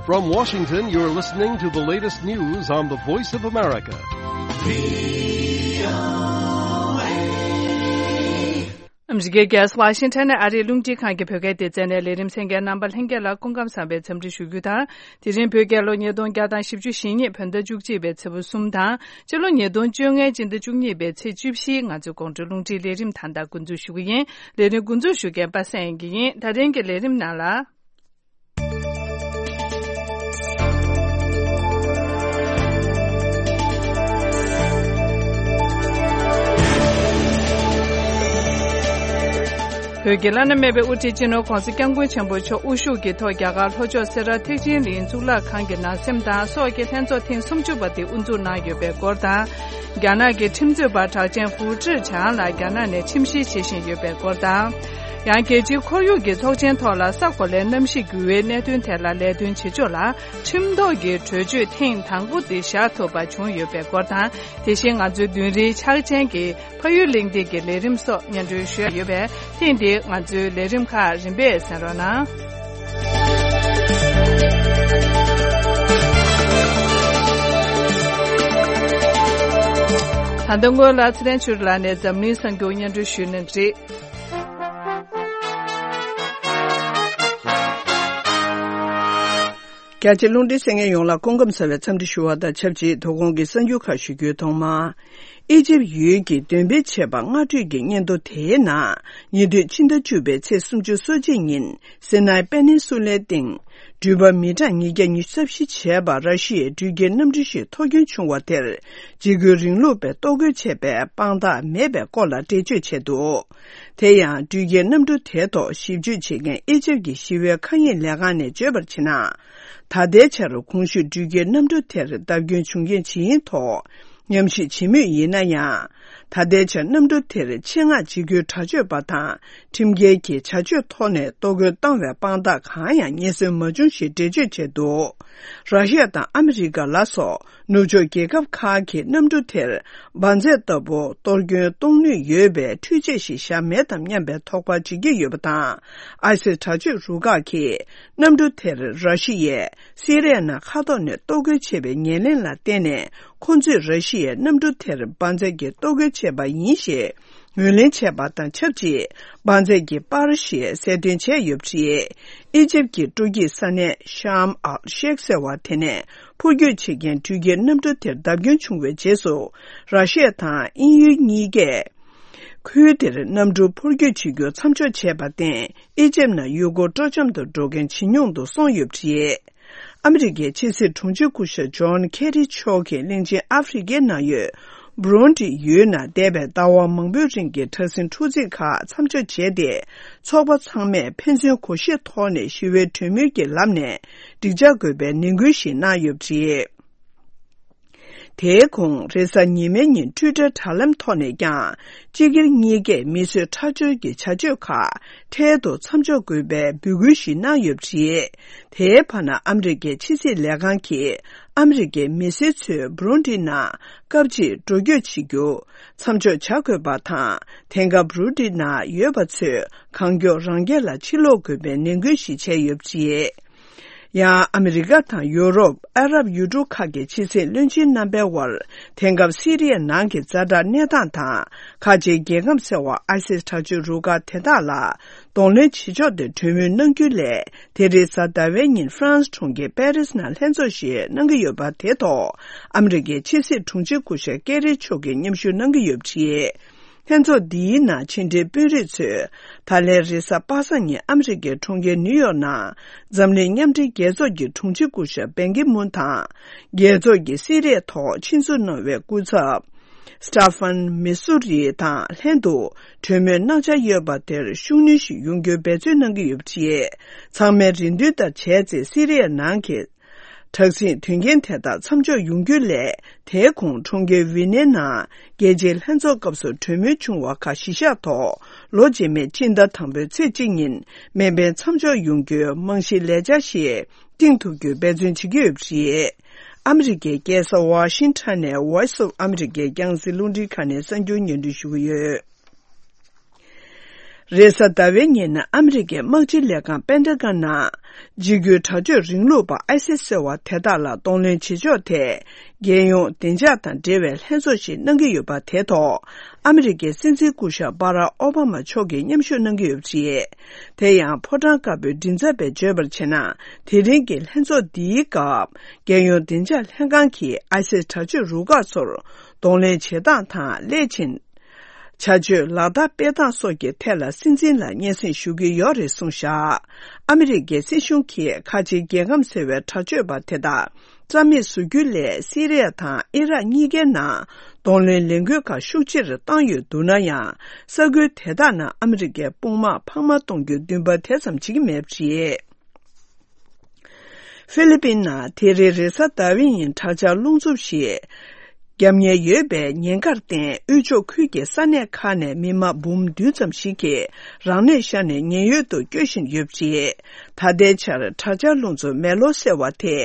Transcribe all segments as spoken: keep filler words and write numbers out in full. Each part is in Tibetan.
From Washington, you're listening to the latest news on the Voice of America. ཨ་མི་རི་ཀའི་རྒྱལ་ས་ཝ་ཤིང་ཊོན་ནས་ཨ་རིའི་རླུང་འཕྲིན་ཁང་གི་བོད་སྐད་སྡེ་ཚན་ནས་ལས་རིམ་གསན་མཁན་རྣམ་པ་ལྷན་རྒྱས་ལ་སྐུ་ཁམས་བཟང་བའི་འཚམས་འདྲི་ཞུ་རྒྱུ་དང་། དེ་རིང་བོད་རྒྱལ་ལོ་ཉིས་སྟོང་བརྒྱ་དང་བཞི་བཅུ་ཞེ་གཉིས་བོད་ཟླ་བཅུ་གཅིག་པའི་ཚེས་པ་གསུམ་དང་། སྤྱི་ལོ་ཉིས་སྟོང་བཅོ་ལྔའི་སྤྱི་ཟླ་བཅུ་གཉིས་པའི་ཚེས་བཅུ་བཞི། ང་ཚོའི་དགོང་དྲོའི་རླུང་འཕྲིན་ལས་རིམ་ད་ལྟ་འགོ་འཛུགས་ཞུ་གི་ཡིན། ལས་རིམ་འགོ་འཛུགས་ཞུ་མཁན་པ་སངས་དབྱངས་སྐྱིད་ཡིན། ད་རིང་གི་ལས་རིམ་ནང་ལ། བོད་ཀྱི་བླ་ན་མེད་པའི་དབུ་ཁྲིད་སྤྱི་ནོར་༧གོང་ས་༧སྐྱབས་མགོན་ཆེན་པོ་མཆོག་དབུ་བཞུགས་ཀྱི་ཐོག་རྒྱ་གར་ལྷོ་ཕྱོགས་སེ་ར་ཐེག་ཆེན་གླིང་གཙུག་ལག་ཁང་གི་ནང་སེམས་དང་སྲོག་གི་ལྷན་ཚོགས་ཐེངས་སུམ་ཅུ་པ་དེ་དབུ་འཛུགས་གནང་ཡོད་པའི་སྐོར་དང་། རྒྱ་ནག་གི་ཁྲིམས་རྩོད་པ་གྲགས་ཅན་ཧྥུ་ཀྲི་ཆང་ལ་རྒྱ་ནག་ནས་ཁྲིམས་བཤེར་བྱེད་བཞིན་ཡོད་པའི་སྐོར་དང་། ཡང་རྒྱལ་སྤྱིའི་ཁོར་ཡུག་གི་ཚོགས་ཆེན་ཐོག་ལ་ས་གོ་ལའི་གནམ་གཤིས་འགྱུར་བའི་གནད་དོན་ཐད་ལ་ལས་དོན་བྱེད་ཕྱོགས་ལ་ཁྲིམས་ཐོག་གི་གྲོས་ཆོད་ཐེངས་དང་པོ་དེ་བཞག་ཐུབ་པ་བྱུང་ཡོད་པའི་སྐོར་དང་། དེ་བཞིན་ང་ཚོའི་མདུན་རིའི་འཆར་ཅན་གྱི་ཕ་ཡུལ་གླེང་སྟེགས་ཀྱི་ལས་རིམ་སོགས་སྙན་སྒྲོན་ཞུ་ཡ་ཡོད་པས། ཐེངས་འདིའི་ང་ཚོའི་ལས་རིམ་ཁག་རིམ་པས་གསན་རོགས་གནང་། ད་ལྟ་སྔོན་ལ་ཚེ་རིང་ཆོས་སྒྲོན་ལགས་ནས་འཛམ་གླིང་གསར་འགྱུར་སྙན་སྒྲོན་ཞུས་གནང་གི་རེད། རྒྱ་ཆེ་རླུང་འཕྲིན་གསན་མཁན་ཡོངས་ལ་སྐུ་ཁམས་བཟང་བའི་འཚམས་འདྲི་ཞུ་བ་དང་ཆབས་ཅིག་དོ་དགོང་གི་གསར་འགྱུར་ཁག་ཞུ་རྒྱུའི་ཐོག་མར། ཨི་ཇིབ་ཡུལ་གྱི་འདོན་སྤེལ་བྱས་པ་སྔ་དྲོས་ཀྱི་སྙན་ཐོ་དེའི་ནང་ཉེ་དུས་ཕྱི་ཟླ་བཅུ་པའི་ཚེས་སོ་གཅིག་ཉིན་སི་ནའི་པེ་ནིན་སུ་ལའི་སྟེང་འགྲུལ་པ་མི་གྲངས་ཉིས་བརྒྱ་ཉི་ཤུ་རྩ་བཞི་བྱས་པ་ར་ཤི་ཡའི་འགྲུལ་སྐྱེལ་གནམ་གྲུ་ཞིག་ཐོ་སྐྱོན་བྱུང་བ་དེར་འཇིགས་སྐུལ་རིང་ལུགས་པས་གཏོར་རྒོལ་བྱས་པའི་དཔང་རྟགས་མེད་པའི་སྐོར་ལ་འགྲེལ་བརྗོད་བྱས་འདུག་དེ་ཡང་འགྲུལ་སྐྱེལ་གནམ་གྲུ་དེའི་ཐོག་ཞིབ་དཔྱོད་བྱེད་མཁན་ཨི་ཇིབ་ཀྱི་ཞི་བའི་མཁའ་དབྱིངས་ལས་ཁང་ནས་བརྗོད་པར་བྱས་ན། ད་ལྟའི་ཆར་གོང་ཞུས་འགྲུལ་སྐྱེལ་གནམ་གྲུ་དེར་བརྡབ་སྐྱོན་བྱུང་རྐྱེན་ཇི་ཡིན་ཐོག་ཉམས་ཞིབ་བྱེད་མུས་ཡིན་ན་ཡང་། ད་ལྟའི་ཆར་གནམ་གྲུ་དེར་ཆེད་མངགས་འཇིགས་སྐུལ་དྲག་སྤྱོད་པ་དང་ཁྲིམས་འགལ་གྱི་བྱ་སྤྱོད་ཐོག་ནས་གཏོར་རྒོལ་བཏང་བའི་དཔང་རྟགས་གང་ཡང་རྙེད་སོན་མ་བྱུང་ཞེས་འགྲེལ་བརྗོད་བྱས་འདུག་ར་ཤི་ཡ་དང་ཨ་མི་རི་ཀ་ལ་སོགས་ནུབ་ཕྱོགས་རྒྱལ་ཁབ་ཁག་གིས་གནམ་གྲུ་དེར་འབར་རྫས་ལྟ་བུ་གཏོར་སྐྱོན་གཏོང་ནུས་ཡོད་པའི་འཕྲུལ་ཆས་ཤིག་བཞག་མེད་དམ་སྙམ་པའི་དོགས་པ་བྱེད་ཀྱི་ཡོད་པ་དང་། ཨའི་སིས་དྲག་སྤྱོད་རུ་ཁག་གིས་གནམ་གྲུ་དེར་ར་ཤི་ཡས་སི་རི་ཡའི་ནང་མཁའ་ཐོག་ནས་གཏོར་རྒོལ་བྱས་པའི་ཉེར་ལེན་ལ་བརྟེན་ནས། ཁོ་ཚོས་ར་ཤི་ཡའི་གནམ་གྲུ་དེར་འབར་རྫས་ཀྱི་གཏོར་རྒོལ་བྱས་པ་ཡིན་ཞེས་ངོས་ལེན་བྱས་པ་དང་ཆབས་ཅིག་འབར་རྫས་ཀྱི་པར་ཞེས་གསལ་སྟོན་བྱས་ཡོད་པ་རེད། ཨི་ཇིབ་ཀྱི་སྤྲོ་སྐྱིད་ས་གནས་ཤམ་ཨལ་ཤེག་ཟེར་བ་དེ་ནས་འཕུར་སྐྱོད་བྱེད་མཁན་འགྲུལ་སྐྱེལ་གནམ་གྲུ་དེར་བརྡབ་སྐྱོན་བྱུང་བའི་རྗེས་སུ། ར་ཤི་ཡ་དང་དབྱིན་ཡུལ་གཉིས་ཀས་ཁུལ་དེར་གནམ་གྲུ་འཕུར་སྐྱོད་བྱེད་རྒྱུ་མཚམས་འཇོག་བྱས་པར་བརྟེན། ཨི་ཇིབ་ནང་ཡུལ་སྐོར་སྤྲོ་འཆམ་དུ་འགྲོ་མཁན་ཇེ་ཉུང་དུ་སོང་ཡོད་པ་རེད། ཨ་མི་རི་ཀའི་ཕྱི་སྲིད་དྲུང་ཆེ་སྐུ་ཞབས་ཇོན་ཁེ་རི་མཆོག་གིས་གླིང་ཆེན་ཨ་ཧྥེ་རི་ཁའི་ནང་ཡོད་བྷུ་རུན་ཌི་ཡུལ་ནང་འདས་པའི་ཟླ་བ་མང་པོའི་རིང་གི་དྲག་ཟིང་འཁྲུག་འཛིང་ཁག་མཚམས་འཇོག་བྱས་ཏེ། ཚོགས་པ་ཚང་མས་ཕན་ཚུན་གོ་ཤེས་ཐོག་ནས་ཞི་བའི་གྲོས་མོལ་གྱི་ལམ་ནས་འགྲིག་འཇགས་དགོས་པའི་ནན་སྐུལ་ཞིག་གནང་ཡོད་པ་རེད། དེའི་གོང་རེས་གཟའ་ཉི་མའི་ཉིན་ཊུའི་ཊར་དྲ་ལམ་ཐོག་ནས་ཀྱང་སྤྱི་སྒེར་གཉིས་ཀས་མི་གསོད་ཁྲག་སྦྱོར་གྱི་བྱ་སྤྱོད་ཁག་འཕྲལ་དུ་མཚམས་འཇོག་དགོས་པའི་འབོད་སྐུལ་ཞིག་གནང་ཡོད་པ་རེད། དེའི་བར་ན་ཨ་མི་རི་ཀའི་ཕྱི་སྲིད་ལས་ཁང་གིས་ཨ་མི་རི་ཀའི་མི་སེར་ཚོས་བྷུ་རུན་ཌི་ནང་སྐབས་གཅིག་འགྲོ་སྐྱོད་བྱེད་རྒྱུ་མཚམས་འཇོག་བྱ་དགོས་པ་དང་། དེང་སྐབས་བྷུ་རུན་ཌི་ནང་ཡོད་པ་ཚོས་གང་མགྱོགས་རང་རྒྱལ་ལ་ཕྱིར་ལོག་དགོས་པའི་ནན་སྐུལ་ཞིག་བྱས་ཡོད་པ་རེད། ཡང་ཨ་མི་རི་ཀ་དང་ཡུ་རོབ། ཨ་རབ་ཡུལ་གྲུ་ཁག་གི་ཕྱི་སྲིད་བློན་ཆེན་རྣམ་པའི་དབར་དེང་སྐབས་སི་རི་ཡའི་ནང་གི་ཛ་དྲག་གནས་སྟངས་དང་། ཁ་ཆེའི་རྒྱལ་ཁམས་ཟེར་བ་ཨའི་སིས་དྲག་སྤྱོད་རུ་ཁག་དེ་དག་ལ་གདོང་ལེན་བྱེད་ཕྱོགས་ཐད་གྲོས་མོལ་གནང་རྒྱུའི་སླད། དེ་རིང་གཟའ་ཟླ་བའི་ཉིན་ཧྥ་རན་སི་གྲོང་ཁྱེར་པེ་རིས་ནང་ལྷན་ཚོགས་ཤིག་གནང་གི་ཡོད་པ་དེ་ཐོག་ཨ་མི་རི་ཀའི་ཕྱི་སྲིད་དྲུང་ཆེ་སྐུ་ཞབས་ཀེ་རི་མཆོག་གིས་མཉམ་ཞུགས་གནང་གི་ཡོད་པ་རེད། ལྷན་ཚོགས་འདིའི་ནང་ཕྱི་འབྲེལ་དཔོན་རིགས་ཚོས་ད་ལན་རེས་གཟའ་པ་སངས་ཉིན་ཨ་མི་རི་ཀའི་གྲོང་ཁྱེར་ནིའུ་ཡོག་ནང་འཛམ་གླིང་མཉམ་འབྲེལ་རྒྱལ་ཚོགས་ཀྱི་དྲུང་ཆེ་སྐུ་ཞབས་བན་ཀི་མུན་དང་། རྒྱལ་ཚོགས་ཀྱི་སི་རི་ཡ་ཐོག་ཆིབས་བསྒྱུར་གནང་བའི་སྐུ་ཚབ་སི་ཏཱ་ཧྥན་མི་སུ་རི་དང་ལྷན་དུ་གྲོས་མོལ་གནང་འཆར་ཡོད་པ་དེར་ཤུགས་སྣོན་ཞིག་ཡོང་རྒྱུའི་འབད་བརྩོན་གནང་གི་ཡོད་པ་རེད། ཚང་མས་རེ་འདུན་ལྟར་བྱས་ཚེ་སི་རི་ཡ་ནང་གི་དྲག་ཟིང་དོན་རྐྱེན་དེ་དག་མཚམས་འཇོག་ཡོང་རྒྱུའི་སླད། དེའི་གོང་གྲོང་ཁྱེར་ཝི་ནའི་ནང་རྒྱལ་སྤྱིའི་ལྷན་ཚོགས་སྐབས་སུ་གྲོས་མོལ་བྱུང་བ་ཁག་གཞི་བཞག་ཐོག་ལོ་རྗེས་མའི་སྤྱི་ཟླ་དང་པོའི་ཚེས་གཅིག་ཉིན་མེ་འཕེན་མཚམས་འཇོག་ཡོང་རྒྱུའི་རྨང་གཞིའི་ལས་འཆར་ཞིག་བཏིང་ཐུབ་རྒྱུའི་འབད་བརྩོན་བྱེད་ཀྱི་ཡོད་པ་རེད། ཨ་མི་རི་ཀའི་རྒྱལ་ས་ཝ་ཤིང་ཊོན་ནས་Voice of America་རྒྱང་སྲིང་རླུང་འཕྲིན་ཁང་ནས་གསར་འགྱུར་སྙན་སྒྲོན་ཞུ་གི་ཡོད། རེས་གཟའ་ཟླ་བའི་ཉིན་ཨ་མི་རི་ཀའི་དམག་སྤྱི་ལས་ཁང་པེན་ཏ་གོན་ནང་། འཇིགས་སྐུལ་དྲག་སྤྱོད་རིང་ལུགས་པ་ཨའི་སིས་ཟེར་བ་དེ་དག་ལ་གདོང་ལེན་བྱེད་ཕྱོགས་ཐད། རྒྱལ་ཡོངས་བདེ་འཇགས་དང་འབྲེལ་བའི་ལྷན་ཚོགས་ཤིག་གནང་གི་ཡོད་པ་དེ་ཐོག་ཨ་མི་རི་ཀའི་སྲིད་འཛིན་སྐུ་ཞབས་བྷ་རག་ཨོ་བྷ་མ་མཆོག་གིས་མཉམ་ཞུགས་གནང་གི་ཡོད་པ་རེད། དེ་ཡང་ཕོ་བྲང་དཀར་པོའི་མགྲིན་ཚབ་པས་བརྗོད་པར་བྱས་ན། དེ་རིང་གི་ལྷན་ཚོགས་འདིའི་སྐབས། རྒྱལ་ཡོངས་བདེ་འཇགས་ལྷན་ཁང་གིས་ཨའི་སིས་དྲག་སྤྱོད་རུ་ཁག་ཚོར་གདོང་ལེན་བྱེད་སྟངས་དང་སླད་ཕྱིན། བྱ་སྤྱོད་ལག་བསྟར་སྤེལ་སྟངས་སོགས་ཀྱི་ཐད་ལ་སྲིད་འཛིན་ལ་སྙན་སེང་ཞུ་གི་ཡོད་རེད་གསུངས་བཞག་ཨ་མི་རི་ཀའི་སྲིད་གཞུང་གིས་ཁ་ཆེའི་རྒྱལ་ཁམས་ཟེར་བའི་དྲག་སྤྱོད་པ་དེ་དག་རྩ་མེད་བཟོ་རྒྱུའི་སླད་སི་རི་ཡ་དང་ཨི་རག་གཉིས་ཀའི་ནང་གདོང་ལེན་ལས་འགུལ་ཁག་ཤུགས་ཆེར་བཏང་ཡོད་འདུག་ན་ཡང་། ས་ཁུལ་དེ་དག་ནང་ཨ་མི་རི་ཀའི་དཔུང་དམག་འཕར་མ་གཏོང་རྒྱུའི་འདུན་པ་དེ་ཙམ་བྱེད་ཀྱི་མེད་པ་རེད། ཧྥི་ལི་པིན་ནང་དེ་རིང་རེས་གཟའ་ཟླ་བའི་ཉིན་དྲག་ཆར་རླུང་འཚུབ་ཞིག་བརྒྱབ་ཉེན་ཡོད་པའི་ཉེན་ཁར་བརྟེན། དབུས་ཕྱོགས་ཁུལ་གྱི་ས་གནས་ཁག་ནས་མི་མང་འབུམ་བདུན་ཙམ་ཞིག་གིས་རང་གནས་ཤར་ནས་ཉེན་གཡོལ་དུ་བསྐྱོད་བཞིན་ཡོད་པ་རེད། ད་ལྟའི་ཆར་དྲག་ཆར་རླུང་འཚུབ་མེ་ལོ་ཟེར་བ་དེ་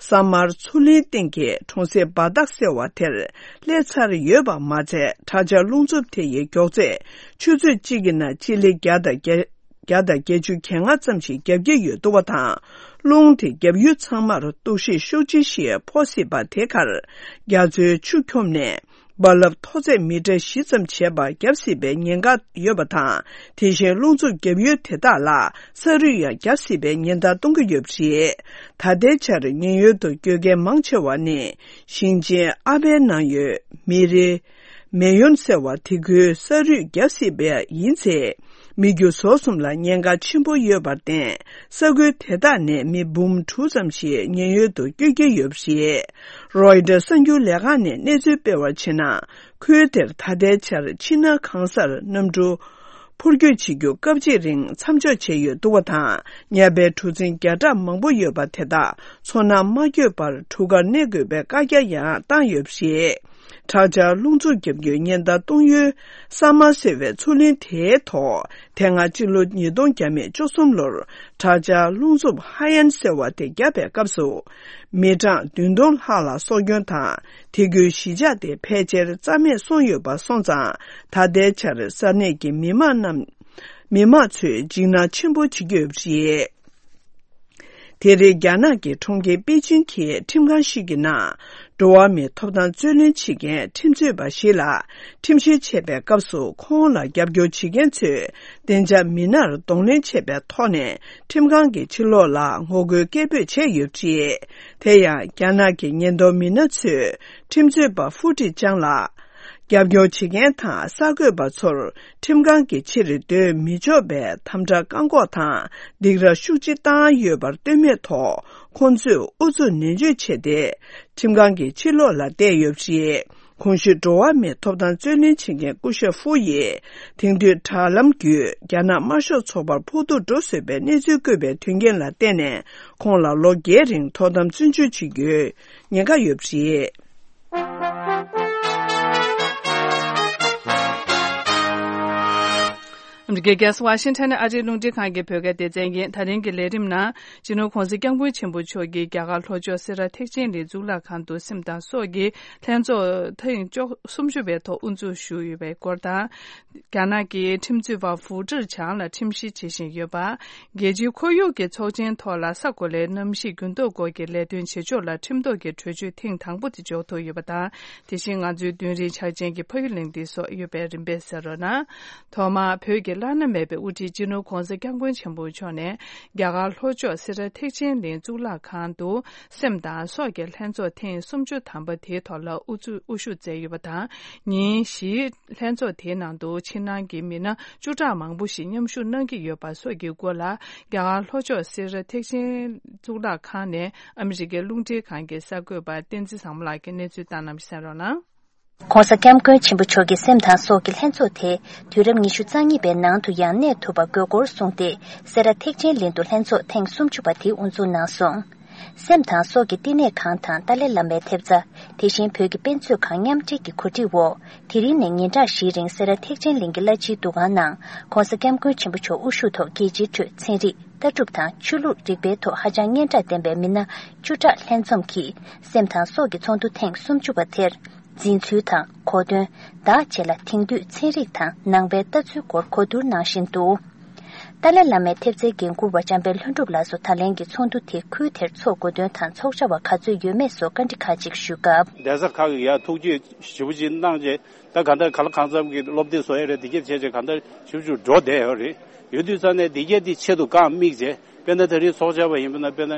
ས་དམར་མཚོ་གླིང་སྟེང་གི་གྲོང་གསེབ་སྦ་ཏག་ཟེར་བ་དེར་སླེབས་ཚར་ཡོད་པ་མ་ཚད། དྲག་ཆར་རླུང་འཚུབ་དེ་ཡི་མགྱོགས་ཚད་ཆུ་ཚོད་གཅིག་གི་ནང་སྤྱི་ལེ་བརྒྱ་དང་བརྒྱད། བརྒྱ་དང་བརྒྱད་ཅུ་གྱ་ལྔ་ཙམ་ཞིག་བརྒྱབ་ཀྱི་ཡོད་འདུག་པ་དང་། རླུང་དེ་བརྒྱབ་ཡུལ་ཚང་མར་གཏུག་བཤེར་ཤུགས་ཆེ་ཞིག་ཕོག་སྲིད་པ་དེ་ཁར། རྒྱ་མཚོའི་ཆུ་འཁྱོམས་ནས་རྦ་རླབས་མཐོ་ཚད་མི་ཊར་བཞི་ཙམ་བྱས་པ་བརྒྱབ་སྲིད་པའི་ཉེན་ཁ་ཡོད་པ་དང་། དེ་བཞིན་རླུང་འཚུབ་བརྒྱབ་ཡུལ་དེ་དག་ལ་ས་རུད་ཡང་བརྒྱབ་སྲིད་པའི་ཉེན་བརྡ་གཏོང་གི་ཡོད་པ་རེད། ད་ལྟའི་ཆར་ཉེན་གཡོལ་དུ་བསྐྱོད་མཁན་མང་ཆེ་བ་ནི་ཞིང་ཆེན་ཨ་པའི་ནང་ཡོད་མི་རེ། མེ་ཡོན་ཟེར་བ་དེ་ཁུལ་ས་རུད་བརྒྱབ་སྲིད་པ་ཡིན་ཚེ། མི་རྒྱུ་ཟོག་གསུམ་ལ་ཉེན་ཁ་ཆེན་པོ་ཡོད་པར་བརྟེན། ས་ཁུལ་དེ་དག་ནས་མི་འབུམ་དྲུག་ཙམ་ཞིག་ཉེན་གཡོལ་དུ་བསྐྱོད་ཀྱི་ཡོད་པ་རེད། རོའི་ཊར་གསར་འགྱུར་ལས་ཁང་ནས་གནས་ཚུལ་སྤེལ་བར་བྱས་ན། ཁུལ་དེར་ད་ལྟའི་ཆར་ཕྱི་ནང་གང་སར་གནམ་གྲུ་འཕུར་སྐྱོད་བྱེད་རྒྱུ་སྐབས་གཅིག་རིང་མཚམས་འཇོག་བྱས་ཡོད་འདུག་པ་དང་། ཉ་པའི་གྲུ་གཟིངས་བརྒྱ་ཕྲག་མང་པོ་ཡོད་པ་དེ་དག་མཚོ་ནང་མ་བསྐྱོད་པར་གྲུ་ཁར་གནས་དགོས་པའི་བཀའ་རྒྱ་ཡང་བཏང་ཡོད་པ་རེད། དྲག་ཆར་རླུང་འཚུབ་བརྒྱབ་རྒྱུའི་ཉེན་བརྡ་གཏོང་ཡུལ་ས་དམར་ཟེར་བའི་མཚོ་གླིང་དེའི་ཐོག་དེ་སྔ་སྤྱི་ལོ་ཉིས་སྟོང་བརྒྱ་མེད་བཅུ་གསུམ་ལོར་དྲག་ཆར་རླུང་འཚུབ་ཧ་ཡན་ཟེར་བ་དེ་བརྒྱབ་པའི་སྐབས་སུ། མི་གྲངས་བདུན་སྟོང་ལྷག་ལ་སྲོག་སྐྱོན་དང་། དེ་ཁུལ་གཞིས་ཆགས་དེ་ཕལ་ཆེར་རྩ་མེད་སོང་ཡོད་པ་སོང་ཙང་། ད་ལྟའི་ཆར་ས་གནས་ཀྱི་མི་མང་རྣམས། མི་མང་ཚོས་འཇིགས་སྣང་ཆེན་པོ་བྱེད་ཀྱི་ཡོད་པ་རེད། དེ་རིང་རྒྱ་ནག་གི་གྲོང་ཁྱེར་པེ་ཅིང་གི་ཁྲིམས་ཁང་ཞིག་གི་ནང་། འགྲོ་བ་མིའི་ཐོབ་ཐང་རྩོད་ལེན་བྱེད་མཁན་ཁྲིམས་རྩོད་པ་ཞིག་ལ་ཁྲིམས་བཤེར་བྱེད་པའི་སྐབས་སུ། ཁོང་ལ་རྒྱབ་སྐྱོར་བྱེད་མཁན་ཚོས་བདེ་འཇགས་མི་སྣར་གདོང་ལེན་བྱས་པའི་ཐོག་ནས་ཁྲིམས་ཁང་གི་ཕྱི་ལོགས་ལ་ངོ་རྒོལ་སྐད་འབོད་བྱས་ཡོད་པ་རེད། དེ་ཡང་རྒྱ་ནག་གི་ཉེན་རྟོག་མི་སྣ་ཚོས་ཁྲིམས་རྩོད་པ་ཧྥུ་ཀྲི་ཅང་ལ། རྒྱབ་སྐྱོར་བྱེད་མཁན་དང་གསར་འགོད་པ་ཚོར་ཁྲིམས་ཁང་གི་ཕྱིར་སྡོད་མི་ཆོག་པའི་དམ་དྲག་བཀག་འགོག་དང་སྡིགས་ར་ཤུགས་ཆེ་བཏང་ཡོད་པར་ལྟོས་མེད་ཐོག་ཁོང་ཚོས་ཨུ་ཚུགས་ནན་བརྗོད་བྱས་ཏེ། ཁྲིམས་ཁང་གི་ཕྱི་ལོགས་ལ་བསྡད་ཡོད་པ་རེད། གོང་ཞུས་འགྲོ་བ་མིའི་ཐོབ་ཐང་རྩོད་ལེན་བྱེད་མཁན་སྐུ་ཞབས་ཧྥུ་ཡིས། དེང་དུས་དྲ་ལམ་བརྒྱུད་རྒྱ་ནག་དམར་ཤོག་ཚོགས་པར་ཕོག་ཐུག་འགྲོ་བཟོས་པའི་གནས་ཚུལ་བཀོད་པའི་དོན་རྐྱེན་ལ་བརྟེན་ནས། ཁོང་ལ་ལོ་བརྒྱད་རིང་ཐོག་དམ་བཙོན་འཇུག་བྱེད་རྒྱུའི་ཉེན་ཁ་ཡོད་པ་རེད། ཨ་མི་རི་ཀའི་རྒྱལ་ས་ཝ་ཤིང་ཊོན་ནས་ཨ་རིའི་རླུང་འཕྲིན་ཁང་གི་བོད་སྐད་སྡེ་ཚན་ཡིན། ད་རིང་གི་ལས་རིམ་ནང་། སྤྱི་ནོར་༧གོང་ས་༧སྐྱབས་མགོན་ཆེན་པོ་མཆོག་གིས་རྒྱ་གར་ལྷོ་ཕྱོགས་སེ་ར་ཐེག་ཆེན་གླིང་གཙུག་ལག་ཁང་དུ་སེམས་དང་སྲོག་གི་ལྷན་ཚོགས་ཐེངས་བཅུ་སུམ་ཅུ་པའི་ཐོག་དབུ་འཛུགས་ཞུས་ཡོད་པའི་སྐོར་དང་། རྒྱ་ནག་གི་ཁྲིམས་རྩོད་པ་ཧྥུ་ཀྲི་ཅང་ལ་ཁྲིམས་བཤེར་བྱེད་བཞིན་ཡོད་པ། རྒྱལ་སྤྱིའི་ཁོར་ཡུག་གི་ཚོགས་ཆེན་ཐོག་ལ་ས་གོ་ལའི་གནམ་གཤིས་འགྱུར་ལྡོག་སྐོར་གྱི་ལས་དོན་བྱེད་ཕྱོགས་ལ་ཁྲིམས་ཐོག་གི་གྲོས་ཆོད་ཐེངས་དང་པོ་དེ་འཇོག་ཐུབ་ཡོད་པ་དང་། དེ་བཞིན་ང་ཚོའི་མདུན་རིའི་འཆར་ཅན་གྱི་ཕ་ཡུལ་གླིང་འདི་སོགས་ཡོད་པའི་རིམ་པས་གསན་རོགས་གནང་། ཐོག་མར་བོད་ཀྱི་བླ་ན་མེད་པའི་དབུ་ཁྲིད་སྤྱི་ནོར་༧གོང་ས་༧སྐྱབས་མགོན་ཆེན་པོ་མཆོག་ནས་རྒྱ་གར་ལྷོ་ཕྱོགས་སེ་ར་ཐེག་ཆེན་གླིང་གཙུག་ལག་ཁང་དུ་སེམས་དང་སྲོག་གི་ལྷན་ཚོགས་ཐེངས་སུམ་ཅུ་ཐམ་པ་དེའི་ཐོག་ལ་དབུ་འཛུགས་དབུ་བཞུགས་མཛད་ཡོད་པ་དང་། ཉིན་བཞིའི་ལྷན་ཚོགས་དེའི་ནང་དུ་ཕྱི་ནང་གི་མི་སྣ་བཅུ་ཕྲག་མང་པོ་ཞིག་མཉམ་ཞུགས་གནང་གི་ཡོད་པ་སོགས་ཀྱི་སྐོར་ལ། རྒྱ་གར་ལྷོ་ཕྱོགས་སེ་ར་ཐེག་ཆེན་གཙུག་ལག་ཁང་ནས་ཨ་མི་རི་ཀའི་རླུང་འཕྲིན་ཁང་གི་གསར་འགོད་པ་བསྟན་འཛིན་བཟང་མོ་ལགས་ཀྱིས་གནས་ཚུལ་བཏང་གནང་བ་གསན་རོགས་གནང་། ྋགོང་ས་ྋསྐྱབས་མགོན་ཆེན་པོ་མཆོག་གི་སེམས་དང་སྲོག་གི་ལྷན་ཚོགས་དེ་དུས་རབས་ཉི་ཤུ་རྩ་གཉིས་པའི་ནང་དུ་ཡང་གནས་ཐུབ་པ་དགོས་སྐོར་གསུངས་ཏེ། སེ་ར་ཐེག་ཆེན་གླིང་དུ་ལྷན་ཚོགས་ཐེངས་སུམ་ཅུ་པ་དེ་དབུ་འཛུགས་གནང་སོང་། སེམས་དང་སྲོག་གི་བསྟི་གནས་ཁང་དང་ཏཱ་ལའི་བླ་མའི་ཐེབས་རྩ། དེ་བཞིན་བོད་ཀྱི་དཔེ་མཛོད་ཁང་མཉམ་འབྲེལ་གྱི་གོ་སྒྲིག་འོག་དེ་རིང་ནས་ཉིན་གྲངས་བཞིའི་རིང་སེ་ར་ཐེག་ཆེན་གླིང་གི་བླ་སྤྱིའི་འདུ་ཁང་ནང་ྋགོང་ས་ྋསྐྱབས་མགོན་ཆེན་པོ་མཆོག་དབུ་བཞུགས་ཐོག་རྒྱལ་སྤྱིའི་ཁྲོད་ཚན་རིག་ལྟ་གྲུབ་དང་ཆོས་ལུགས་རིག་པའི་ཐོག་ཧ་ཅང་སྙན་གྲགས་ལྡན་པའི་མི་སྣ་བཅུ་ཕྲག་ལྷན་འཛོམས་ཀྱིས་སེམས་དང་སྲོག་གི་ཚོགས་འདུ་ཐེངས་སུམ་ཅུ་པ་དེར། འཛིན་ཚུལ་དང་གོ་དོན། བདག་བཅས་ལ་དེང་དུས་ཚན་རིག་དང་ནང་པའི་ལྟ་ཚུལ་སྐོར་གོ་བསྡུར་གནང་བཞིན་འདུག་ཏཱ་ལའི་བླ་མའི་ཐེབས་རྩའི་འགན་འཁུར་བ་འཇམ་དཔལ་ལྷུན་གྲུབ་ལགས་སུ་ད་ལན་གྱི་ཚོགས་འདུ་དེ་ཁུལ་དེར་འཚོགས་དགོས་དོན་དང་ཚོགས་བཅར་བ་ག་ཚོད་ཡོད་མེད་སོགས་བཀའ་འདྲི་ཁག་ཅིག་ཞུས་སྐབས། གདན་ས་ཁག་གི་ཡ་ཐུགས་རྗེ་ཞེ་པོ་ཅིག་གནང་རྗེས་ད་ག་འདྲ་ག་ལ་གང་འཚམ་གྱི་སློབ་སྡེ་བཟོ་ཡ་རེད། དེ་གྱད་བྱས་རྗེས་ག་འདྲ་ཞིབ་འཇུག་འགྲོ་བསྡད་ཡོད་རེད། ཡོད་དུས་ཙང་ནས་དེ་གྱད་དེ་ཆེད་དུ་རྐང་དམིགས་རྗེས་དཔེར་ན་ད་རེས་ཚོགས་བཅར་བ་ཡིན་པ་ན་དཔེར་ན།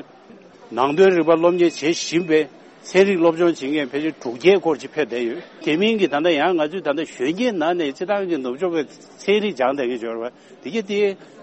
ནང་དོན་རིག་པ་སློབ་གཉེར་བྱེད་བཞིན་པའི་ཚན་རིག་སློབ་སྦྱོང་བྱེད་མཁན་ཕལ་ཆེར་དྲུག་བརྒྱའི་སྐོར་ཅིག་ཕེབས་བསྡད་ཡོད། དེ་མིན་གྱི་ད་ལྟ་ཡང་ང་ཚོས་ད་ལྟ་གཞོན་སྐྱེས་ནང་ནས་སྤྱི་བཏང་གི་ནུབ་ཕྱོགས་པའི་ཚན་རིག་སྦྱངས་བསྡད་མཁན་ཡོད་རེད་བ། དེ་གྱད་དེ་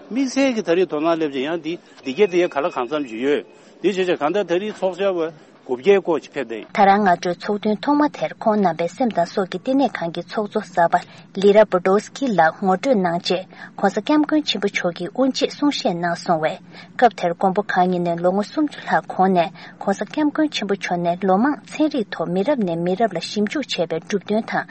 དམིགས་བསལ་གྱི་ད་རེས་དོ་སྣང་སླེབས་ཀྱི་ཡང་དེ་དེ་གྱད་དེ་ག་ལ་གང་འཚམ་ཅིག་ཡོད། དེ་བྱས་ཙང་གང་ལྟར་ད་རེས་ཚོགས་བཅར་བ་དགུ་བརྒྱའི་སྐོར་ཅིག་ཕེབས་བསྡད་ཡོད། ད་རང་སྔ་དྲོའི་ཚོགས་ཐུན་ཐོག་མ་དེར་ཁོང་རྣམ་པའི་སེམས་དང་སྲོག་གི་བསྟི་གནས་ཁང་གི་ཚོགས་གཙོ་གསར་པ་ལི་ར་བྷོ་ཏོ་སི་ཀི་ལགས་ངོ་སྤྲོད་གནང་རྗེས། ྋགོང་ས་ྋསྐྱབས་མགོན་ཆེན་པོ་མཆོག་གིས་དབུ་འབྱེད་གསུང་བཤད་གནང་སོང་བས། སྐབས་དེར་མགོན་པོ་གང་ཉིད་ནས་ལོ་ངོ་སུམ་ཅུ་ལྷག་གོང་ནས་ྋགོང་ས་ྋསྐྱབས་མགོན་ཆེན་པོ་མཆོག་ནས་ལོ་མང་ཚན་རིག་ཐོག་མི་རབས་ནས་མི་རབས་ལ་ཞིབ་འཇུག་བྱས་པའི་གྲུབ་དོན་དང་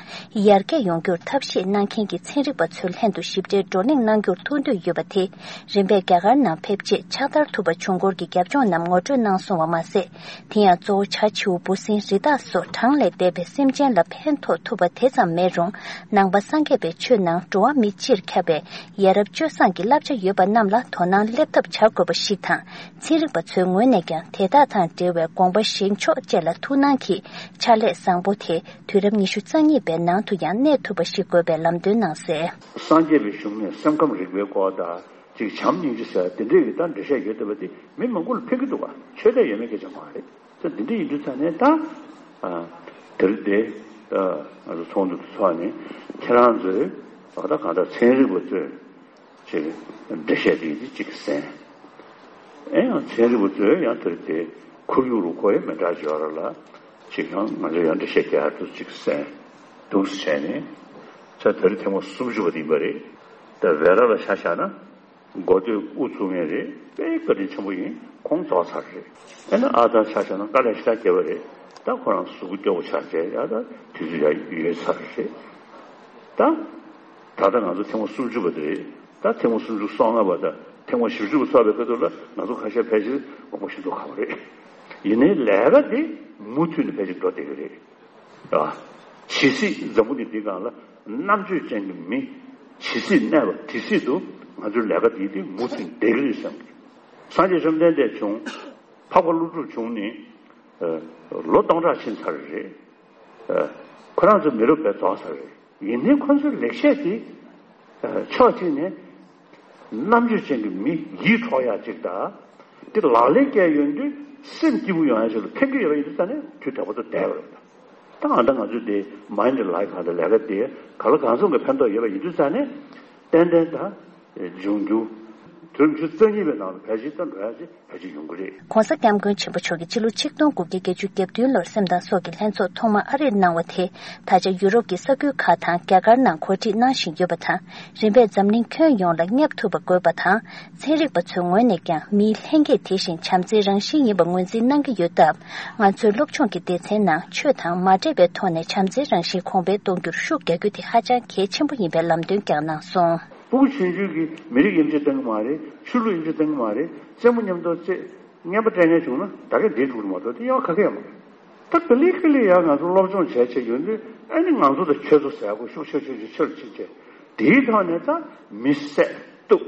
ཡར་རྒྱས་ཡོང་རྒྱུར་ཐབས་ཤེས་གནང་མཁན་གྱི་ཚན་རིག་པ་ཚོའི་ལྷན་དུ་ཞིབ་ཕྲའི་བགྲོ་གླེང་གནང་རྒྱུར་ཐུགས་འདོད་ཡོད་པ་དེ། རིམ་པས་རྒྱ་གར་ནང་ཕེབས་རྗེས་ཕྱག་བསྟར་ཐུབ་པ་བྱུང་སྐོར་གྱི་རྒྱབ་ལྗོངས་རྣམས་ངོ་སྤྲོད་གནང་སོང་བ་མ་ཟད། དེ་ཡང་གཙོ་བོ་བྱ་བྱིའུ་འབུ་སྲིན་རི་དྭགས་སོགས་གྲངས་ལས་འདས་པའི་སེམས་ཅན་ལ་ཕན་ཐོགས་ཐུབ་པ་དེ་ཙམ་མེད་རུང་། ནང་པ་སངས་རྒྱས་པའི་ཆོས་ནང་འགྲོ་བ་མི་སྤྱིར་ཁྱབ་པའི་ཡ་རབས་སྤྱོད་བཟང་གི་བསླབ་བྱ་ཡོད་པ་རྣམས་ལ་དོ་སྣང་སླེབས་ཐབས་བྱ་དགོས་པ་ཞིག་དང་། ཚན་རིག་པ་ཚོའི་ངོས་ནས་ཀྱང་དེ་དག་དང་འབྲེལ་བའི་དགོངས་པ་བཞེས་ཕྱོགས་བཅས་ལ་ཐུགས་སྣང་གིས་ཕྱག་ལས་བཟང་པོ་དེ་དུས་རབས་ཉི་ཤུ་རྩ་གཉིས་པའི་ནང་དུ་ཡང་གནས་ཐུབ་པ་ཞིག་དགོས་པའི་ལམ་སྟོན་གནང་གསལ། སངས་རྒྱས་པའི་གཞུང་ནས་སེམས་ཁམས་རིག་པའི་སྐོར་དང་། ཅིག་བྱམས་སྙིང་རྗེ་ཟེར་དེ་འདྲས་ཀྱི་ད་འགྲེལ་བཤད་ཡོད་བསྡད་པ་དེ་མི་མང་པོ་ལ་ཕན་གྱི་འདུག་ག་ཆོས་དད་ཡོད་མེད་སྐད་ཆ་མ་རེད། ད་འདི་འདྲས་ཡིན་དུས་ཙང་ནས་ད་ཨ་དེ་རིང་འདི་ཨ་ང་ཚོ་ཚོགས་འདུ་འདི་ཚོགས་ནས་ཁྱེད་རང་ཚོས་ད་ལྟ་གང་ལྟར་ཚན་རིག་པ་ཚོས་ཅིག་འགྲེལ་བཤད་འདི་འདི་ཅིག་གསན། ཨེ་ཡང་ཚན་རིག་པ་ཚོས་ཡང་དེ་རིང་འདི་ཁོར་ཡུག་རུ་ཁོ་ཡི་མི་འདྲ་ཡོད་ར་ལ་ཅིག་ཡང་ང་ཚོས་ཡང་འགྲེལ་བཤད་རྒྱག་ཡ་འདུག་ཅིག་གསན་འདུག་བྱས་ནས་ད་དེ་རིང་ཐེངས་མ་སུམ་ཅུ་པ་དེ་ཡིན་པ་རེད། ད་བེ་ར་ལ་ཆ་བཞག་ན། འགོ་སྟོད་དབུ་བཙུགས་མཁན་རེད། དཔེ་བཀའ་དྲིན་ཆེན་པོ་ཡིན། ཁོང་རྫོགས་ཚར་རེད། ཨེ་ན་ཨ་ད་ཆ་བཞག་ན་དཀའ་ལས་ཞེ་དྲག་བརྒྱབ་པ་རེད། ད་ཁོ་རང་གཟུགས་པོ་སྐྱོ་པོ་ཆགས་བྱས་ཡ་ད་དུས་ཚོད་ཡ་ཡོལ་ཚར་རེད། ད་ད་ལྟ་ང་ཚོ་ཐེངས་མ་སུམ་ཅུ་པ་དེ་རེད། ད་ཐེངས་མ་སུམ་ཅུ་སོ་ལྔ་པ་དང་ཐེངས་མ་བཞི་བཅུ་པ་ཚོགས་པའི་ཁ་ཐུག་ལ་ང་ཚོ་ཁ་ཤས་ཕལ་ཆེར་དགོངས་པ་ཞེ་པོ་ཁ་པོ་རེད། ཡིན་ནའི་ལས་ཀ་དེ་མུ་མཐུད་ནས་ཕལ་ཆེར་འགྲོ་བསྡད་ཀྱི་རེད། ཨ། ཇི་སྲིད་འཛམ་བུ་གླིང་འདི་སྒང་ལ་རྣམ་དཔྱོད་ཅན་གྱི་མི་ཇི་སྲིད་གནས་པ་དེ་སྲིད་དུ་ང་ཚོའི་ལས་ཀ་འདི་དེ་མུ་མཐུད་བསྡད་ཀྱི་རེད་བསམ་གྱི། སངས་རྒྱས་བཅོམ་ལྡན་འདས་བྱུང་། འཕགས་པ་ཀླུ་སྒྲུབ་བྱུང་ནས་ཨ་ལོ་སྟོང་ཕྲག་ཕྱིན་ཚར་རེད། ཨ་ཁོ་རང་ཚོ་མི་རབས་བས་རྫོགས་ཚར་རེད། ཡིན་ནའི་ཁོ་ཚོའི་ལེགས་བཤད་དེ་ཨ་ཕྱོགས་གཅིག་ནས། རྣམ་དཔྱོད་ཅན་གྱི་མི་ཡིད་འཕྲོག་ཡག་ཅིག་དང་། དེ་ལག་ལེན་བཀལ་ཡོང་དུས་སེམས་སྐྱིད་པོ་ཡོང་ཡག་ཅིག་ལ་ཕན་གྱི་ཡོད་པ་ཡིན་དུས་ཙང་ནས་དུས་དྲག་པོ་དང་བསྡད་པ་རེད། ད་ཨ་ད་ང་ཚོས་དེ་མའིན་ཌི་ལའིཕ་གང་དང་ལས་ཀ་དེ་ག་ལ་གང་འཚམ་གྱི་ཕན་ཐོགས་ཡོད་པ་ཡིན་དུས་ཙང་ནས་ཏན་ཏན་ད་འབྱུང་འགྱུར་དུས་རབས་ཉི་ཤུ་རྩ་གཉིས་པའི་ནང་ལ་ཕལ་ཆེར་ད་འགྲོ་ཡག་ཅིག་ཕལ་ཆེར་ཡོང་གི་རེད། ྋགོང་ས་ྋསྐྱབས་མགོན་ཆེན་པོ་མཆོག་གིས་ཕྱི་ལོ་ཆིག་སྟོང་དགུ་བརྒྱ་བརྒྱད་ཅུ་གྱ་བདུན་ལོར་སེམས་དང་སྲོག་གི་ལྷན་ཚོགས་ཐོག་མ་ཨ་རིར་གནང་བ་དེ། ད་ཆ་ཡུ་རོབ་ཀྱི་ས་ཁུལ་ཁག་དང་རྒྱ་གར་ནང་གོ་སྒྲིག་གནང་བཞིན་ཡོད་པ་དང་། རིམ་པས་འཛམ་གླིང་ཁྱོན་ཡོངས་ལ་བསྙབ་ཐུབ་པ་དགོས་པ་དང་། ཚན་རིག་པ་ཚོའི་ངོས་ནས་ཀྱང་མིའི་ལྷན་སྐྱེས་དེ་བཞིན་བྱམས་བརྩེའི་རང་བཞིན་ཡིན་པ་ངོས་འཛིན་གནང་གི་ཡོད་སྟབས། ང་ཚོའི་སློབ་སྦྱོང་གི་སྡེ་ཚན་ནང་ཆོས་དང་མ་འདྲེས་པའི་ཐོག་ནས་བྱམས་བརྩེའི་རང་བཞིན་གོང་འཕེལ་གཏོང་རྒྱུར་ཤུགས་རྒྱག་རྒྱུ་དེ་ཧ་ཅང་གལ་ཆེན་པོ་ཡིན་པའི་ལམ་སྟོན་ཀྱང་གནང་སོང་། ཕྲུ་གུ་ཆུང་ཆུང་གིས་མི་རིགས་དབྱེ་འབྱེད་གཏོང་གི་མ་རེད། ཆོས་ལུགས་དབྱེ་འབྱེད་གཏོང་གི་མ་རེད། རྩེད་མོ་མཉམ་དུ་རྩེད། རྔན་པ་སྤྲད་མཁན་བྱུང་ན་ད་ག་འདིར་འགྲོ་གི་མ་གཏོགས་དེ་གཡོག་ག་གེ་ཡང་མ་རེད། ད་ག་ལེ་ག་ལེ་ཡང་ང་ཚོ་སློབ་སྦྱོང་བྱས་བྱས་ཡོད་དུས་ཨ་ནི་ང་ཚོ་དང་ཁྱོད་ཚོ་ཟེར་དགོས་ཤུགས་ཆེ་ཆེ་ཆེ་ཆེར་ཕྱིན་བྱས་དེའི་ཐོག་ནས་ད་མི་བསད་གཏུབ་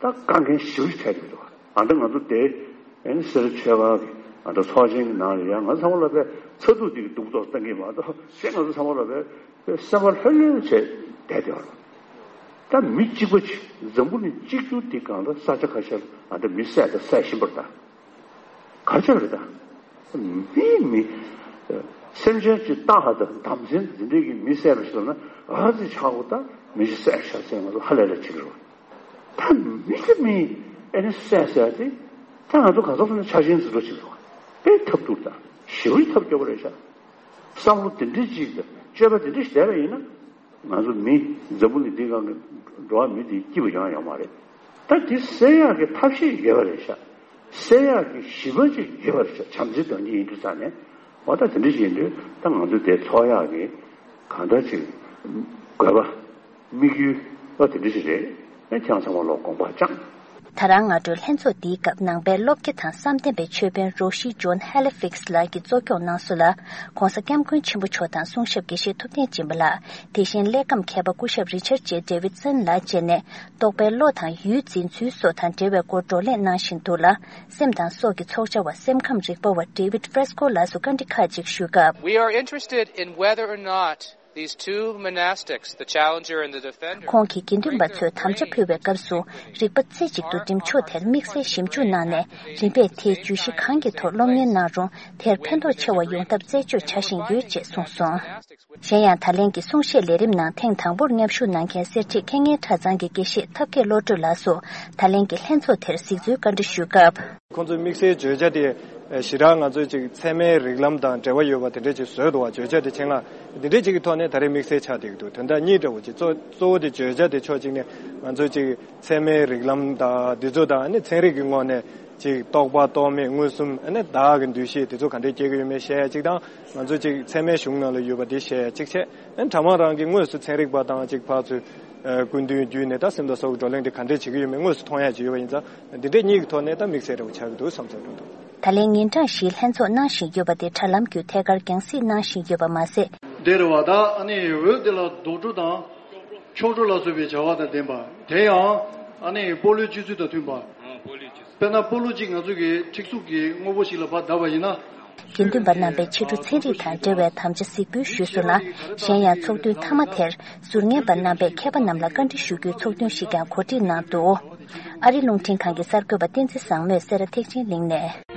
ད་དཀའ་ངལ་ཞེ་པོ་ཞིག་འཕྲད་ཀྱི་འདུག་ཨ་ད་ང་ཚོ་དེ་ཨ་ནི་སེ་ར་ཆོས་སྒར་གྱི་ཨ་ད་ཚོགས་ཆེན་གྱི་ནང་ལ་ཡང་ང་ཚང་མ་ལ་པའི་ཚ་གདུག་དེ་གི་སྡུག་ཏོག་བཏང་གི་མ་གཏོགས་གཞན་ང་ཚོ་ཚང་མ་ལ་པའི་པའི་སེམས་པ་ལྷོད་ལྷོད་བྱས་བསྡད་བསྡད་པ་རེད། ད་མི་གཅིག་པ་ཅིག་འཛམ་བུ་གླིང་གཅིག་གྱུར་འདི་སྒང་ལ་ས་ཆ་ཁ་ཤས་ལ་ཨ་ད་མི་བསད་དང་བསད་བཞིན་པ་རེད་ད། ག་རེ་བྱས་པ་རེད་ད། མི་མི་སེམས་ཅན་གྱི་རྟ་ཧ་དང་དམ་སྲི་འདི་འདྲའི་གི་མི་བསད་པ་ཞིག་ལ་ན་ཨ་ཙི་ཆགས་པོ་ད་མི་ཞིག་བསད་ཤག་ཟེར་ང་ཚོ་ཧ་ལས་ལ་ཅིག་རེད། ད་མི་གི་མི་ཨེ་ནི་བསད་ཟེར་ཏེ་ད་ང་ཚོ་ག་ཚོད་ལ་ཆ་ཤས་འཛིན་གྲྭ་ཅིག་རེད། དཔེ་ཐབས་སྡུག་ད་ཞེ་པོའི་ཐབས་སྐྱོ་པོ་རེད་ཤག་བསམ་བློ་དེ་འདྲའི་ཅིག་དང་སྤྱོད་པ་དེ་འདྲ་ཞིག་བསྡད་པ་ཡིན་ན། ང་ཚོ་མི་འཛམ་བུ་གླིང་འདི་སྒང་གི་འགྲོ་བ་མི་དེ་སྐྱིད་པ་ཡོང་ཡ་ཡོད་མ་རེད། ད་དེ་སེལ་ཡག་གི་ཐབས་ཤེས་ཡོད་པ་རེད་ཤག་སེལ་ཡག་གི་ཞི་བ་ཅིག་ཡོད་པ་རེད་ཤག་བྱམས་བརྩེ་དོན་གཉིས་ཡིན་དུས་ཙང་ནས་འོ་ད་དེ་འདྲ་ཞིག་ཡིན་དུས་ད་ང་ཚོ་དེ་ཚོགས་ཡག་གི་གང་ལྟར་ཅིག་དགོས་པ་དམིགས་ཡུལ་འོ་དེ་འདྲ་ཞིག་རེད། ཨེ་ཁྱེད་རང་ཚང་མ་ལོག་དགོངས་པ་བཅངས། ད་རང་སྔ་དྲོའི་ལྷན་ཚོགས་འདིའི་སྐབས་ནང་པའི་སློབ་དགེ་དང་བསམ་གཏན་པའི་ཆོས་དཔོན་རོ་ཤི་ཇོན་ཧེ་ལི་ཕིགས་ལགས་ཀྱིས་གཙོ་སྐྱོང་གནང་སོང་ལ། ྋགོང་ས་ྋསྐྱབས་མགོན་ཆེན་པོ་མཆོག་དང་གསུང་ཞབས་དགེ་བཤེས་ཐུབ་བསྟན་སྦྱིན་པ་ལགས། དེ་བཞིན་གླེགས་བམ་མཁས་པ་སྐུ་ཞབས་རི་ཆར་ཇེ་ཌེ་ཝིད་སན་ལགས་བཅས་ནས། རྟོགས་པའི་བློ་དང་ཡུལ་འཛིན་ཚུལ་སོགས་དང་འབྲེལ་བའི་སྐོར་བགྲོ་གླེང་གནང་བཞིན་འདུག་ལ། སེམས་དང་སྲོག་གི་ཚོགས་བཅར་བ་སེམས་ཁམས་རིག་པ་བ་ཌེ་ཝིད་ཕྲེ་སི་ཀོ་ལགས་སུ་བཀའ་འདྲི་ཁག་ཅིག་ཞུས་སྐབས། We are interested in whether or not these two monastics, the challenger and the defender, these two monastics, the challenger and the defender, ཁོང་གིས་དགེ་འདུན་པ་ཚོས་དམ་བཅའ་ཕུལ་བའི་སྐབས་སུ་རིག་པ་རྩེ་གཅིག་ཏུ་འགྲིམ་ཕྱོགས་དེར་དམིགས་བསལ་ཞིབ་འཇུག་གནང་ནས། རིམ་པས་དེའི་བརྗོད་གཞི་གང་གི་ཐོག་སློབ་གཉེར་གནང་རུང་། དེར་ཕན་ཐོགས་ཆེ་བ་ཡོང་ཐབས་རྩད་གཅོད་བྱ་བཞིན་ཡོད་ཅེས་གསུངས་སོང་། གཞན་ཡང་། ད་ལན་གྱི་གསུང་བཤད་ལས་རིམ་ནང་ཐེངས་དང་པོར་མཉམ་ཞུགས་གནང་མཁན་གསེར་ཁྲི་མཁས་སྙན་གྲྭ་ཚང་གི་དགེ་བཤེས་ཐབས་མཁས་བློ་གྲོས་ལགས་སུ། ད་ལན་གྱི་ལྷན་ཚོགས་དེར་གཟིགས་ཚུལ་བཀའ་འདྲི་ཞུས་སྐབས། ཁོང་ཚོའི་དམིགས་བསལ་བརྗོད་བྱ་དེ་ཞེ་དྲག་ང་ཚོའི་ཅིག་ཚད་མའི་རིགས་ལམ་དང་འབྲེལ་བ་ཡོད་པ་དེ་འདྲས་ཅིག་བཟོས་འདུག་བ། བརྗོད་བྱ་དེ་ཆེད་མངགས་དེ་འདྲས་ཅིག་གི་ཐོག་ནས་ད་རེས་དམིགས་བསལ་ཆགས་བསྡད་ཀྱི་འདུག་དོན་དག་གཉིས་འདྲ་བོ་ཅིག་གཙོ་གཙོ་བོ་དེ་བརྗོད་བྱ་དེ་ཕྱོགས་གཅིག་ནས་ང་ཚོའི་ཅིག་ཚད་མའི་རིགས་ལམ་དང་འདི་ཚོ་དང་ཨ་ནི་ཚན་རིག་གི་ངོས་ནས། ཅིག་རྟོག་པ་རྟོག་མེད་མངོན་སུམ། ཨ་ནི་བདག་གི་འདུ་ཤེས་དེ་ཚོ་ག་འདྲས་སྐྱེ་གི་ཡོད་མེད་བཤད་ཡ་གཅིག་དང་། ང་ཚོ་ཅིག་ཚད་མའི་གཞུང་ནང་ལ་ཡོད་པ་དེ་བཤད་ཡ་གཅིག་བྱས། ཨ་ནི་གྲྭ་མང་རང་གི་དངོས་སུ་ཚན་རིག་པ་དང་ཅིག་ཕར་ཚུར་སྐུ་མདུན་བརྒྱུད་ནས་ད་སེམས་དང་སྲོག་གི་བགྲོ་གླེང་དེ་ག་འདྲས་བྱེད་ཀྱི་ཡོད་མེད་དངོས་སུ་མཐོང་ཡ་ཅིག་ཡོད་པ་ཡིན་ཙང་། འདི་འདྲས་གཉིས་ཀྱི་ཐོག་ནས་ད་དམིགས་བསལ་འདྲ་བོ་ཆགས་ཀྱི་འདུག་བསམ་ཚུལ་བཏོན་འདུག་ད་ལན་ཉིན་གྲངས་བཞིའི་ལྷན་ཚོགས་གནང་བཞིན་ཡོད་པ་དེ་དྲ་ལམ་བརྒྱུད་ཐད་ཀར་རྒྱང་སྲིང་གནང་བཞིན་ཡོད་པ་མ་ཟད། འདི་རེད་བ། ད་ཨ་ནི་འོད་དེ་ལ་རྡོག་བྲོ་དང་། ཆོག་འགྲོ་ལ་སོགས་པའི་བྱ་བ་དང་ལྡན་པ། དེ་ཡང་ཨ་ནི་སྤོ་ལོའི་སྤྱོད་ཚུལ་དང་མཐུན་པ། ཨང་། སྤོ་ལོའི་སྤྱོད་ཚུལ། དཔེར་ན་སྤོ་ལོ་གཅིག་ང་ཚོ་གི་ཁྲིག་སུག་གི་དངོས་པོ་ཞིག་ལ་ཕར་བརྡབས་པ་ཡིན་ན། དགེ་འདུན་པ་རྣམ་པས་ཕྱི་དྲོ་ཚན་རིག་དང་འབྲེལ་བའི་དམ་བཅའ་གཟིགས་འབུལ་ཞུས་སོང་ལ། གཞན་ཡང་ཚོགས་འདུའི་མཐའ་མ་དེར་ཟུར་ཉན་པ་རྣམ་པས་མཁས་པ་རྣམས་ལ་བཀའ་འདྲི་ཞུ་རྒྱུའི་ཚོགས་ཐུན་ཞིག་ཀྱང་གོ་སྒྲིག་གནང་འདུག་ཨ་རི་རླུང་འཕྲིན་ཁང་གི་གསར་འགོད་པ་བསྟན་འཛིན་བཟང་མོས་སེ་ར་ཐེག་ཆེན་གླིང་ནས།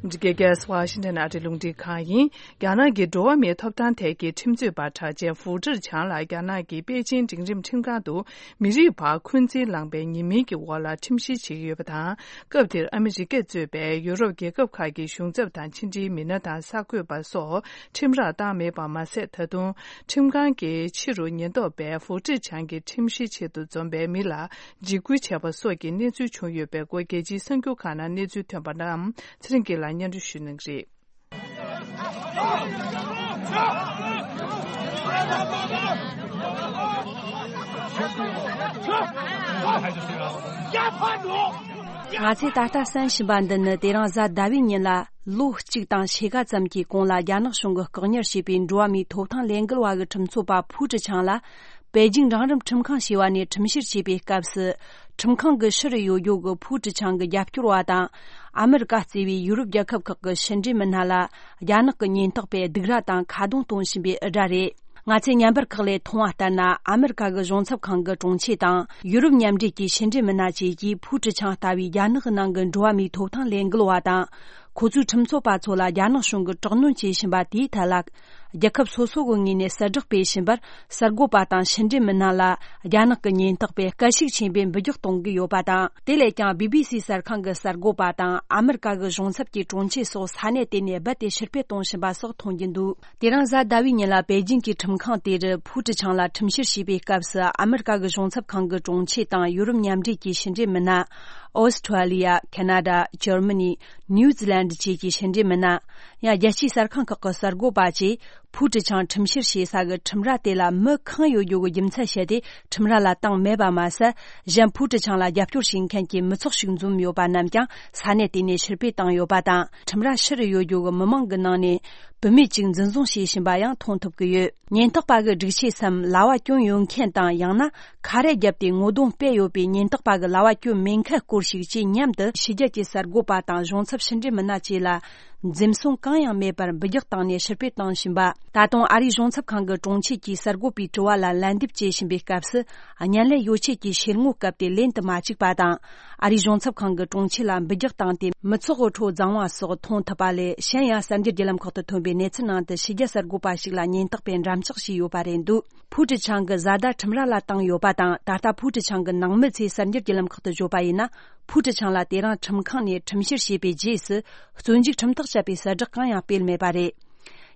འདི་ག་ག་ས་ཝ་ཤིང་ཊོན་ཨ་རིའི་རླུང་འཕྲིན་ཁང་ཡིན། རྒྱ་ནག་གི་འགྲོ་བ་མིའི་ཐོབ་ཐང་ཐད་ཀྱི་ཁྲིམས་རྩོད་པ་གྲགས་ཅན་ཧྥུ་ཀྲི་ཆང་ལ་རྒྱ་ནག་གི་པེ་ཅིང་འབྲིང་རིམ་ཁྲིམས་ཁང་དུ་མི་རིགས་བར་འཁོན་འཛིན་ལངས་པའི་ཉེས་མིང་གི་འོག་ལ་ཁྲིམས་བཤེར་བྱེད་ཀྱི་ཡོད་པ་དང་། སྐབས་དེར་ཨ་མི་རི་ཀས་གཙོས་པའི་ཡུ་རོབ་རྒྱལ་ཁབ་ཁག་གི་གཞུང་ཚབ་དང་ཕྱི་འབྲེལ་མི་སྣ་དང་གསར་འགོད་པ་སོགས་ཁྲིམས་རར་བཏང་མེད་པ་མ་ཟད། ད་དུང་ཁྲིམས་ཁང་གིས་ཕྱི་རུ་ཉེན་རྟོག་པས་ཧྥུ་ཀྲི་ཆང་གི་ཁྲིམས་བཤེར་ཆེད་དུ་འཛོམས་པའི་མི་ལ་འཇིགས་སྐུལ་བྱས་པ་སོགས་ཀྱི་གནས་ཚུལ་བྱུང་ཡོད་པའི་སྐོར་རྒྱལ་སྤྱིའི་གསར་འགྱུར་ཁག་ནང་གནས་ཚུལ་ཐོན་པ་རྣམས་ཚེ་རིང་སྐྱིད་ལགས་སྙན་སྒྲོན་ཞུ་གནང་གི་རེད། ང་ཚོས་ད་ལྟ་གསན་བཞིན་པ་འདི་ནི་དེ་རིང་གཟའ་ཟླ་བའི་ཉིན་ལ་ལོ་གཅིག་དང་ཕྱེད་ཀ་ཙམ་གྱི་གོང་ལ་རྒྱ་ནག་གཞུང་གིས་བཀག་ཉར་བྱས་པའི་འགྲོ་བ་མིའི་ཐོབ་ཐང་ལས་འགུལ་བ་གི་ཁྲིམས་རྩོད་པ་ཕུའུ་ཀྲི་ཆང་ལ། པེ་ཅིང་འབྲིང་རིམ་ཁྲིམས་ཁང་ཞེས་པ་ནས་ཁྲིམས་བཤེར་བྱས་པའི་སྐབས་སུ། ཁྲིམས་ཁང་གི་ཕྱི་རུ་ཡོད་རྒྱུ་གི་ཕུའུ་ཀྲི་ཆང་གི་རྒྱབ་སྐྱོར་བ་དང་། ཨ་མི་རི་ཀ་གཙོས་པའི་ཡུ་རོབ་རྒྱལ་ཁབ་ཁག་གི་ཕྱི་འབྲེལ་མི་སྣ་ལ། རྒྱ་ནག་གི་ཉེན་རྟོག་པས་སྡིགས་ར་དང་ཁ་རྡུང་གཏོང་བཞིན་པའི་འུར་སྒྲ་རེད། ང་ཚོས་བརྙན་པར་ཁག་ལས་མཐོང་བ་ལྟར་ན། ཨ་མི་རི་ཀ་གི་གཞུང་ཚབ་ཁང་གི་དྲུང་ཆེ་དང་། ཡུ་རོབ་མཉམ་འབྲེལ་གྱི་ཕྱི་འབྲེལ་མི་སྣ་བཅས་ཀྱིས་ཕུའུ་ཀྲི་ཆང་ལྟ་བུའི་རྒྱ་ནག་གི་ནང་གི་འགྲོ་བ་མིའི་ཐོབ་ཐང་ལས་འགུལ་བ་དང་། ཁོ་ཚོའི་ཁྲིམས་རྩོད་པ་ཚོ་ལ་རྒྱ་ནག་གཞུང་གིས་དྲག་གནོན་བྱེད་བཞིན་པ་དེའི་ཐད་ལ། རྒྱལ་ཁབ་སོ་སོ་གི་ངོས་ནས་གསལ་བསྒྲགས་སྤེལ་བཞིན་པར། གསར་འགོད་པ་དང་ཕྱི་འབྲེལ་མི་སྣ་ལ་རྒྱ་ནག་གི་ཉེན་རྟོག་པས་སྐད་ཤུགས་ཆེན་པོས་འབུད་རྒྱག་གཏོང་གི་ཡོད་པ་དང་། དེ་ལས་ཀྱང་བི་བི་སི་གསར་ཁང་གི་གསར་འགོད་པ་དང་ཨ་མི་རི་ཀ་གི་གཞུང་ཚབ་ཀྱི་དྲུང་ཆེ་སོགས་ས་གནས་དེ་ནས་རྦད་དེ་ཕྱིར་འཕུད་གཏོང་བཞིན་པ་སོགས་མཐོང་རྒྱུ་འདུག་དེ་རིང་གཟའ་ཟླ་བའི་ཉིན་ལ་པེ་ཅིང་གི་ཁྲིམས་ཁང་དེ་རུ་ཕུའུ་ཀྲི་ཆང་ལ་ཁྲིམས་བཤེར་བྱས་པའི་སྐབས་སུ། ཨ་མི་རི་ཀ་གི་གཞུང་ཚབ་ཁང་གི་དྲུང་ཆེ་དང་ཡུ་རོབ་མཉམ་འབྲེལ་གྱི་ཕྱི་འབྲེལ་མི་སྣ། ཨོ་སི་ཁྲུ་ལི་ཡ། ཁ་ན་ཌ། འཇར་མ་ནི། ནིའུ་ཛི་ལན་ཌི་བཅས་ཀྱི་ཕྱི་འབྲེལ་མི་སྣ། ཡང་རྒྱལ་སྤྱིའི་གསར་ཁང་ཁག་གི་གསར་འགོད་པ་བཅས་ཕུའུ་ཀྲི་ཆང་ཁྲིམས་བཤེར་བྱེད་ས་གི་ཁྲིམས་ར་དེ་ལ་མི་གང་ཡོད་རྒྱུ་གི་རྒྱུ་མཚན་བཤད་དེ། ཁྲིམས་ར་ལ་བཏང་མེད་པ་མ་ཟད། གཞན་ཕུའུ་ཀྲི་ཆང་ལ་རྒྱབ་སྐྱོར་བྱེད་མཁན་གྱི་མི་ཚོགས་ཤིག་འཛོམས་ཡོད་པ་རྣམས་ཀྱང་ས་གནས་དེ་ནས་ཕྱིར་འཕུད་བཏང་ཡོད་པ་དང་། ཁྲིམས་ར་ཕྱི་རུ་ཡོད་རྒྱུ་གི་མི་མང་གི་ནང་ནས་བུད་མེད་ཅིག་འཛིན་བཟུང་བྱས་ཕྱིན་པ་ཡང་མཐོང་ཐུབ་ཀྱི་ཡོད། ཉེན་རྟོག་པ་གི་སྒྲིག་ཆས་སམ་ལྭ་བ་གྱོན་ཡོད་མཁན་དང་། ཡང་ན་ཁ་རས་བརྒྱབ་སྟེ་ངོ་གདོང་སྤེལ་ཡོད་པའི་ཉེན་རྟོག་པ་གི་ལྭ་བ་གྱོན་མེད་མཁན་སྐོར་ཞིག་བཅས་མཉམ་དུ་ཕྱི་རྒྱལ་གྱི་གསར་འགོད་པ་དང་གཞུང་ཚབ་ཕྱི་འབྲེལ་མི་སྣ་བཅས་ལ་འཛེམ་ཟོན་གང་ཡང་མེད་པར་འབུད་རྒྱག་བཏང་ནས་ཕྱིར་འཕུད་བཏང་བཞིན་པ། ད་དུང་ཨ་རིའི་གཞུང་ཚབ་ཁང་གི་དྲུང་ཆེ་གིས་གསར་འགོད་པའི་དྲི་བ་ལ་ལན་འདེབས་བྱེད་བཞིན་པའི་སྐབས་སུ། བརྙན་ལེན་ཡོ་ཆས་ཀྱི་ཕྱིར་ངོ་བཀབ་སྟེ་ལེན་དུ་མ་བཅུག་པ་དང་། ཨ་རིའི་གཞུང་ཚབ་ཁང་གི་དྲུང་ཆེ་ལ་འབུད་རྒྱག་བཏང་སྟེ་མི་ཚོགས་ཀྱི་ཁྲོད་བརྫངས་པ་སོགས་མཐོང་ཐུབ་པ་ལས། གཞན་ཡང་གསར་འགྱུར་བརྒྱུད་ལམ་ཁག་ཏུ་ཐོན་པའི་གནས་ཚུལ་ནང་དུ་ཕྱི་རྒྱལ་གསར་འགོད་པ་ཞིག་ལ་ཉེན་རྟོག་པས་འགྲམ་ལྕག་བྱས་ཡོད་པ་རེད་འདུག་ཕུའུ་ཀྲི་ཆང་གི་བཟའ་ཟླ་ཁྲིམས་ར་ལ་བཏང་ཡོད་པ་དང་། ད་ལྟ་ཕུའུ་ཀྲི་ཆང་གི་ནང་མི་ཚོས་གསར་འགྱུར་བརྒྱུད་ལམ་ཁག་ཏུ་བརྗོད་པ་ཡིན་ན། ཕུའུ་ཀྲི་ཆང་ལ་དེ་རིང་ཁྲིམས་ཁང་ནས་ཁྲིམས་བཤེར་བྱས་པའི་རྗེས་སུ། བཙོན་འཇུག་ཁྲིམས་ཐག་བཅད་པའི་གསལ་བསྒྲགས་གང་ཡང་སྤེལ་མེད་པ་རེད།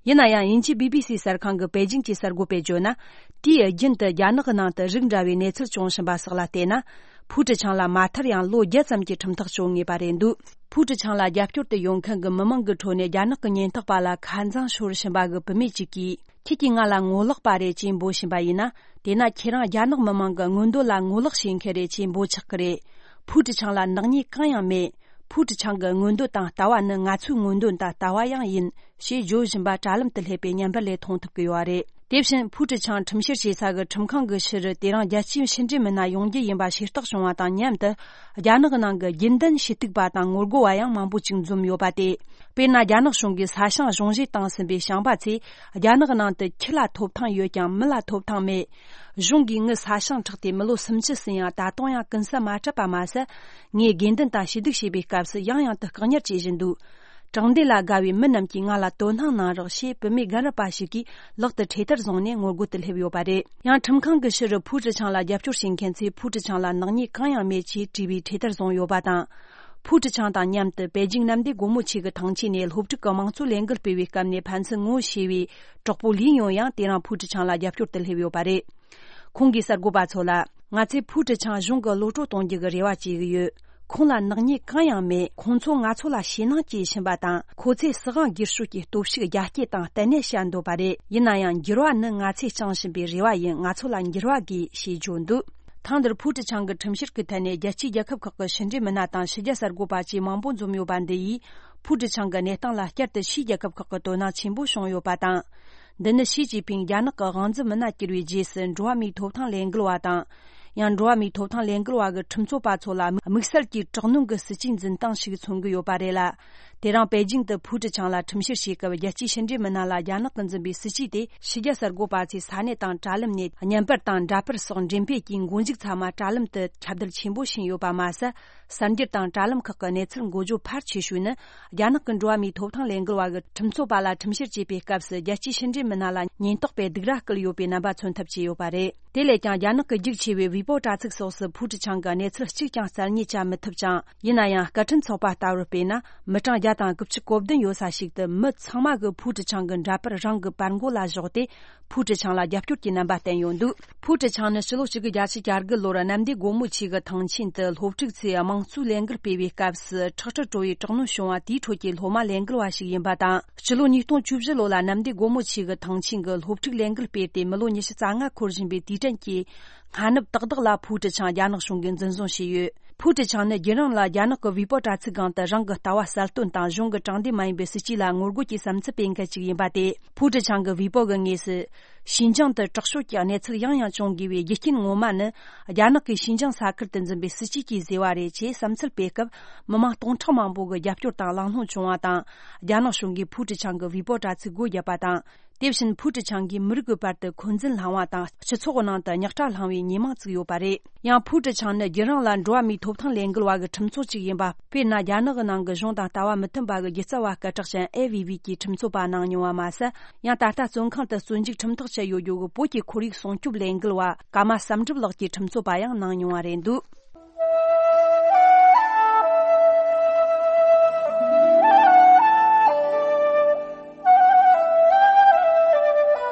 ཡིན་ན་ཡང་དབྱིན་ཇིའི་བི་བི་སི་གསར་ཁང་གི་པེ་ཅིང་གི་གསར་འགོད་པས་བརྗོད་ན། དེའི་རྒྱུན་དུ་རྒྱ་ནག་གི་ནང་དུ་རིགས་འདྲ་བའི་གནས་ཚུལ་བྱུང་བཞིན་པ་སོགས་ལ་བལྟས་ན། ཕུའུ་ཀྲི་ཆང་ལ་མ་མཐར་ཡང་ལོ་བརྒྱད་ཙམ་གྱི་ཁྲིམས་ཐག་གཅོད་ངེས་པ་རེད་འདུག་ཕུའུ་ཀྲི་ཆང་ལ་རྒྱབ་སྐྱོར་དུ་ཡོང་མཁན་གྱི་མི་མང་གི་ཁྲོད་ནས་རྒྱ་ནག་གི་ཉེན་རྟོག་པ་ལ་ཁ་འཛིང་ཤོར་བཞིན་པ་གི་བུད་མེད་ཅིག་གིས། ཁྱེད་ཀྱིས་ང་ལ་ངོ་ལོག་པ་རེད་ཅེས་འབོད་བཞིན་པ་ཡིན་ན། དེས་ན་ཁྱེད་རང་རྒྱ་ནག་མི་མང་གི་མངོན་འདོད་ལ་ངོ་ལོག་བྱེད་མཁན་རེད་ཅེས་འབོད་ཆགས་ཀྱི་རེད། ཕུའུ་ཀྲི་ཆང་ལ་ནག་ཉེས་གང་ཡང་མེད། ཕུའུ་ཀྲི་ཆང་གི་མངོན་འདོད་དང་ལྟ་བ་ནི་ང་ཚོའི་མངོན་འདོད་དང་ལྟ་བ་ཡང་ཡིན། ཞེས་བརྗོད་བཞིན་པ་དྲ་ལམ་དུ་སླེབས་པའི་བརྙན་པར་ལས་མཐོང་ཐུབ་ཀྱི་ཡོད་རེད། དེ་བཞིན་ཕུའུ་ཀྲི་ཆང་ཁྲིམས་བཤེར་བྱེད་ས་གི་ཁྲིམས་ཁང་གི་ཕྱི་རུ་དེ་རིང་རྒྱལ་སྤྱིའི་ཕྱི་འབྲེལ་མི་སྣ་ཡོང་རྒྱུ་ཡིན་པ་ཤེས་རྟོགས་བྱུང་བ་དང་མཉམ་དུ། རྒྱ་ནག་གི་ནང་གི་རྒྱུན་ལྡན་ཞུ་གཏུག་པ་དང་ངོ་རྒོལ་བ་ཡང་མང་པོ་ཅིག་འཛོམས་ཡོད་པ་སྟེ། དཔེར་ན། རྒྱ་ནག་གཞུང་གིས་ས་ཞིང་གཞུང་བཞེས་བཏང་ཟིན་པའི་ཞིང་པ་ཚོས། རྒྱ་ནག་གི་ནང་དུ་ཁྱི་ལ་ཐོབ་ཐང་ཡོད་ཀྱང་མི་ལ་ཐོབ་ཐང་མེད། གཞུང་གིས་ངའི་ས་ཞིང་ཁྲག་སྟེ་མི་ལོ་སུམ་ཅུ་ཟིན་ཡང་ད་དུང་ཡང་ཀུན་ས་མ་སྤྲད་པ་མ་ཟད། ངས་དགོས་འདུན་དང་ཞུ་གཏུག་བྱེད་པའི་སྐབས་སུ་ཡང་ཡང་དུ་བཀག་ཉར་བྱེད་བཞིན་འདུག་དྲང་བདེན་ལ་དགའ་བའི་མི་རྣམས་ཀྱིས་ང་ལ་དོ་སྣང་གནང་རོགས་ཞེས་བུད་མེད་རྒན་རབས་པ་ཞིག་གིས་ལག་ཏུ་འཕྲེད་དར་བཟུང་ནས་ངོ་རྒོལ་དུ་སླེབས་ཡོད་པ་རེད། ཡང་ཁྲིམས་ཁང་གི་ཕྱི་རུ་ཕུའུ་ཀྲི་ཆང་ལ་རྒྱབ་སྐྱོར་བྱེད་མཁན་ཚོས་ཕུའུ་ཀྲི་ཆང་ལ་ནག་ཉེས་གང་ཡང་མེད་ཅེས་བྲིས་པའི་འཕྲེད་དར་བཟུང་ཡོད་པ་དང་། ཕུའུ་ཀྲི་ཆང་དང་མཉམ་དུ་པེ་ཅིང་གནམ་བདེ་སྒོ་མོ་ཆེ་གི་ཐང་ཆེན་ནས་སློབ་ཕྲུག་གི་དམངས་གཙོའི་ལས་འགུལ་སྤེལ་བའི་སྐབས་ནས་ཕན་ཚུན་ངོ་ཤེས་པའི་གྲོགས་པོ་ལི་ཡོང་ཡང་དེ་རིང་ཕུའུ་ཀྲི་ཆང་ལ་རྒྱབ་སྐྱོར་དུ་སླེབས་ཡོད་པ་རེད། ཁོང་གིས་གསར་འགོད་པ་ཚོ་ལ། ང་ཚོས་ཕུའུ་ཀྲི་ཆང་གཞུང་གི་གློད་གྲོལ་གཏོང་རྒྱུ་གི་རེ་བ་བྱེད་ཀྱི་ཡོད། ཁོང་ལ་ནག་ཉེས་གང་ཡང་མེད། ཁོང་ཚོ་ང་ཚོ་ལ་ཞེད་སྣང་སྐྱེ་བཞིན་པ་དང་། ཁོ་ཚོས་སྲིད་དབང་སྒེར་གཅོད་ཀྱི་སྟོབས་ཤུགས་རྒྱ་སྐྱེད་དང་གཏན་ནས་བྱ་འདོད་པ་རེད། ཡིན་ན་ཡང་འགྱུར་བ་ནི་ང་ཚོས་བཅངས་བཞིན་པའི་རེ་བ་ཡིན། ང་ཚོ་ལ་འགྱུར་བ་དགོས་ཞེས་བརྗོད་འདུག་ཐེངས་འདིར་ཕུའུ་ཀྲི་ཆང་གི་ཁྲིམས་བཤེར་གྱི་ཐད་ནས་རྒྱལ་སྤྱིའི་རྒྱལ་ཁབ་ཁག་གི་ཕྱི་འབྲེལ་མི་སྣ་དང་ཕྱི་རྒྱལ་གསར་འགོད་པ་བཅས་མང་པོ་འཛོམས་ཡོད་པ་འདི་ཡིས། ཕུའུ་ཀྲི་ཆང་གི་གནས་སྟངས་ལ་བསྐྱར་དུ་ཕྱིའི་རྒྱལ་ཁབ་ཁག་གི་དོ་སྣང་ཆེན་པོ་བྱུང་ཡོད་པ་དང་། འདི་ནི་ཞི་ཅིན་ཕིང་རྒྱ་ནག་གི་དབང་འཛིན་མི་སྣ་གྱུར་བའི་རྗེས་སུ་འགྲོ་བ་མིའི་ཐོབ་ཐང་ལས་འགུལ་བ་དང་། ཡང་འགྲོ་བ་མིའི་ཐོབ་ཐང་ལས་འགུལ་བ་གི་ཁྲིམས་རྩོད་པ་ཚོ་ལ་དམིགས་བསལ་གྱི་དྲག་གནོན་གྱི་སྲིད་ཇུས་འཛིན་སྟངས་ཤིག་མཚོན་གྱི་ཡོད་པ་རེད་ལ། དེ་རིང་པེ་ཅིང་དུ་ཕུའུ་ཀྲི་ཆང་ལ་ཁྲིམས་བཤེར་བྱེད་སྐབས་རྒྱལ་སྤྱིའི་ཕྱི་འབྲེལ་མི་སྣ་ལ་རྒྱ་ནག་གིས་འཛིན་པའི་སྲིད་ཇུས་དེ་ཕྱི་རྒྱལ་གསར་འགོད་པ་ཚོས་ས་གནས་དང་དྲ་ལམ་ནས་བརྙན་པར་དང་འདྲ་པར་སོགས་འགྲེམས་སྤེལ་གྱིས་མགོ་མཇུག་ཚང་མ་དྲ་ལམ་དུ་ཁྱབ་བརྡལ་ཆེན་པོ་ཕྱིན་ཡོད་པ་མ་ཟད། གསར་འགྱུར་དང་དྲ་ལམ་ཁག་གི་གནས་ཚུལ་འགོ་བརྗོད་ཕལ་ཆེ་ཤོས་ནི། རྒྱ་ནག་གི་འགྲོ་བ་མིའི་ཐོབ་ཐང་ལས་འགུལ་བ་གི་ཁྲིམས་རྩོད་པ་ལ་ཁྲིམས་བཤེར་བྱེད་པའི་སྐབས་སུ་རྒྱལ་སྤྱིའི་ཕྱི་འབྲེལ་མི་སྣ་ལ་ཉེན་རྟོག་པས་སྡིགས་ར་བསྐུལ་ཡོད་པའི་རྣམ་པ་མཚོན་ཐབས་བྱས་ཡོད་པ་རེད། དེ་ལས་ཀྱང་རྒྱ་ནག་གི་རྒྱུགས་ཆེ་བའི་ཝི་པོ་དྲ་ཚིགས་སོགས་སུ་ཕུའུ་ཀྲི་ཆང་གི་གནས་ཚུལ་གཅིག་ཀྱང་རྩད་ཉེས་བྱ་མི་ཐུབ་ཅིང་། ཡིན་ན་ཡང་སྐད་འཕྲིན་ཚོགས་པ་ལྟ་བུར་དཔེར་ན། མི་གྲངས་བརྒྱ་དང་དགུ་བཅུ་གོ་བདུན་ཡོད་ས་ཞིག་ཏུ་མི་ཚང་མ་གིས་ཕུའུ་ཀྲི་ཆང་གི་འདྲ་པར་རང་གི་པར་མགོ་ལ་བཞག་སྟེ། ཕུའུ་ཀྲི་ཆང་ལ་རྒྱབ་སྐྱོར་གྱི་རྣམ་པ་བསྟན་ཡོད་འདུག་ཕུའུ་ཀྲི་ཆང་ནི་ཕྱི་ལོ་གཅིག་དགུ་བརྒྱད་ཅུ་གྱ་དགུ་ལོར་གནམ་བདེ་སྒོ་མོ་ཆེ་གི་ཐང་ཆེན་དུ་སློབ་ཕྲུག་ཚོས་དམངས་གཙོའི་ལས་འགུལ་སྤེལ་བའི་སྐབས་སུ་ཁྲག་དྲི་བྲོ་བའི་དྲག་གནོན་བྱུང་བ་དེའི་ཁྲོད་ཀྱི་སློབ་མ་ལས་འགུལ་བ་ཞིག་ཡིན་པ་དང་། ཕྱི་ལོ་ཉིས་སྟོང་བཅུ་བཞི་ལོ་ལ་གནམ་བདེ་སྒོ་མོ་ཆེ་གི་ཐང་ཆེན་གྱི་སློབ་ཕྲུག་ལས་འགུལ་སྤེལ་ཏེ་མི་ལོ་ཉི་ཤུ་རྩ་ལྔ་འཁོར་བཞིན་པའི་དུས་དྲན་གྱི་སྔ་ནུབ་ཏག་ཏག་ལ་ཕུའུ་ཀྲི་ཆང་རྒྱ་ནག་གཞུང་གིས་འཛིན་བཟུང་བྱས་ཡོད། ཕུའུ་ཀྲི་ཆང་ནི་རྒྱུན་རིང་ལ་རྒྱ་ནག་གི་ཝི་པོ་དྲ་ཚིགས་སྒང་དུ་རང་གི་ལྟ་བ་གསལ་སྟོན་དང་གཞུང་གི་དྲང་བདེན་མ་ཡིན་པའི་སྲིད་ཇུས་ལ་ངོ་རྒོལ་གྱི་བསམ་ཚུལ་སྤེལ་མཁན་ཞིག་ཡིན་པ་སྟེ། ཕུའུ་ཀྲི་ཆང་གི་ཝི་པོ་གི་ངོས་སུ། ཞིན་ཅང་དུ་དྲག་སྤྱོད་ཀྱི་གནས་ཚུལ་ཡང་ཡང་བྱུང་དགོས་པའི་རྒྱུ་རྐྱེན་ངོ་མ་ནི། རྒྱ་ནག་གིས་ཞིན་ཅང་ས་ཁུལ་དུ་འཛིན་པའི་སྲིད་ཇུས་ཀྱིས་བཟོས་པ་རེད་ཅེས་བསམ་ཚུལ་སྤེལ་སྐབས། མི་མང་སྟོང་ཕྲག་མང་པོ་གི་རྒྱབ་སྐྱོར་དང་གླེང་སློང་བྱུང་བ་དང་། རྒྱ་ནག་གཞུང་གིས་ཕུའུ་ཀྲི་ཆང་གི་ཝི་པོ་དྲ་ཚིགས་སྒོ་བརྒྱབ་པ་དང་། དེ་བཞིན་ཕུའུ་ཀྲི་ཆང་གིས་མི་རིགས་ཀྱི་བར་དུ་འཁོན་འཛིན་བསླངས་བ་དང་། སྤྱི་ཚོགས་ནང་དུ་རྙོག་དྲ་བསླངས་བའི་ཉེས་མིང་བཙུགས་ཡོད་པ་རེད། ཡང་ཕུའུ་ཀྲི་ཆང་ནི་རྒྱུན་རིང་ལ་འགྲོ་བ་མིའི་ཐོབ་ཐང་ལས་འགུལ་བ་གི་ཁྲིམས་རྩོད་ཅིག་ཡིན་པ། དཔེར་ན། རྒྱ་ནག་གི་ནང་གི་གཞུང་དང་ལྟ་བ་མི་མཐུན་པ་གི་སྒྱུ་རྩལ་བ་སྐད་གྲགས་ཅན་ཨེ་ཝི་ཝི་གིས་ཁྲིམས་རྩོད་པ་གནང་མྱོང་བ་མ་ཟད། ཡང་ད་ལྟ་བཙོན་ཁང་དུ་བཙོན་འཇུག་ཁྲིམས་ཐག་བཅད་ཡོད་རྒྱུ་གི་བོད་ཀྱི་ཁོར་ཡུག་སྲུང་སྐྱོབ་ལས་འགུལ་བ་ཀརྨ་བསམ་གྲུབ་ལགས་ཀྱིས་ཁྲིམས་རྩོད་པ་ཡང་གནང་མྱོང་བ་རེད་འདུག་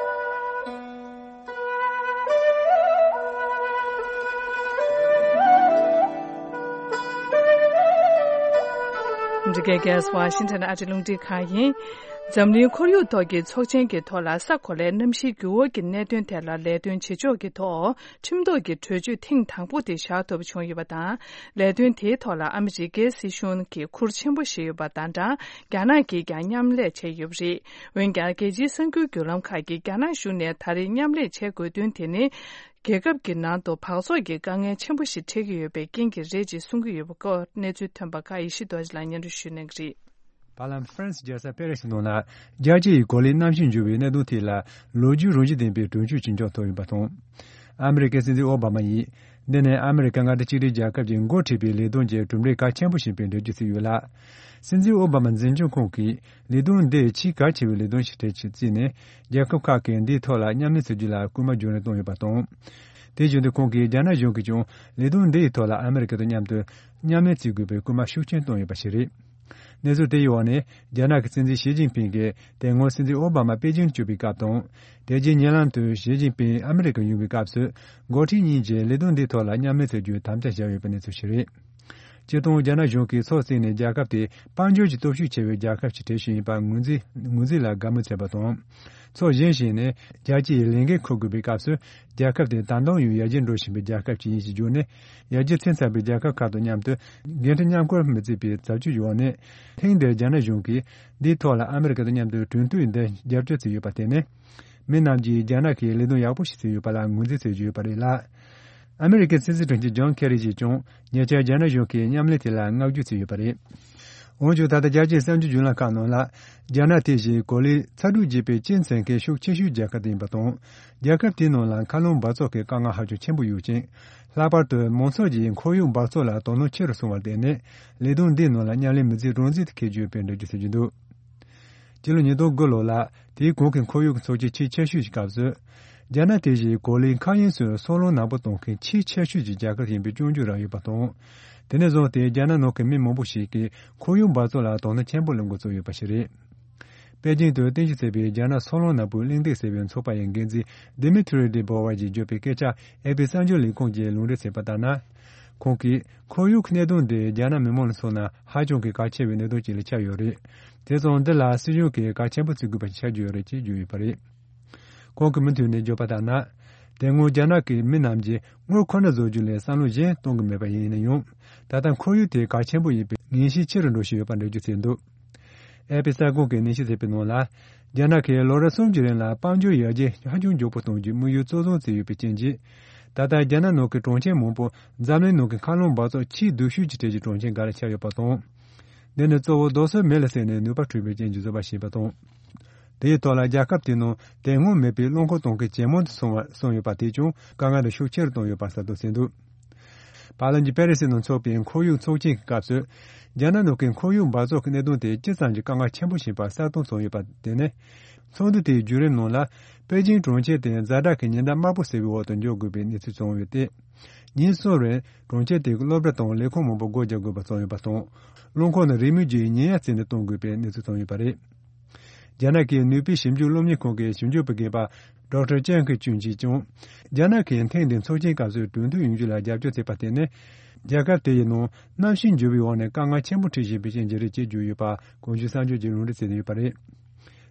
འདི་གའི་གེ་སི་ཝ་ཤིང་ཊོན་ཨ་རི་རླུང་འཕྲིན་ཁང་ཡིན། འཛམ་གླིང་ཁོར་ཡུག་ཐོག་གི་ཚོགས་ཆེན་གྱི་ཐོག་ལ་ས་གོ་ལའི་གནམ་གཤིས་འགྱུར་བ་གྱི་གནད་དོན་ཐད་ལ་ལས་དོན་བྱེད་ཕྱོགས་ཀྱི་ཐོག་ཁྲིམས་ཐོག་གི་གྲོས་ཆོད་ཐེངས་དང་པོ་དེ་བཞག་ཐུབ་པ་བྱུང་ཡོད་པ་དང་། ལས་དོན་དེའི་ཐོག་ལ་ཨ་མི་རི་ཀའི་སྲིད་གཞུང་གིས་ཁུར་ཆེན་པོ་བཞེས་ཡོད་པ་དང་འདྲ། རྒྱ་ནག་གིས་ཀྱང་མཉམ་ལས་བྱས་ཡོད་པ་རེད། འོན་ཀྱང་། རྒྱལ་སྤྱིའི་གསར་འགྱུར་བརྒྱུད་ལམ་ཁག་གིས་རྒྱ་ནག་གཞུང་ནས་ད་རེས་མཉམ་ལས་བྱེད་དགོས་དོན་དེ་ནི། རྒྱལ་ཁབ་ཀྱི་ནང་དུ་འབག་བཙོག་གི་དཀའ་ངལ་ཆེན་པོ་ཞིག་འཕྲད་ཀྱི་ཡོད་པའི་རྐྱེན་གྱིས་རེད་ཅེས་གསུང་གི་ཡོད་པའི་སྐོར་གནས་ཚུལ་ཐོན་པ་ཁག་ཡེ་ཤེས་རྡོ་རྗེ་ལགས་སྙན་སྒྲོན་ཞུ་གནང་གི་རེད། བར་ལམ་ཧྥ་རན་སི་རྒྱལ་ས་པེ་རི་སི་ནང་ལ་རྒྱལ་སྤྱི་ཡི་གོ་ལའི་གནམ་གཤིས་འགྱུར་བའི་གནད་དོན་ཐད་ལ་ལོ་རྒྱུས་རང་བཞིན་ལྡན་པའི་གྲོས་ཆོད་ཅིག་མཇུག་བསྡུས་ཡོད་པ་དང་། ཨ་མི་རི་ཀའི་སྲིད་འཛིན་ཨོ་བྷ་མ་ཡིས། འདི་ནི་ཨ་མི་རི་ཀ་མངའ་སྡེ་གཅིག་སྒྲིལ་རྒྱལ་ཁབ་ཀྱི་འགོ་ཁྲིད་པའི་ལས་དོན་གྱི་གྲུབ་འབྲས་གལ་ཆེན་པོ་ཞིག་ཡིན་པའི་འགྲེལ་བརྗོད་བྱས་ཡོད་ལ། སྲིད་འཛིན་ཨོ་བྷ་མ་འཛིན་སྐྱོང་ཁོངས་ཀྱིས་ལས་དོན་འདི་ཆེས་གལ་ཆེ་བའི་ལས་དོན་ཞིག་གྲས་ཆེད་བརྩིས་ནས། རྒྱལ་ཁབ་ཁག་གིས་འདིའི་ཐོག་ལ་མཉམ་ལས་བྱེད་རྒྱུ་ལ་སྐུལ་མ་རྒྱུན་རིང་གཏོང་ཡོད་པ་དང་། དེ་བཞིན་དུ་ཁོང་གིས་རྒྱ་ནག་གཞུང་གིས་ཀྱང་ལས་དོན་འདི་ཡི་ཐོག་ལ་ཨ་མི་རི་ཀ་དང་མཉམ་དུ་མཉམ་ལས་བྱེད་དགོས་པའི་སྐུལ་མ་ཤུགས་ཆེན་གཏོང་ཡོད་པ་ཞིག་རེད། གནས་ཚུལ་དེའི་འོག་ནས་རྒྱ་ནག་གི་སྲིད་འཛིན་ཞི་ཅིན་ཕིང་གིས་དེ་སྔོན་སྲིད་འཛིན་ཨོ་བྷ་མ་པེ་ཅིང་དུ་བསྐྱོད་པའི་སྐབས་དང་། དེ་རྗེས་ཉེ་ལམ་དུ་ཞི་ཅིན་ཕིང་ཨ་མི་རི་ཀར་ཡོང་བའི་སྐབས་སུ། འགོ་ཁྲིད་གཉིས་ཀྱིས་ལས་དོན་འདིའི་ཐོག་ལ་མཉམ་ལས་བྱེད་རྒྱུའི་དམ་བཅའ་བཞག་ཡོད་པའི་གནས་ཚུལ་ཞིག་རེད། སྤྱིར་བཏང་རྒྱ་ནག་གཞུང་གིས་ཕྱོགས་གཅིག་ནས་རྒྱལ་ཁབ་དེ་དཔལ་འབྱོར་གྱི་སྟོབས་ཤུགས་ཆེ་བའི་རྒྱལ་ཁབ་ཅིག་གྲས་ཤིག་ཡིན་པར་ངོས་འཛིན་ངོས་འཛིན་ལ་དགའ་མོས་བྱས་པ་དང་། ཕྱོགས་གཞན་ཞིག་ནས་རྒྱལ་སྤྱིའི་ལས་འགན་འཁུར་དགོས་པའི་སྐབས་སུ། རྒྱལ་ཁབ་དེ་ད་དུང་ཡང་ཡར་རྒྱས་འགྲོ་བཞིན་པའི་རྒྱལ་ཁབ་ཅིག་ཡིན་ཞེས་བརྗོད་ནས། ཡར་རྒྱས་ཕྱིན་ཚར་བའི་རྒྱལ་ཁབ་ཁག་དང་མཉམ་དུ་འགན་འཁྲི་མཉམ་འཁུར་མི་བྱེད་པའི་བྱ་སྤྱོད་འོག་ནས། ཐེངས་འདིར་རྒྱ་ནག་གཞུང་གིས་འདིའི་ཐོག་ལ་ཨ་མི་རི་ཀ་དང་མཉམ་དུ་གྲོས་མཐུན་འདིར་རྒྱབ་སྐྱོར་བྱས་ཡོད་པ་དེ་ནི། མི་རྣམས་ཀྱིས་རྒྱ་ནག་གིས་ལས་དོན་ཡག་པོ་ཞིག་བྱས་ཡོད་པ་ལ་ངོས་འཛིན་བྱེད་ཀྱི་ཡོད་པ་རེད་ལ། ཨ་མི་རི་ཀའི་སྲིད་འཛིན་དྲུང་ཆེ་ཇོན་ཁེ་རི་ཡིས་ཀྱང་ཉེ་ཆར་རྒྱ་ནག་གཞུང་གིས་མཉམ་ལས་དེ་ལ་བསྔགས་བརྗོད་བྱས་ཡོད་པ་རེད། འོན་ཀྱང་ད་ལྟ་རྒྱལ་སྤྱིའི་གསར་འགྱུར་བརྒྱུད་ལམ་ཁག་ནང་ལ། རྒྱ་ནག་དེ་བཞིན་གོ་ལའི་ཚ་དྲོད་རྒྱས་པའི་སྤྱི་མཚན་མཁན་ཤུགས་ཆེ་ཤོས་རྒྱལ་ཁབ་དེ་ཡིན་པ་དང་། རྒྱལ་ཁབ་དེའི་ནང་ལ་མཁའ་རླུང་འབག་བཙོག་གི་དཀའ་ངལ་ཧ་ཅང་ཆེན་པོ་ཡོད་ཅིང་། ལྷག་པར་དུ་མང་ཚོགས་ཀྱིས་ཁོར་ཡུག་འབག་བཙོག་ལ་དོ་སྣང་ཆེ་རུ་སོང་བར་བརྟེན་ནས། ལས་དོན་འདིའི་ནང་ལ་མཉམ་ལས་མི་བྱེད་རང་བྱེད་དུ་འཁེལ་རྒྱུ་ཡོད་པའི་འགྲེལ་བརྗོད་བྱེད་ཀྱི་འདུག། སྤྱི་ལོ་ཉིས་སྟོང་དགུ་ལོ་ལ། དེའི་གོང་གི་ཁོར་ཡུག་གི་ཚོགས་ཆེན་ཆེས་ཆེ་ཤོས་ཀྱི་སྐབས་སུ། རྒྱ་ནག་དེ་བཞིན་གོ་ལའི་མཁའ་དབྱིངས་སུ་སོལ་རླུང་ནག་པོ་གཏོང་མཁན་ཆེས་ཆེ་ཤོས་ཀྱི་རྒྱལ་ཁབ་ཡིན་པའི་སྐྱོན་བརྗོད་རག་ཡོད་པ་དང་། དེ་ནས་བཟུང་སྟེ་རྒྱ་ནག་ནང་གི་མི་མང་པོ་ཞིག་གིས་ཁོར་ཡུག་འབག་བཙོག་ལ་དོ་སྣང་ཆེན་པོ་སློང་འགོ་བཙུགས་ཡོད་པ་ཞིག་རེད། པེ་ཅིང་དུ་རྟེན་གཞི་བྱས་པའི་རྒྱ་ནག་སོལ་རླུང་ནག་པོའི་གླེང་སྟེགས་ཟེར་བའི་ཚོགས་པ་ཡི་འགན་འཛིན་Dmitry Debova ཡིས་བརྗོད་པའི་སྐད་ཆ་ཨེ་པི་གསར་འགྱུར་ལས་ཁུངས་ཀྱིས་ལུང་འདྲེན་བྱས་པ་ལྟར་ན། ཁོང་གིས་ཁོར་ཡུག་གནད་དོན་འདི་རྒྱ་ནག་མི་མང་ལ་མཚོན་ན་ཧ་ཅང་གི་གལ་ཆེ་བའི་གནད་དོན་ཅིག་ལ་ཆགས་ཡོད་རེད། དེ་སོང་འདི་ལ་སྲིད་གཞུང་གིས་གལ་ཆེན་པོ་བརྩི་དགོས་པ་ཞིག་ཆགས་ཀྱི་ཡོད་རེད་ཅེས་བརྗོད་ཡོད་པ་རེད། ཁོང་གིས་མུ་མཐུད་ནས་བརྗོད་པ་ལྟར་ན། དེ་སྔོན་རྒྱ་ནག་གི་མི་རྣམས་ཀྱིས་དངུལ་ཁོ་ན་བཟོ་རྒྱུ་ལས་བསམ་བློ་གཞན་གཏོང་གི་མེད་པ་ཡིན་ན་ཡང་། ད་ལྟ་ཁོར་ཡུག་དེ་གལ་ཆེན་པོ་ཡིན་པའི་ངེས་ཤེས་ཆེ་རུ་འགྲོ་བཞིན་ཡོད་པ་འགྲེལ་བརྗོད་བྱས་འདུག། ཨེ་པི་གསར་ཁང་གིས་ནན་བཤད་བྱས་པའི་ནང་ལ། རྒྱ་ནག་གིས་ལོ་རབས་གསུམ་གྱི་རིང་ལ་དཔལ་འབྱོར་ཡར་རྒྱས་ཧ་ཅང་མགྱོགས་པོ་གཏོང་རྒྱུའི་དམིགས་ཡུལ་གཙོ་བཟུང་བྱས་ཡོད་པའི་རྐྱེན་གྱིས། ད་ལྟ་རྒྱ་ནག་ནང་གི་གྲོང་ཁྱེར་མང་པོ་འཛམ་གླིང་ནང་གི་མཁའ་རླུང་འབག་བཙོག་ཆེས་སྡུག་ཤོས་ཀྱི་གྲས་ཀྱི་གྲོང་ཁྱེར་འགའ་ལ་ཆགས་ཡོད་པ་དང་། འདི་ནི་གཙོ་བོ་རྡོ་སོལ་མེ་ལ་བསྲེགས་ནས་ནུས་པ་འཕྲོད་པའི་རྐྱེན་གྱིས་བཟོས་པ་ཞིག་ཡིན་པ་དང་། དེའི་ཐོག་ལ་རྒྱལ་ཁབ་དེའི་ནང་དེ་སྔོན་མེད་པའི་རླངས་འཁོར་གཏོང་མཁན་ཇེ་མང་དུ་སོང་བ་སོང་ཡོད་པ་དེས་ཀྱང་དཀའ་ངལ་དེ་ཤུགས་ཆེ་རུ་བཏང་ཡོད་པ་གསལ་སྟོན་བྱས་འདུག། བར་ལམ་གྱི་པེ་རི་སི་ནང་འཚོགས་པའི་ཁོར་ཡུག་ཚོགས་ཆེན་གྱི་སྐབས་སུ། རྒྱ་ནག་ནང་གི་ཁོར་ཡུག་འབག་བཙོག་གི་གནད་དོན་དེ་ཅི་ཙམ་གྱི་དཀའ་ངལ་ཆེན་པོ་ཞིག་ཡིན་པ་གསལ་སྟོན་བྱུང་ཡོད་པ་དེ་ནི། ཚོགས་འདུ་དེའི་བརྒྱུད་རིམ་ནང་ལ། པེ་ཅིང་གྲོང་ཁྱེར་དེ་ཛ་དྲག་གི་ཉི་ཟླ་དམར་པོ་ཟེར་བའི་འོག་ཏུ་འཇོག་དགོས་པའི་གནས་ཚུལ་བྱུང་ཡོད་དེ། ཉིན་གསུམ་རིང་གྲོང་ཁྱེར་དེའི་སློབ་གྲྭ་དང་ལས་ཁུངས་མང་པོ་སྒོ་རྒྱག་དགོས་པ་བྱུང་ཡོད་པ་དང་། རླངས་འཁོར་ནི་རེའུ་མིག་བརྒྱའི་ཉིན་ཡར་བརྩིས་ནས་གཏོང་དགོས་པའི་གནས་ཚུལ་བྱུང་ཡོད་པ་རེད། རྒྱ་ནག་གི་ནུས་པའི་ཞིབ་འཇུག་སློབ་གཉེར་ཁང་གི་ཞིབ་འཇུག་པ་རྒན་པ་ཌོག་ཊར་ཅན་ཁི་ཅུན་གྱིས་ཀྱང་། རྒྱ་ནག་གིས་ཐེངས་འདིའི་ཚོགས་ཆེན་སྐབས་སུ་གྲོས་མཐུན་ཡོང་རྒྱུ་ལ་རྒྱབ་སྐྱོར་བྱས་པ་དེ་ནི། རྒྱལ་ཁབ་དེ་ཡི་ནང་གནམ་གཤིས་འགྱུར་བའི་འོག་ནས་དཀའ་ངལ་ཆེན་པོ་འཕྲད་བཞིན་པའི་རྐྱེན་གྱིས་རེད་ཅེས་བརྗོད་ཡོད་པ་གོང་ཞུས་གསར་འགྱུར་གྱིས་ལུང་འདྲེན་བྱས་ཡོད་པ་རེད།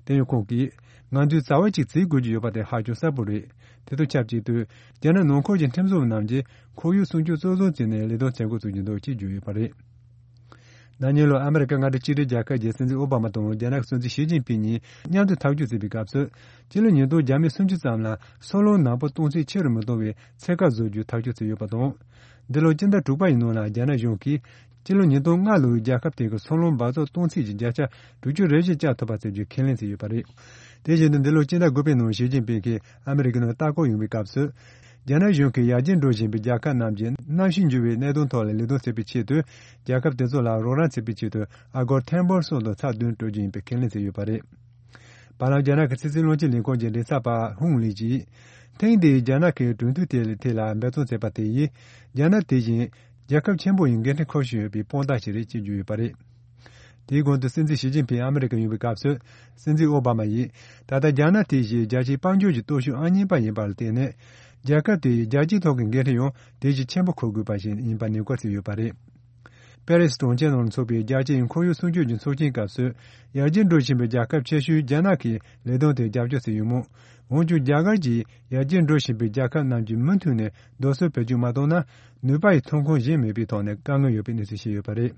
དེ་ཡང་ཁོང་གིས། ང་ཚོས་རྩ་བ་གཅིག་བྱེད་དགོས་ཀྱི་ཡོད་པ་དེ་ཧ་ཅང་གསལ་པོ་རེད། དེ་དང་ཆབས་ཅིག་ཏུ། རྒྱ་ནག་ནང་ཁུལ་གྱི་ཁྲིམས་བཟོ་བ་རྣམས་ཀྱིས་ཁོར་ཡུག་སྲུང་སྐྱོབ་གཙོ་བཟུང་བྱས་ནས་ལས་དོན་བྱེད་འགོ་བཙུགས་ཀྱི་འདུག་ཅེས་བརྗོད་ཡོད་པ་རེད། ན་ནིང་ལོར་ཨ་མི་རི་ཀ་མངའ་སྡེ་གཅིག་སྒྲིལ་རྒྱལ་ཁབ་ཀྱི་སྲིད་འཛིན་ཨོ་བྷ་མ་དང་རྒྱ་ནག་གི་སྲིད་འཛིན་ཞི་ཅིན་ཕིང་གཉིས་མཉམ་དུ་ཐག་གཅོད་བྱས་པའི་སྐབས་སུ། སྤྱི་ལོ་ཉིས་སྟོང་བརྒྱ་མེད་སུམ་ཅུ་ཙམ་ལ་སོལ་རླུང་ནག་པོ་གཏོང་ཚད་ཆེ་རུ་མི་གཏོང་བའི་ཚད་བཀག་བཟོ་རྒྱུའི་ཐག་གཅོད་བྱས་ཡོད་པ་དང་། འདི་ལོ་སྤྱི་ཟླ་དྲུག་པ་ཡི་ནང་ལ་རྒྱ་ནག་གཞུང་གིས། སྤྱི་ལོ་ཉིས་སྟོང་ལྔ་ལོའི་རྒྱལ་ཁབ་དེ་གའི་སོལ་རླུང་འབག་བཙོག་གཏོང་ཚད་ཀྱི་བརྒྱ་ཆ་དྲུག་ཅུ་རེ་བཞི་བཅག་ཐུབ་པ་བྱེད་རྒྱུའི་ཁས་ལེན་བྱས་ཡོད་པ་རེད། དེ་བཞིན་དུ་འདི་ལོའི་སྤྱི་ཟླ་དགུ་པའི་ནང་ཞི་ཅིན་ཕིང་གིས་ཨ་མི་རི་ཀའི་ནང་ལྟ་སྐོར་ཡོང་བའི་སྐབས་སུ། རྒྱ་ནག་གཞུང་གིས་ཡར་རྒྱས་འགྲོ་བཞིན་པའི་རྒྱལ་ཁབ་རྣམས་ཀྱིས་གནམ་གཤིས་འགྱུར་བའི་གནད་དོན་ཐོག་ལ་ལས་དོན་བྱེད་པའི་ཆེད་དུ། རྒྱལ་ཁབ་དེ་ཚོ་ལ་རོགས་རམ་བྱེད་པའི་ཆེད་དུ་ཨ་སྒོར་ཐེར་འབུམ་གསུམ་དང་ཚེག་བདུན་སྤྲོད་རྒྱུ་ཡིན་པའི་ཁས་ལེན་བྱས་ཡོད་པ་རེད། བར་ལམ་རྒྱ་ནག་གི་ཕྱི་སྲིད་བློན་ཆེན་ལས་ཁུངས་ཀྱི་མགྲིན་ཚབ་པ་ཧུང་ལི་ཡིས། ཐེངས་འདིའི་རྒྱ་ནག་གི་གྲོས་མཐུན་དེ་ཐད་ལ་འབད་བརྩོན་བྱས་པ་དེ་ཡིས། རྒྱ་ནག་དེ་བཞིན་རྒྱལ་ཁབ་ཆེན་པོ་ཡི་འགན་འཁྲི་འཁུར་བཞིན་ཡོད་པའི་དཔང་རྟགས་ཤིག་རེད་ཅེས་བརྗོད་ཡོད་པ་རེད། དེའི་གོང་དུ་སྲིད་འཛིན་ཞི་ཅིན་ཕིང་ཨ་མི་རི་ཀར་ཡོང་བའི་སྐབས་སུ། སྲིད་འཛིན་ཨོ་བྷ་མ་ཡིས། ད་ལྟ་རྒྱ་ནག་དེ་བཞིན་རྒྱལ་སྤྱིའི་དཔལ་འབྱོར་གྱི་སྟོབས་ཤུགས་ཨང་གཉིས་པ་ཡིན་པ་ལ་བརྟེན་ནས། རྒྱལ་ཁབ་དེ་ཡིས་རྒྱལ་སྤྱིའི་ཐོག་གི་འགན་འཁྲི་ཡང་དེ་བཞིན་ཆེན་པོ་འཁུར་དགོས་པ་ཞིག་ཡིན་པ་ནན་སྐུལ་བྱས་ཡོད་པ་རེད། པེ་རི་སི་གྲོང་ཁྱེར་ནང་འཚོགས་པའི་རྒྱལ་སྤྱིའི་ཁོར་ཡུག་སྲུང་སྐྱོབ་ཀྱི་ཚོགས་ཆེན་སྐབས་སུ། ཡར་རྒྱས་འགྲོ་བཞིན་པའི་རྒྱལ་ཁབ་ཆེ་ཤོས་རྒྱ་ནག་གིས་ལས་དོན་དེར་རྒྱབ་སྐྱོར་བྱས་ཡོད་མོད། འོན་ཀྱང་རྒྱ་གར་གྱིས་ཡར་རྒྱས་འགྲོ་བཞིན་པའི་རྒྱལ་ཁབ་རྣམས་ཀྱིས་མུ་མཐུད་ནས་རྡོ་སོལ་བེད་སྤྱོད་མ་བཏང་ན། ནུས་པ་ཡི་ཐོན་ཁུངས་གཞན་མེད་པའི་ཐོག་ནས་དཀའ་ངལ་ཡོད་པའི་གནས་ཚུལ་བཤད་ཡོད་པ་རེད།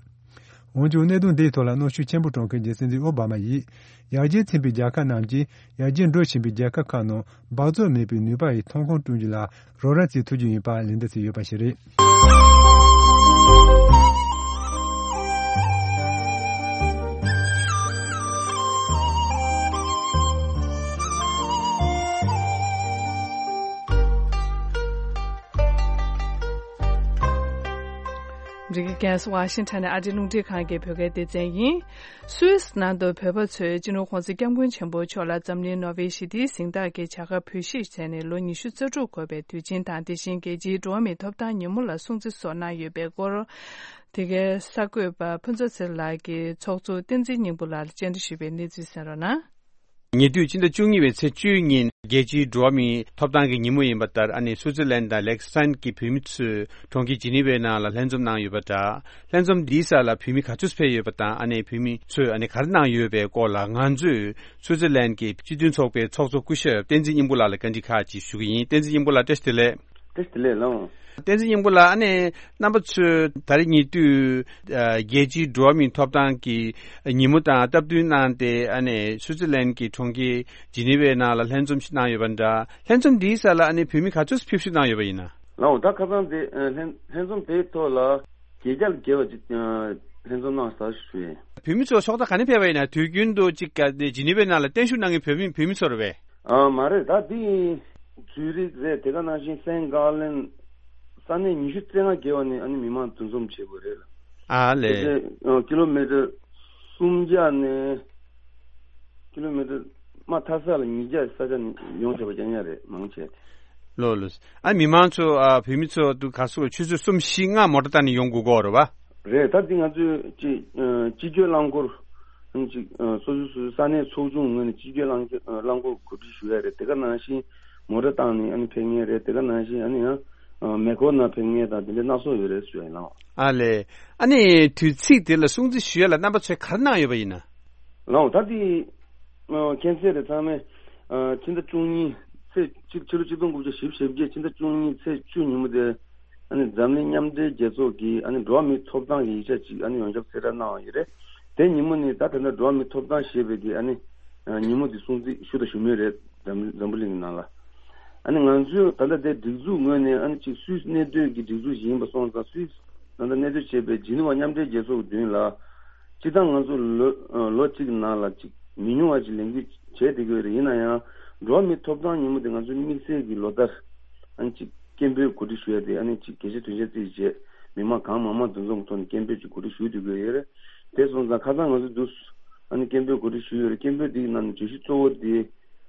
འོན་ཀྱང་གནད་དོན་འདིའི་ཐོག་ལ་གནོན་ཤུགས་ཆེན་པོ་སྤྲོད་མཁན་གྱི་སྲིད་འཛིན་ཨོ་བྷ་མ་ཡིས། ཡར་རྒྱས་ཕྱིན་པའི་རྒྱལ་ཁབ་རྣམས་ཀྱིས་ཡར་རྒྱས་འགྲོ་བཞིན་པའི་རྒྱལ་ཁབ་ཁག་ནང་འབག་བཙོག་མེད་པའི་ནུས་པ་ཡི་ཐོན་ཁུངས་བསྐྲུན་རྒྱུ་ལ་རོགས་རམ་བྱེད་ཐུབ་རྒྱུ་ཡིན་པ་ལན་འདེབས་བྱས་ཡོད་པ་ཞིག་རེད། ཨ་མི་རི་ཀའི་རྒྱལ་ས་ཝ་ཤིང་ཊོན་ནས་ཨ་རིའི་རླུང་འཕྲིན་ཁང་གི་བོད་སྐད་སྡེ་ཚན་ཡིན། སུད་སི་ནང་དུ་བོད་པ་ཚོས་སྤྱི་ནོར་༸གོང་ས་༸སྐྱབས་མགོན་ཆེན་པོ་མཆོག་ལ་འཛམ་གླིང་ནོ་བེལ་ཞི་བདེའི་གཟེངས་རྟགས་ཀྱི་བྱ་དགའ་འབུལ་བཞེས་བྱས་ནས་ལོ་ཉི་ཤུ་རྩ་དྲུག་འཁོར་བའི་དུས་ཆེན་དང་། དེ་བཞིན་རྒྱལ་སྤྱིའི་འགྲོ་བ་མིའི་ཐོབ་ཐང་ཉིན་མོ་ལ་སྲུང་བརྩི་སོགས་གནང་ཡོད་པའི་སྐོར། དེ་གའི་གསར་འགོད་པ་ཕུན་ཚོགས་ཚེ་རིང་ལགས་ཀྱིས་ཚོགས་གཙོ་བསྟན་འཛིན་སྙིང་པོ་ལགས་ལ་བཅར་འདྲི་ཞུས་པའི་གནས་ཚུལ་གསན་རོགས་གནང་། ཉེ་དུས་ཕྱི་ཟླ་བཅུ་གཉིས་པའི་ཚེས་བཅུའི་ཉིན་རྒྱལ་སྤྱིའི་འགྲོ་བ་མིའི་ཐོབ་ཐང་གི་ཉིན་མོ་ཡིན་པ་ལྟར། ཨ་ནི་སུའུ་ཙི་ལན་དང་ལེག་སི་ཊོན་གྱི་བོད་མི་ཚོས་གྲོང་ཁྱེར་ཇི་ནི་ཝའི་ནང་ལ་ལྷན་འཛོམས་གནང་ཡོད་པ་འདྲ། ལྷན་འཛོམས་འདིའི་སར་ལ་བོད་མི་ག་ཚོད་ཕེབས་ཡོད་པ་དང་། ཨ་ནི་བོད་མི་ཚོས་ཨ་ནི་ག་རེ་གནང་ཡོད་པའི་སྐོར་ལ་ང་ཚོས་སུའུ་ཙི་ལན་གྱི་སྤྱི་མཐུན་ཚོགས་པའི་ཚོགས་གཙོ་སྐུ་ཞབས་བསྟན་འཛིན་སྙིང་པོ་ལགས་ལ་བཀའ་འདྲི་ཁག་ཅིག་ཞུ་གི་ཡིན། བསྟན་འཛིན་སྙིང་པོ་ལགས་བཀྲ་ཤིས་བདེ་ལེགས། བཀྲ་ཤིས་བདེ་ལེགས་ལགས། བསྟན་འཛིན་སྙིང་པོ་ལགས། ཨ་ནི་རྣམ་པ་ཚོས་ད་རེས་ཉེ་དུས་ཨ་རྒྱལ་སྤྱིའི་འགྲོ་བ་མིའི་ཐོབ་ཐང་གི་ཉིན་མོ་དང་སྟབས་བསྟུན་གནང་སྟེ། ཨ་ནི་སུའུ་ཙི་ལན་གྱི་གྲོང་ཁྱེར་ཇི་ནི་ཝའི་ནང་ལ་ལྷན་འཛོམས་ཤིག་གནང་ཡོད་པ་འདྲ། ལྷན་འཛོམས་འདིའི་སར་ལ་ཨ་ནི་བོད་མི་ག་ཚོད་ཕེབས་བསུ་གནང་ཡོད་པ་ཡིན་ན། ལགས་འོང་། ད་ཁ་སང་དེ་ཨ་ལྷན་ལྷན་འཛོམས་དེའི་ཐོག་ལ་བརྒྱད་བརྒྱ་ལ་བརྒལ་བ་ཅིག་ཨ་ལྷན་འཛོམས་གནང་ས་ཞུ་ཡིན། བོད་མི་ཚོ་ཕྱོགས་མཐའ་ག་ནས་ཕེབས་པ་ཡིན་ན། དུས་རྒྱུན་དུ་ཅིག་ག་ཇི་ནི་ཝའི་ནང་ལ་བརྟན་བཞུགས་གནང་མཁན་བོད་མི་བོད་མི་ཚོ་རེད་པས། ཨ་མ་རེད། ད་འདི་ཛུ་རིག་རེད། དེ་ག་ནང་བཞིན་སེན་གྷ་ལན། ས་གནས་ཉི་ཤུ་རྩ་ལྔ་བརྒལ་བ་ནས་ཨ་ནི་མི་མང་འདུ་འཛོམས་བྱེད་དགོས་རེད་ལ། ཨ་ལས། དེ་ཨ་ཀི་ལོ་མི་ཊར་སུམ་བརྒྱ་ནས་ཀི་ལོ་མི་ཊར་མ་མཐའ་ས་ལ་ཉིས་བརྒྱ་ས་ཆ་ནས་ཡོང་བྱས་པ་རྐྱང་རྐྱང་རེད། མང་ཆེ། ལོ་ལོ། ཨ་མི་མང་ཚོ་ཨ་བོད་མི་ཚོ་དུ་ག་སོ་ཆུ་ཚོད་གསུམ་བཞི་ལྔ་མོ་ཊ་བཏང་ནས་ཡོང་དགོས་ཀྱི་ཡོད་རེད་པ། རེད། ད་འདི་ང་ཚོས་ཅིག་ཨ་སྤྱི་སྤྱོད་རླངས་འཁོར་ཨ་ནི་ཅིག་ཨ་སོ་སོ་སོ་སོའི་ས་གནས་ཚོགས་ཆུང་ངོས་ནས་སྤྱི་སྤྱོད་རླངས་རླངས་འཁོར་གོ་སྒྲིག་ཞུ་ཡ་རེད། དེ་ག་ནང་བཞིན་མོ་ཊ་བཏང་ནས་ཨ་ནི་ཕེབས་མཁན་རེད། དེ་ག་ནང་བཞིན་ཨ་ནི་ཡང་ཨ་མེ་འཁོར་ནང་ཕེབས་མཁན་དང་དེ་འདྲ་སྣ་ཚོགས་ཡོད་རེད་ཞུ་ཡ་ཡིན་ལགས། ཨ་ལས། ཨ་ནི་དུས་ཚིགས་དེ་ལ་སྲུང་བརྩི་ཞུ་ཡ་ལ་རྣམ་པ་ཚོས་ག་རེ་གནང་ཡོད་པ་ཡིན་ན། ལགས་འོང་། ད་འདི་ཨ་མཁྱེན་གསལ་རེད། ཚང་མས་ཨ་ཕྱི་ཟླ་བཅུ་གཉིས་ཚེས་གཅིག་ཕྱི་ལོ་ཆིག་སྟོང་དགུ་བརྒྱ་བཞི་བཅུ་ཞེ་བརྒྱད་ཕྱི་ཟླ་བཅུ་གཉིས་ཚེས་བཅུ་ཉིན་མོ་དེ་ཨ་ནི་འཛམ་གླིང་མཉམ་འབྲེལ་རྒྱལ་ཚོགས་ཀྱི་ཨ་ནི་འགྲོ་བ་མིའི་ཐོབ་ཐང་གི་ཡིག་ཆ་ཅིག་ཨ་ནི་ཡོངས་ཁྱབ་གསལ་བསྒྲགས་གནང་བ་ཡིན་རེད། དེ་ཉིན་མོ་ནི་ད་ད་ལྟ་འགྲོ་བ་མིའི་ཐོབ་ཐང་ཞེས་པའི་གི་ཨ་ནི་ཨ་ཉིན་མོ་འདི་སྲུང་བརྩི་ཞུ་དང་ཞུ་མུས་རེད། འཛམ་འཛམ་བུ་གླིང་གི་ནང་ལ། ཨ་ནི་ང་ཚོས་ད་ལྟ་དེ་སྒྲིག་འཛུགས་ངོས་ནས་ཨ་ནི་ཅིག་སུད་སི་གནས་སྡོད་ཀྱི་སྒྲིག་འཛུགས་ཤིག་ཡིན་པ་སོང་ཙང་། སུད་སི་ད་ལྟ་གནས་སྡོད་བྱེད་པའི་ཇི་ནི་ཝ་མཉམ་འབྲེལ་རྒྱལ་ཚོགས་ཀྱི་མདུན་ལ། སྤྱིར་བཏང་ང་ཚོ་ལོ་ལོ་གཅིག་ནང་ལ་ཅིག་མི་ཉུང་བ་ཅིག་ལས་འགུལ་བྱས་བསྡད་ཀྱི་ཡོད་རེད། ཡིན་ན་ཡང་འགྲོ་བ་མིའི་ཐོབ་ཐང་ཉིན་མོ་དེ་ང་ཚོའི་དམིགས་བསལ་གྱི་ལོ་ལྟར་ཨ་ནི་ཅིག་སྐད་འབོད་གོ་སྒྲིག་ཞུ་ཡ་དེ་ཨ་ནི་ཅིག་གལ་ཆེ་དོན་ཆེ་བརྩིས་བྱས་མི་མང་གང་མང་མང་འདུ་འཛོམས་ཐོག་ནས་སྐད་འབོད་ཅིག་གོ་སྒྲིག་ཞུ་བསྡད་ཀྱི་ཡོད་རེད། དེ་སོང་ཙང་ཁ་སང་ང་ཚོ་འདུག་ཨ་ནི་སྐད་འབོད་གོ་སྒྲིག་ཞུས་ཡོད་རེད། སྐད་འབོད་འདིའི་ནང་ནས་བརྗོད་གཞི་གཙོ་བོ་དེ་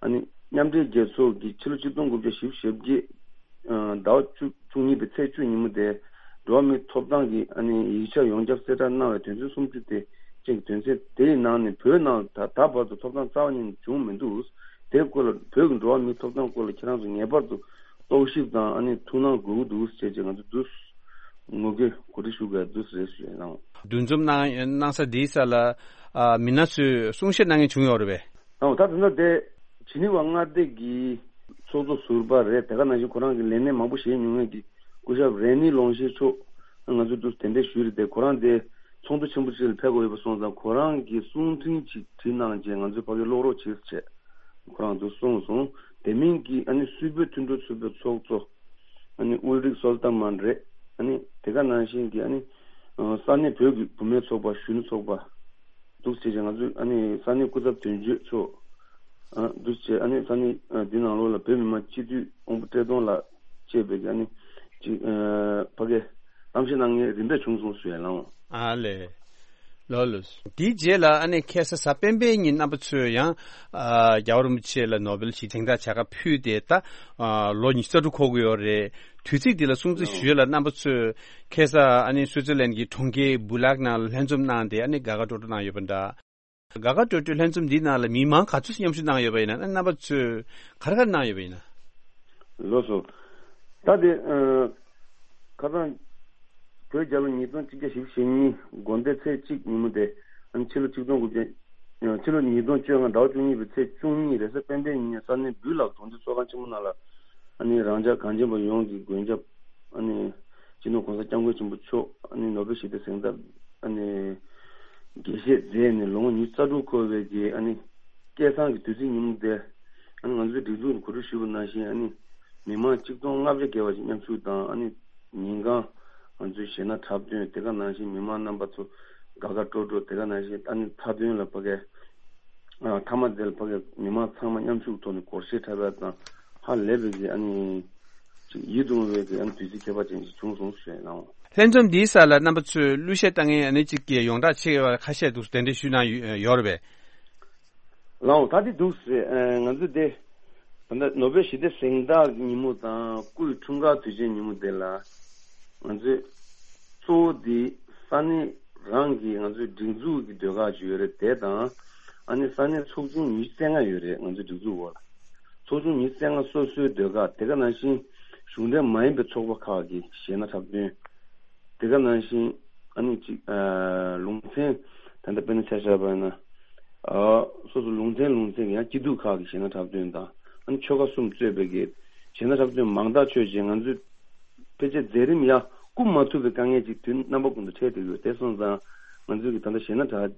ཨ་ནི་མཉམ་འབྲེལ་རྒྱལ་ཚོགས་ཀྱི་ཕྱི་ལོ་ཆིག་སྟོང་དགུ་བརྒྱ་བཞི་བཅུ་ཞེ་བརྒྱད་ཟླ་བ་བཅུ་བཅུ་གཉིས་པའི་ཚེས་བཅུ་ཉིན་མོ་དེ་འགྲོ་བ་མིའི་ཐོབ་ཐང་གི་ཨ་ནི་ཡིག་ཆ་ཡོངས་ཁྱབ་གསལ་བསྒྲགས་གནང་བའི་དོན་ཚན་སུམ་ཅུ་དེ་ཅན་གྱི་དོན་ཚན་དེའི་ནང་ནས་བོད་ནང་ད་ད་བར་དུ་ཐོབ་ཐང་རྩ་བ་ཉིད་ནས་བྱུང་མི་འདུག། དེའི་སྐོར་ལ་བོད་ཀྱི་འགྲོ་བ་མིའི་ཐོབ་ཐང་སྐོར་ལ་ཁྱེད་རང་ཚོ་ངེས་པར་དུ་རྟོག་ཞིབ་དང་ཨ་ནི་ཐུགས་སྣང་དགོས་ཀྱི་འདུག་ཅེས་ཅེས་ང་ཚོ་འདུག་ངོ་རྒོལ་གོ་སྒྲིག་ཞུ་དགོས་འདུག་ཟེར་ཞུ་ཡ་ལགས། འདུ་འཛོམས་གནང་གནང་ས་འདིའི་ས་ལ་ཨ་མི་སྣ་ཚོས་གསུང་བཤད་གནང་མཁན་བྱུང་ཡོད་རེད་པས། ཨོ། ད་དེ་འདྲ་དེ་ཇི་ནི་ཝ་མངའ་སྡེ་གི་ཚོགས་གཙོ་ཟུར་པ་རེད། དེ་ག་ནང་བཞིན་ཁོ་རང་གི་ལས་གནས་མང་པོ་བཞེས་མྱོང་མཁན་གྱི་སྐུ་ཞབས་རེ་ནི་ལོང་ཤེ་མཆོག་ང་ཚོས་འདུག་གདན་འདྲེན་ཞུས་རེད་དེ། ཁོ་རང་དེ་ཚོགས་འདུ་ཆེན་པོ་ཅིག་ལ་ཕེབས་དགོས་ཡོད་པ་སོང་ཙང་ཁོ་རང་གིས་གསུང་འཕྲིན་ཅིག་བྲིས་གནང་རྗེས་ང་ཚོས་ཕ་གིར་ཀློག་རོགས་བྱེད་ཟེར་བྱས་ཁོ་རང་ཚོ་གསུངས་སོང་། དེ་མིན་གྱི་ཨ་ནི་སུད་བོད་མཐུན་གྲོགས་ཚོགས་པའི་ཚོགས་གཙོ་ཨ་ནི་ཨུལ་རིག་སོལ་ཏ་མན་རེད། ཨ་ནི་དེ་ག་ནང་བཞིན་གྱི་ཨ་ནི་ས་གནས་བོད་ཀྱི་བུད་མེད་ཚོགས་པ་གཞོན་ནུ་ཚོགས་པ། འདུག་སེ་བྱས་ང་ཚོས་ཨ་ནི་ས་གནས་སྐུ་ཚབ་དོན་གཅོད་མཆོག་ཨ་འདུག་སེ་བྱས་ཨ་ནི་ས་གནས་ཨ་འདི་ནང་ལོགས་ལ་བོད་མི་མང་སྤྱི་འཐུས་དབང་པོ་བཀྲས་མཐོང་ལགས་བཅས་པའི་ཨ་ནི་ཅིག་ཨ་ཕ་གིར་གཏམ་བཤད་གནང་མཁན་རིམ་པས་བྱུང་སོང་ཞུ་ཡ་ལགས། ཨ་ལས། ལགས་ལགས། དེའི་རྗེས་ལ་ཨ་ནི་ཁ་སང་གཟའ་སྤེན་པའི་ཉིན་རྣམ་པ་ཚོས་ཡང་ཨ་རྒྱལ་བ་རིན་པོ་ཆེ་ལ་ནོ་བེལ་ཞི་བདེའི་གཟེངས་རྟགས་བྱ་དགའ་ཕུལ་ཏེ་ད་ཨ་ལོ་ཉི་ཤུ་རྩ་དྲུག་འཁོར་གྱི་ཡོད་རེད། དུས་ཚིགས་འདི་ལ་སྲུང་བརྩི་ཞུ་ཡ་ལ་རྣམ་པ་ཚོས་ཁ་སང་ཨ་ནི་སུའུ་ཙི་ལན་གྱི་གྲོང་ཁྱེར་སྦུ་ལག་ནང་ལ་ལྷན་འཛོམས་གནང་སྟེ་ཨ་ནི་དགའ་དགའ་སྤྲོ་སྤྲོ་གནང་ཡོད་པ་འདྲ། དགའ་དགའ་སྤྲོ་སྤྲོའི་ལྷན་འཛོམས་འདིའི་ནང་ལ་མི་མང་ག་ཚོད་མཉམ་ཞུགས་གནང་ཡོད་པ་ཡིན་ན། རྣམ་པ་ཚོས་ག་རེ་ག་རེ་གནང་ཡོད་པ་ཡིན་ན། ལགས་སོ། ད་དེ་ཨ་ཁ་སང་བོད་རྒྱལ་ལོ་ཉིས་སྟོང་གཅིག་བརྒྱ་བཞི་བཅུ་ཞེ་གཉིས་དགོང་དེ་ཚེས་གཅིག་ཉིན་མོ་དེ་ཨ་ཕྱི་ལོ་ཆིག་སྟོང་དགུ་བརྒྱ་ཨ་ཕྱི་ལོ་ཉིས་སྟོང་བཅོ་ལྔ་ཟླ་བ་བཅུ་གཉིས་པའི་ཚེས་བཅུ་གཉིས་རེས་གཟའ་སྤེན་པའི་ཉིན་ས་གནས་སྦུ་ལག་གྲོང་སྡེ་ཚོགས་ཁང་ཆེན་མོ་ནང་ལ་ཨ་ནི་རང་ཅག་གངས་ཅན་པ་ཡོངས་ཀྱི་མགོན་སྐྱབས་ཨ་ནི་སྤྱི་ནོར་༸གོང་ས་༸སྐྱབས་མགོན་ཆེན་པོ་མཆོག་ཨ་ནི་ནོ་བེལ་ཞི་བདེ་གཟེངས་རྟགས་ཨ་ནི་དགྱེས་བཞེས་མཛད་ནས་ལོ་ངོ་ཉི་ཤུ་རྩ་དྲུག་འཁོར་བའི་གི་ཨ་ནི་སྐལ་བཟང་གི་དུས་ཚིགས་ཉིན་མོ་དེ་ཨ་ནི་ང་ཚོའི་སྒྲིག་འཛུགས་ནས་གོ་སྒྲིག་ཞུས་པ་ནང་བཞིན་ཨ་ནི་མི་མང་ཆིག་སྟོང་ལྔ་བརྒྱ་བརྒལ་བ་ཞིག་མཉམ་ཞུགས་དང་། ཨ་ནི་ཉིན་གང་ང་ཚོའི་གཞས་སྣ་འཁྲབ་སྟོན་དེ་ག་ནང་བཞིན་མི་མང་རྣམ་པ་ཚོ་དགའ་དགའ་སྤྲོ་སྤྲོ་དེ་ག་ནང་བཞིན་ཨ་ནི་མཐའ་དོན་ལ་ཕ་གིར་ཨ་མཐའ་མ་དེ་ལ་ཕ་གིར་མི་མང་ཚང་མ་མཉམ་ཞུགས་ཐོག་ནས་སྒོར་གཞས་འཁྲབ་ཡ་དང་ཧ་ལས་པའི་གི་ཨ་ནི་ ཡིད་དུ་འོང་བའི་གི་ཨ་ནི་དུས་ཚིགས་ཁྱད་པར་ཅན་ཞིག་བྱུང་སོང་ཞེས་གནང་། ལྷན་འཛོམས་འདིའི་སར་ལ་རྣམ་པ་ཚོས་གླུ་གཞས་བཏང་མཁན་ཨ་ནི་གཅིག་གི་ཡོངས་གྲགས་ཆེ་བ་ཁ་ཤས་འདུག་དེ་འདྲ་ཞུས་གནང་ཡོད་ཡོད་རེད་པས། ལགས་འོང་། ད་དེ་འདུག་ཟེར། ཨ་ང་ཚོས་དེ་ད་ལྟ་ནོ་བེལ་ཞི་བདེ་གཟེངས་རྟགས་ཉིན་མོ་དང་སྐུའི་འཁྲུངས་སྐར་དུས་ཆེན་ཉིན་མོ་དེ་ལ་ང་ཚོས་གཙོ་བོ་དེ་ས་གནས་རང་གི་ང་ཚོའི་སྒྲིག་འཛུགས་ཀྱི་ཟློས་གར་ཅིག་ཡོད་རེད། དེ་དང་ཨ་ནི་ས་གནས་ཚོགས་ཆུང་ཉི་ཤུ་རྩ་ལྔ་ཡོད་རེད། ང་ཚོའི་སྒྲིག་འཛུགས་འོག་ལ་ཚོགས་ཆུང་ཉི་ཤུ་རྩ་ལྔ་སོ་སོའི་ཟློས་གར། དེ་ག་ནང་བཞིན་གཞུང་འབྲེལ་མ་ཡིན་པའི་ཚོགས་པ་ཁག་གི་གཞས་སྣ་འཁྲབ་སྟོན། དེ་ག་ནང་བཞིན་ཨ་ནི་གཅིག་ཨ་ལུང་ཚན་ད་ལྟ་དཔེར་ན་ཆ་བཞག་པ་ཡིན་ན། ཨ་སོ་སོ་ལུང་ཚན་ལུང་ཚན་གྱི་ཡང་སྐྱིད་སྡུག་ཁག་གི་གཞས་སྣ་འཁྲབ་སྟོན་དང་། ཨ་ནི་ཆོལ་ཁ་གསུམ་གཙོས་པའི་གི་གཞས་སྣ་འཁྲབ་སྟོན་མང་ཐག་ཆོད་ཅིག་ང་ཚོས་ཕལ་ཆེར་མཛད་རིམ་ཡང་བསྐུལ་མ་ཐུབ་པའི་དཀའ་ངལ་ཅིག་དུས་རྣམ་པ་ཀུན་ཏུ་འཕྲད་བསྡད་ཡོད། དེ་སོང་ཙང་ང་ཚོས་གི་ད་ལྟ་གཞས་སྣ་གྲགས་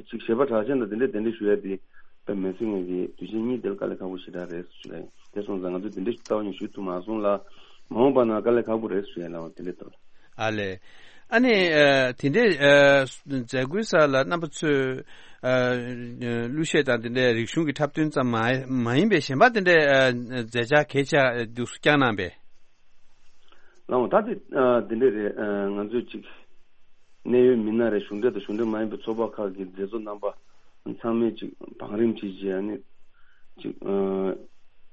ཅིག་གཞས་པ་གྲགས་ཅན་དང་དེ་འདྲས་དེ་འདྲས་ཞུ་ཡ་དེ་དཔེ་མི་སྲིད་ངེས་ཀྱི་དུས་ཆེན་གཉིས་དེར་དཀའ་ལས་ཁག་པོ་ཞེ་དྲག་རེད་ཞུ་ཡ་ཡིན། དེ་སོང་ཙང་ང་ཚོས་དེ་འདྲས་ཞུ་ལྟ་བ་ཡིན་ཞུ་ཐུབ་མ་སོང་ལ། མ་འོངས་པ་ན་དཀའ་ལས་ཁག་པོ་རེད་ཞུ་ཡ་ལ་དེ་འདྲས་ལྟ་བ། ཨ་ལས། ཨ་ནི་ཨ་དེ་འདྲའི་ཨ་མཛད་སྒོའི་སར་ལ་རྣམ་པ་ཚོས་ཨ་གླུ་གཞས་དང་དེ་འདྲའི་རིག་གཞུང་གི་འཁྲབ་སྟོན་ཙམ་མ་མ་ཡིན་པའི་གཞན་པ་དེ་འདྲའི་ཨ་མཛད་འཆར་གལ་ཆེ་འདུག་བསྐྱངས་གནང་པས། ལགས་འོང་། ད་དེ་ཨ་དེ་འདྲས་རེད། ཨ་ང་ཚོས་ཅིག་གནད་ཡོད་མི་སྣ་རེད། གཞུང་འབྲེལ་དང་གཞུང་འབྲེལ་མ་ཡིན་པའི་ཚོགས་པ་ཁག་གི་མཛད་གཙོ་རྣམ་པ་ཚང་མས་ཅིག་བང་རིམ་ཅིག་བྱས། ཨ་ནི་ཅིག་ཨ་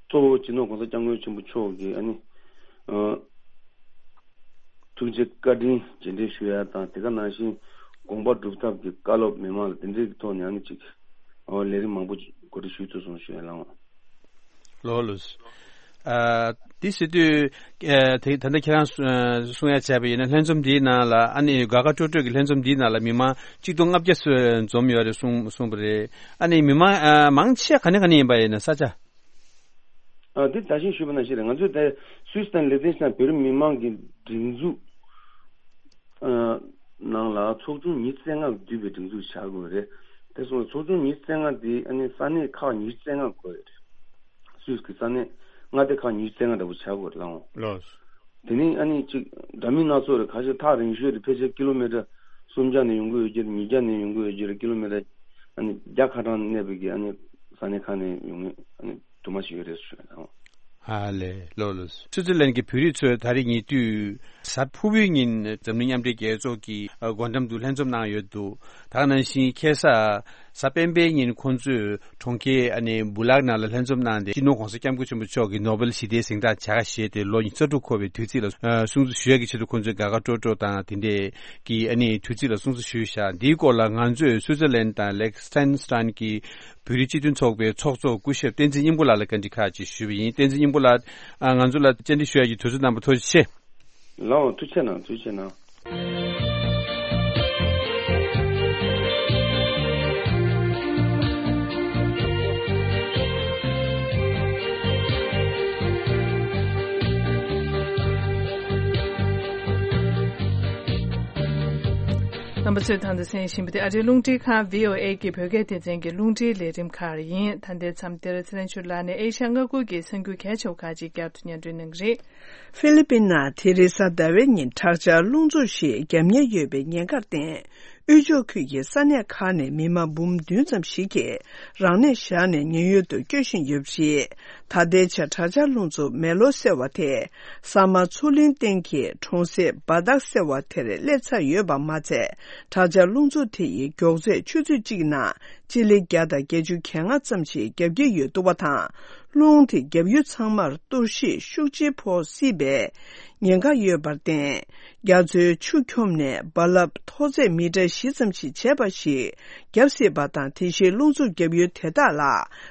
གཙོ་བོ་སྤྱི་ནོར་༸གོང་ས་༸སྐྱབས་མགོན་ཆེན་པོ་མཆོག་གི་ཨ་ནི་ཨ་ཐུགས་རྗེ་བཀའ་དྲིན་རྗེས་དྲན་ཞུ་ཡ་དང་། དེ་ག་ནང་བཞིན་དགོངས་པ་སྒྲུབ་ཐབས་ཀྱི་བཀའ་སློབ་མི་མང་ལ་དེ་འདྲའི་ཐོག་ནས་ཨ་ནི་ཅིག་ཨོ་ལས་རིམ་མང་པོ་གོ་སྒྲིག་ཞུས་ཐུབ་སོང་ཞུ་ཡ་ལགས་འོང་། ལགས་ལགས། ཨ་འདི་ཟེར་དུས་ཨ་དེ་ད་ལྟ་ཁྱེད་རང་གསུ་ཨ་གསུང་ཡ་བྱས་པ་ཡིན་ན། ལྷན་འཛོམས་འདིའི་ནང་ལ་ཨ་ནི་དགའ་དགའ་སྤྲོ་སྤྲོ་གི་ལྷན་འཛོམས་འདིའི་ནང་ལ་མི་མང་གཅིག་སྟོང་ལྔ་བརྒྱ་ཙམ་འཛོམས་ཡོད་རེད་གསུང་གསུངས་པ་རེད། ཨ་ནི་མི་མང་ཨ་མང་ཆེ་ག་ནས་ག་ནས་ཡིན་པ་ཡིན་ན་ས་ཆ། ཨ་འདི་ད་གིན་ཞུས་པ་ནང་བཞིན་རེད། ང་ཚོས་ད་སུད་སི་དང་ལི་ཐན་སི་ཐན་བོད་རིགས་མི་མང་གི་སྒྲིག་འཛུགས་ཨ་ནང་ལ་ཚོགས་ཆུང་ཉི་ཤུ་རྩ་ལྔ་འདུས་པའི་སྒྲིག་འཛུགས་བྱ་དགོས་རེད། དེ་སོང་ཚོགས་ཆུང་ཉི་ཤུ་རྩ་ལྔ་དེ་ཨ་ནི་ས་གནས་ཁག་ཉི་ཤུ་རྩ་ལྔ་དགོས་རེད། སུད་སི་གི་ས་གནས་མངའ་སྡེ་ཁག་ཉི་ཤུ་རྩ་ལྔ་འདྲ་པོ་བྱ་དགོས་རེད་ལགས་འོང་། ལགས། དེ་ནི་ཨ་ནི་གཅིག་འདྲ་མིན་སྣ་ཚོགས་རེད། ཁ་ཤས་ཐག་རིང་ཤོས་རེད། ཕལ་ཆེར་ཀི་ལོ་མི་ཊར་སུམ་བརྒྱ་ནས་ཡོང་གི་ཡོད་ཀྱི་རེད། ཉིས་བརྒྱ་ནས་ཡོང་གི་ཡོད་ཀྱི་རེད། ཀི་ལོ་མི་ཊར་ཨ་ནི་བརྒྱ་ཁ་གྲངས་གནས་པའི་གི་ཨ་ནི་ས་གནས་ཁག་ནས་ཡོང་མཁན་ཨ་ནི་དུ་མ་ཞིག་ཡོད་རེད་ཟེར་ཞུ་ཡ་དང་། ཧ་ལས། ལགས་ལགས། སུའུ་ཙེར་ལན་གྱི་བོད་རིགས་ཚོས་ད་རེས་ཉེ་དུས་གཟའ་ཕུར་བུའི་ཉིན་འཛམ་གླིང་མཉམ་འབྲེལ་རྒྱལ་ཚོགས་ཀྱི་སྒོ་འགྲམ་དུ་ལྷན་འཛོམས་གནང་ཡོད་འདུག་ད་ག་ནང་བཞིན་ཁ་སང་གཟའ་སྤེན་པའི་ཉིན་ཁོང་ཚོས་གྲོང་ཁྱེར་ཨ་ནི་སྦུ་ལག་ནང་ལ་ལྷན་འཛོམས་གནང་སྟེ། སྤྱི་ནོར་༸གོང་ས་༸སྐྱབས་མགོན་ཆེན་པོ་མཆོག་གིས་ནོ་བེལ་ཞི་བདེའི་གཟེངས་རྟགས་བྱ་དགའ་བཞེས་ཏེ་ལོ་ཉི་ཤུ་རྩ་དྲུག་འཁོར་བའི་དུས་ཚིགས་ལ་ཨ་སྲུང་བརྩི་ཞུ་ཡག་གི་ཆེད་དུ་ཁོང་ཚོས་དགའ་དགའ་སྤྲོ་སྤྲོ་དང་དེ་འདྲའི་གི་ཨ་ནི་དུས་ཚིགས་ལ་སྲུང་བརྩི་ཞུས་བཞག་འདིའི་སྐོར་ལ་ང་ཚོས་སུའུ་ཙེར་ལན་དང་ལེག་སི་ཐན་སི་ཐན་གྱི་བོད་རིགས་སྤྱི་མཐུན་ཚོགས་པའི་ཚོགས་གཙོ་སྐུ་ཞབས་བསྟན་འཛིན་སྙིང་པོ་ལགས་ལ་བཀའ་འདྲི་ཁག་ཅིག་ཞུས་པ་ཡིན། བསྟན་འཛིན་སྙིང་པོ་ལགས། ཨ་ང་ཚོ་ལ་བཅར་འདྲི་ཞུ་ཡག་གི་དུས་ཚོད་གནང་བར་ཐུགས་རྗེ་ཆེ། ལགས་འོང་། ཐུགས་རྗེ་གནང་། ཐུགས་རྗེ་གནང་། རྣམ་པ་ཚོས་ད་ལྟ་གསན་བཞིན་པ་དེ་ཨ་རིའི་རླུང་འཕྲིན་ཁང་བྷི་ཨོ་ཨེ་གི་བོད་སྐད་སྡེ་ཚན་གྱི་རླུང་འཕྲིན་ལས་རིམ་ཁག་ཡིན། ད་ལྟའི་མཚམས་འདིར་ཚེ་རིང་ཆོས་ལགས་ནས་ཨེ་ཤ་ཡ་མངའ་ཁུལ་གྱི་གསར་འགྱུར་གལ་ཆེ་བ་ཁག་ཅིག་བསྐྱར་དུ་སྙན་སྒྲོན་གནང་གི་རེད། ཧྥི་ལི་པིན་ནང་དེ་རིང་གཟའ་ཟླ་བའི་ཉིན་དྲག་ཆར་རླུང་འཚུབ་ཞིག་བརྒྱབ་ཉེན་ཡོད་པའི་ཉེན་ཁར་བརྟེན། དབུས་ཕྱོགས་ཁུལ་གྱི་ས་གནས་ཁག་ནས་མི་མང་འབུམ་བདུན་ཙམ་ཞིག་གིས་རང་གནས་བཞག་ནས་ཉེན་གཡོལ་དུ་བསྐྱོད་བཞིན་ཡོད་པ་རེད། ད་ལྟའི་ཆར་དྲག་ཆར་རླུང་འཚུབ་མེ་ལོ་སེལ་བ་དེ་ས་དམར་མཚོ་གླིང་སྟེང་གི་གྲོང་གསེབ་སྦ་དག་སེ་བ་དེར་སླེབས་ཚར་ཡོད་པ་མ་ཚད། དྲག་ཆར་རླུང་འཚུབ་དེ་ཡི་མགྱོགས་ཚད་ཆུ་ཚོད་གཅིག་ནང་སྤྱི་ལེ་བརྒྱ་དང་བརྒྱད་ཅུ་གྱ་ལྔ་ཙམ་ཞིག་བརྒྱབ་ཀྱི་ཡོད་འདུག་པ་དང་། རླུང་དེ་བརྒྱབ་ཡུལ་ཚང་མར་གཏོར་བཤིག་ཤུགས་ཆེ་ཕོག་སྲིད་པའི་ཉེན་ཁ་ཡོད་པར་བརྟེན། རྒྱ་མཚོའི་ཆུ་འཁྱོམས་ནས་རྦ་རླབས་མཐོ་ཚད་མི་ཊར་བཞི་ཙམ་ཞིག་བྱས་པ་ཞིག་བརྒྱབ་སྲིད་པ་དང་། དེ་བཞིན་རླུང་འཚུབ་བརྒྱབ་ཡུལ་དེ་དག་ལ་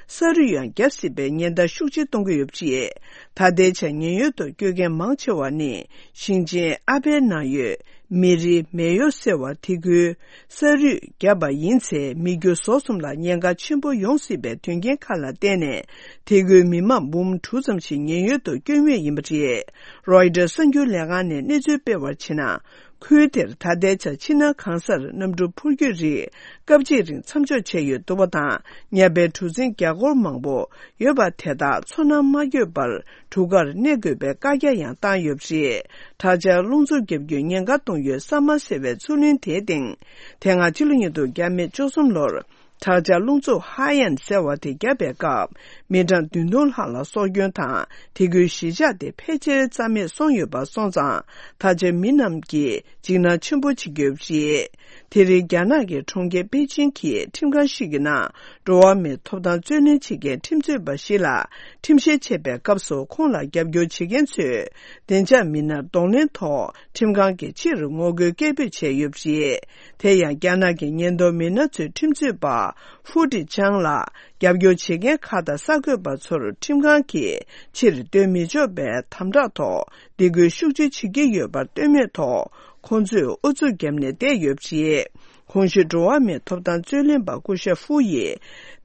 ས་རུད་ཡང་བརྒྱབ་སྲིད་པའི་ཉེན་བརྡ་ཤུགས་ཆེ་གཏོང་གི་ཡོད་པ་རེད། ད་ལྟའི་ཆར་ཉེན་གཡོལ་དུ་བསྐྱོད་མཁན་མང་ཆེ་བ་ནི་ཞིང་ཆེན་ཨ་པའི་ནང་ཡོད། མེ་རི་མེ་ཡོ་སེ་བ་དེ་ཁུལ་ས་རུད་བརྒྱབ་པ་ཡིན་ཚེ། མི་རྒྱུ་ཟོག་གསུམ་ལ་ཉེན་ཁ་ཆེན་པོ་ཡོང་སྲིད་པའི་དོན་རྐྱེན་ཁག་ལ་བརྟེན་ནས། དེ་ཁུལ་མི་མང་འབུམ་དྲུག་ཙམ་ཞིག་ཉེན་གཡོལ་དུ་བསྐྱོད་མུས་ཡིན་པ་རེད། རོའི་ཊར་གསར་འགྱུར་ལས་ཁང་ནས་གནས་ཚུལ་སྤེལ་བར་བྱས་ན། ཁུལ་དེར་ད་ལྟའི་ཆར་ཕྱི་ནང་གང་སར་གནམ་གྲུ་འཕུར་སྐྱོད་རིགས་སྐབས་གཅིག་རིང་མཚམས་འཇོག་བྱས་ཡོད་འདུག་པ་དང་། ཉ་པའི་གྲུ་གཟིངས་རྒྱ་སྒོར་མང་པོ་ཡོད་པ་དེ་དག་མཚོ་ནང་མ་བསྐྱོད་པར་གྲུ་ཁར་གནས་དགོས་པའི་བཀའ་རྒྱ་ཡང་བཏང་ཡོད་པ་རེད། དྲག་ཆར་རླུང་འཚུབ་བརྒྱབ་རྒྱུའི་ཉེན་ཁ་གཏོང་ཡུལ་ས་དམར་སེ་བའི་མཚོ་གླིང་དེའི་སྟེང་། དེ་སྔ་ཕྱི་ལོ་ཉིས་སྟོང་བརྒྱ་མེད་བཅུ་གསུམ་ལོར་ དྲག་ཆར་རླུང་འཚུབ་ཧ་ཡན་ཟེར་བ་དེ་བརྒྱབ་པའི་སྐབས། མི་གྲངས་བདུན་སྟོང་ལྷག་ལ་སྲོག་སྐྱོན་དང་། དེ་ཁུལ་གཞིས་ཆགས་དེ་ཕལ་ཆེར་རྩ་མེད་སོང་ཡོད་པ་སོང་ཙང་། ད་ཆ་མི་རྣམས་ཀྱིས་འཇིགས་སྣང་ཆེན་པོ་བྱེད་ཀྱི་ཡོད་པ་རེད། དེ་རིང་རྒྱ་ནག་གི་གྲོང་ཁྱེར་པེ་ཅིང་གི་ཁྲིམས་ཁང་ཞིག་གི་ནང་། འགྲོ་བ་མིའི་ཐོབ་ཐང་རྩོད་ལེན་བྱེད་མཁན་ཁྲིམས་རྩོད་པ་ཞིག་ལ་ཁྲིམས་བཤེར་བྱེད་པའི་སྐབས་སུ། ཁོང་ལ་རྒྱབ་སྐྱོར་བྱེད་མཁན་ཚོས་བདེ་འཇགས་མི་སྣར་གདོང་ལེན་ཐོག་ཁྲིམས་ཁང་གིས་ཕྱིར་ངོ་རྒོལ་སྐད་འབོད་བྱས་ཡོད་པ་རེད། དེ་ཡང་རྒྱ་ནག་གི་ཉེན་རྟོག་མི་སྣ་ཚོས་ཁྲིམས་རྩོད་པ་ཧྥུ་ཀྲི་ཅང་ལ་རྒྱབ་སྐྱོར་བྱེད་མཁན་ཁག་དང་གསར་འགོད་པ་ཚོར་ཁྲིམས་ཁང་གིས་ཕྱིར་སྡོད་མི་ཆོག་པའི་དམ་དྲག་ཐོག་སྡིགས་སྐུལ་ཤུགས་ཆེ་བྱེད་ཀྱི་ཡོད་པར་ལྟོས་མེད་ཐོག་ཁོང་ཚོས་ཨུ་ཚུགས་བརྒྱབ་ནས་བསྡད་ཡོད་པ་རེད། གོང་ཞུས་འགྲོ་བ་མིའི་ཐོབ་ཐང་རྩོད་ལེན་པ་སྐུ་ཞབས་ཧྥུ་ཡིས་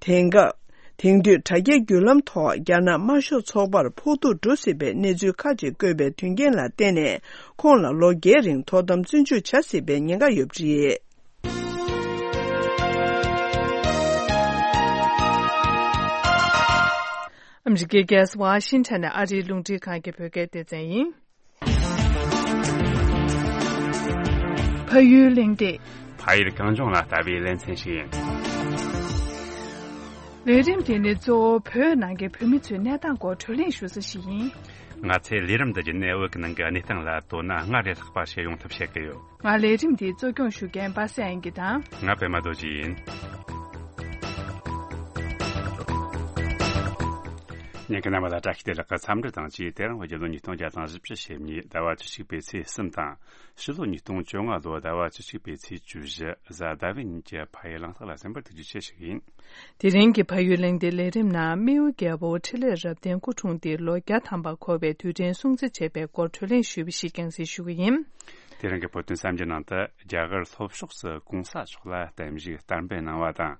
དེང་སྐབས། དེང་དུས་དྲ་རྒྱའི་བརྒྱུད་ལམ་ཐོག་རྒྱ་ནག་དམར་ཤོག་ཚོགས་པར་ཕོག་ཐུག་འགྲོ་སྲིད་པའི་གནས་ཚུལ་ཁག་ཅིག་བཀོད་པའི་དོན་རྐྱེན་ལ་བརྟེན་ནས། ཁོང་ལ་ལོ་བརྒྱད་རིང་ཐོག་དམ་བཙོན་འཇུག་བྱ་སྲིད་པའི་ཉེན་ཁ་ཡོད་པ་རེད། ཨ་མི་རི་ཀའི་རྒྱལ་ས་ཝ་ཤིང་ཊོན་ནས་ཨ་རིའི་རླུང་འཕྲིན་ཁང་གི་བོད་སྐད་སྡེ་ཚན་ཡིན། ཕ་ཡུལ་གླེང་སྟེགས། ཕ་ཡུལ་གངས་ལྗོངས་ལ་ལྟ་བའི་ལེ་ཚན་ཞིག་ཡིན། ལས་རིམ་དེ་ནི་གཙོ་བོ་བོད་ནང་གི་བོད་མི་ཚོའི་གནས་སྟངས་སྐོར་བགྲོ་གླེང་ཞུ་ས་ཞིག་ཡིན། ང་ཚོས་ལས་རིམ་འདི་བརྒྱུད་ནས་བོད་ཀྱི་ནང་གི་གནས་སྟངས་ལ་དོ་སྣང་སྔར་ལས་ལྷག་པ་བྱེད་ཡོང་ཐབས་བྱེད་ཀྱི་ཡོད། ང་ལས་རིམ་འདི་གཙོ་སྐྱོང་ཞུ་མཁན་པ་སངས་དབྱངས་སྐྱིད་དང་། ང་པད་མ་རྡོ་རྗེ་ཡིན། ཉན་མཁན་རྣམ་པ་ལ་བཀྲ་ཤིས་བདེ་ལེགས་ཀྱི་འཚམས་འདྲི་དང་བཅས། དེ་རིང་བོད་རྒྱལ་ལོ་ཉིས་སྟོང་བརྒྱ་དང་བཞི་བཅུ་ཞེ་གཉིས་ཟླ་བ་བཅུ་གཅིག་པའི་ཚེས་གསུམ་དང་། ཕྱི་ལོ་ཉིས་སྟོང་བཅོ་ལྔ་ལོ་ཟླ་བ་བཅུ་གཅིག་པའི་ཚེས་བཅུ་བཞི་གཟའ་ཟླ་བའི་ཉིན་གྱི་ཕ་ཡུལ་གླེང་སྟེགས་ལ་གསན་པར་ཐུགས་རྗེ་ཆེ་ཞུ་གི་ཡིན། དེ་རིང་གི་ཕ་ཡུལ་གླེང་སྟེགས་ལས་རིམ་ནང་རྨེའུ་རྒྱལ་པོ་འཕྲིན་ལས་རབ་བརྟན་སྐུ་འཁྲུངས་ཏེ་ལོ་བརྒྱ་ཐམ་པ་འཁོར་བའི་དུས་དྲན་སྲུང་བརྩི་བྱས་པའི་སྐོར་བགྲོ་གླེང་ཞུས་པ་ཞིག་རྒྱང་སྲིང་ཞུ་གི་ཡིན། དེ་རིང་གི་བོད་དོན་གསར་འགྱུར་ནང་དུ། རྒྱ་གར་ལྷོ་ཕྱོགས་སུ་གོང་ས་མཆོག་ལ་བརྟན་བཞུགས་བསྟར་འབུལ་གནང་བ་དང་།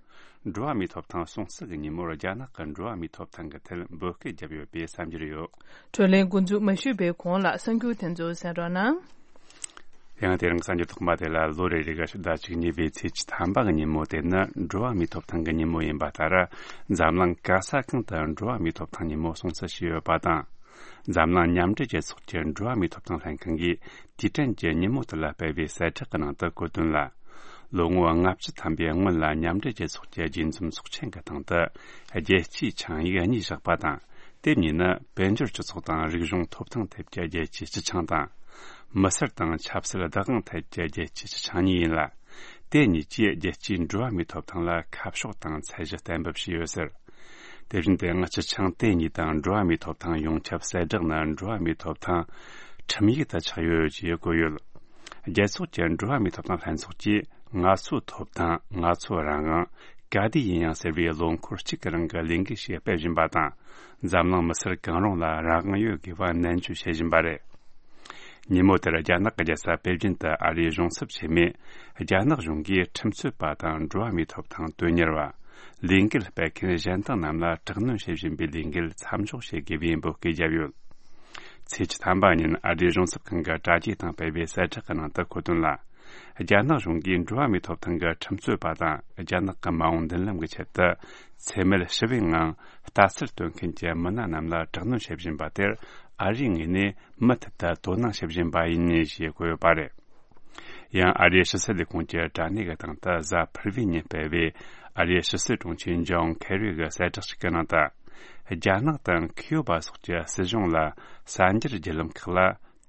འགྲོ་བ་མིའི་ཐོབ་ཐང་སྲུང་བརྩི་གི་ཉིན་མོར་རྒྱ་ནག་གི་འགྲོ་བ་མིའི་ཐོབ་ཐང་གི་ཐད་འབོད་སྐུལ་བརྒྱབ་ཡོད་པའི་གསར་འགྱུར་ཡོད། བགྲོ་གླེང་འགོ་འཛུགས་མ་ཞུས་པའི་གོང་ལ་གསར་འགྱུར་དེ་ཚོ་གསན་རོགས་གནང་། ཡང་དེ་རིང་གསར་འགྱུར་ཐོག་མ་དེ་ལ། ལོ་རེ་རེ་གི་ཕྱི་ཟླ་བཅུ་གཉིས་པའི་ཚེས་བཅུ་ཐམ་པ་གི་ཉིན་མོ་དེ་ནི་འགྲོ་བ་མིའི་ཐོབ་ཐང་གི་ཉིན་མོ་ཡིན་པ་ལྟར། འཛམ་གླིང་ག་ས་གང་དུ་འགྲོ་བ་མིའི་ཐོབ་ཐང་ཉིན་མོ་སྲུང་བརྩི་བྱས་ཡོད་པ་དང་། འཛམ་གླིང་མཉམ་འབྲེལ་རྒྱལ་ཚོགས་ཀྱི་འགྲོ་བ་མིའི་ཐོབ་ཐང་ལྷན་ཁང་གིས་དུས་དྲན་གྱི་ཉིན་མོ་དེ་ལ་སྤེལ་བའི་གསལ་བསྒྲགས་ཀྱི་ནང་དུ་བཀོད་དོན་ལ། ལོ་ངོ་ལྔ་བཅུ་ཐམ་པའི་སྔོན་ལ་མཉམ་འབྲེལ་རྒྱལ་ཚོགས་ཀྱི་རྒྱས་འཛོམས་ཚོགས་ཆེན་གྱི་སྟེང་དུ་རྒྱལ་སྤྱིའི་ཆིངས་ཡིག་གཉིས་བཞག་པ་དང་། དེ་གཉིས་ནི་དཔལ་འབྱོར་སྤྱི་ཚོགས་དང་རིག་གཞུང་ཐོབ་ཐང་ཐད་ཀྱི་རྒྱལ་སྤྱིའི་སྤྱི་ཆིངས་དང་། མི་སེར་དང་ཆབ་སྲིད་བདག་དབང་ཐད་ཀྱི་རྒྱལ་སྤྱིའི་སྤྱི་ཆིངས་གཉིས་ཡིན་ལ། དེ་གཉིས་ཀྱིས་རྒྱལ་སྤྱིའི་འགྲོ་བ་མིའི་ཐོབ་ཐང་ལ་ཁ་ཕྱོགས་དང་ཚད་གཞི་གཏན་འབེབས་བྱས་ཡོད་ཟེར། དེ་བཞིན་དུ་ཡང་སྤྱི་ཆིངས་དེ་གཉིས་དང་འགྲོ་བ་མིའི་ཐོབ་ཐང་ཡོངས་ཁྱབ་གསལ་བསྒྲགས་ནི་འགྲོ་བ་མིའི་ཐོབ་ཐང་ཁྲིམས་ཡིག་ཏུ་ཆགས་ཡོད་ཅེས་བཀོད་ཡོད། རྒྱལ་ཚོགས་ཀྱི་འགྲོ་བ་མིའི་ཐོབ་ཐང་ལྷན་ཚོགས་ཀྱིས་ང་ཚོའི་ཐོབ་ཐང་། ང་ཚོའི་རང་དབང་ག་དུས་ཡིན་ཡང་ཟེར་བའི་ལོ་འཁོར་གཅིག་གི་རིང་གི་ལས་འགུལ་ཞིག་སྤེལ་བཞིན་པ་དང་། འཛམ་གླིང་མི་སེར་གང་རུང་ལ་རང་དབང་ཡོད་དགོས་པ་ནན་བརྗོད་བྱེད་བཞིན་པ་རེད། ཉིན་མོ་དེར་རྒྱ་ནག་གི་རྒྱལ་ས་པེ་ཅིན་དུ་ཨ་རིའི་གཞུང་ཚབ་ཆེན་མོས། རྒྱ་ནག་གཞུང་གིས་ཁྲིམས་རྩོད་པ་དང་འགྲོ་བ་མིའི་ཐོབ་ཐང་དོན་གཉེར་བ། ལས་འགུལ་སྤེལ་མཁན་གཞན་དག་རྣམས་ལ་དྲག་གནོན་བྱེད་བཞིན་པའི་ལས་འགུལ་མཚམས་འཇོག་བྱེད་དགོས་པའི་འབོད་སྐུལ་བརྒྱབ་ཡོད། ཚེས་བཅུ་ཐམ་པ་ཉིན་ཨ་རིའི་གཞུང་ཚབ་ཁང་གི་དྲ་རྒྱའི་སྟེང་སྤེལ་བའི་གསལ་བསྒྲགས་ཀྱི་ནང་དུ་འཁོད་དོན་ལ། རྒྱ་ནག་གཞུང་གིས་འགྲོ་བ་མིའི་ཐོབ་ཐང་གི་ཁྲིམས་རྩོད་པ་དང་། རྒྱ་ནག་གི་མ་འོངས་མདུན་ལམ་གྱི་ཆེད་དུ། འཚེ་མེད་ཞི་བའི་ངང་ལྟ་ཚུལ་སྟོན་མཁན་གྱི་མི་སྣ་རྣམས་ལ་དྲག་གནོན་བྱེད་བཞིན་པ་དེར། ཨ་རིའི་ངོས་ནས་མུ་མཐུད་དུ་དོ་སྣང་བྱེད་བཞིན་པ་ཡིན། ཞེས་བཀོད་ཡོད་པ་རེད། ཡང་ཨ་རིའི་ཕྱི་སྲིད་ལས་ཁུངས་ཀྱི་དྲ་གནས་ཀྱི་སྟེང་དུ་གཟའ་ཕུར་བུའི་ཉིན་སྤེལ་བའི་ཨ་རིའི་ཕྱི་སྲིད་དྲུང་ཆེ་ཇོན་ཁེ་རི་གི་གསལ་བསྒྲགས་ཤིག་གི་ནང་དུ། རྒྱ་ནག་དང་ཁུ་ཡོ་བ་སོགས་ཀྱི་སྲིད་གཞུང་ལ་གསར་འགྱུར་བརྒྱུད་ལམ་ཁག་ལ་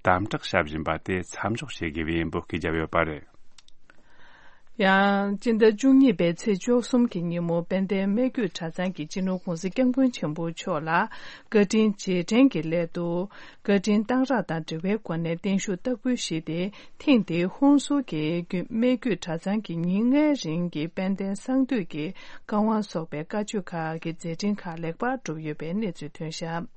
དམ་དྲག་བྱ་བཞིན་པ་དེ་མཚམས་འཇོག་བྱེད་དགོས་པའི་འབོད་སྐུལ་བརྒྱབ་ཡོད་པ་རེད། ཡང་སྤྱི་ཟླ་བཅུ་གཉིས་པའི་ཚེས་བཅུ་གསུམ་གྱི་ཉིན་མོ་དཔལ་ལྡན་སྨད་རྒྱུད་གྲྭ་ཚང་གི་སྤྱི་ནོར་༸གོང་ས་༸སྐྱབས་མགོན་ཆེན་པོ་མཆོག་ལ་བཀའ་དྲིན་རྗེས་དྲན་གྱི་སླད་དུ། བཀའ་དྲིན་གཏང་རག་དང་འབྲེལ་བའི་སྒོ་ནས་བརྟན་བཞུགས་བསྟར་འབུལ་ཞུས་ཏེ། ཐེངས་འདིའི་ཧོན་སུར་གྱི་རྒྱུད་སྨད་རྒྱུད་གྲྭ་ཚང་གི་ཉིན་ལྔའི་རིང་གི་དཔལ་ལྡན་གསང་འདུས་ཀྱི་བཀའ་དབང་སོགས་པའི་བཀའ་ཆོས་ཁག་གི་མཛད་འཕྲིན་ཁག་ལེགས་པར་གྲུབ་ཡོད་པའི་གནས་ཚུལ་ཐོན་བཞག་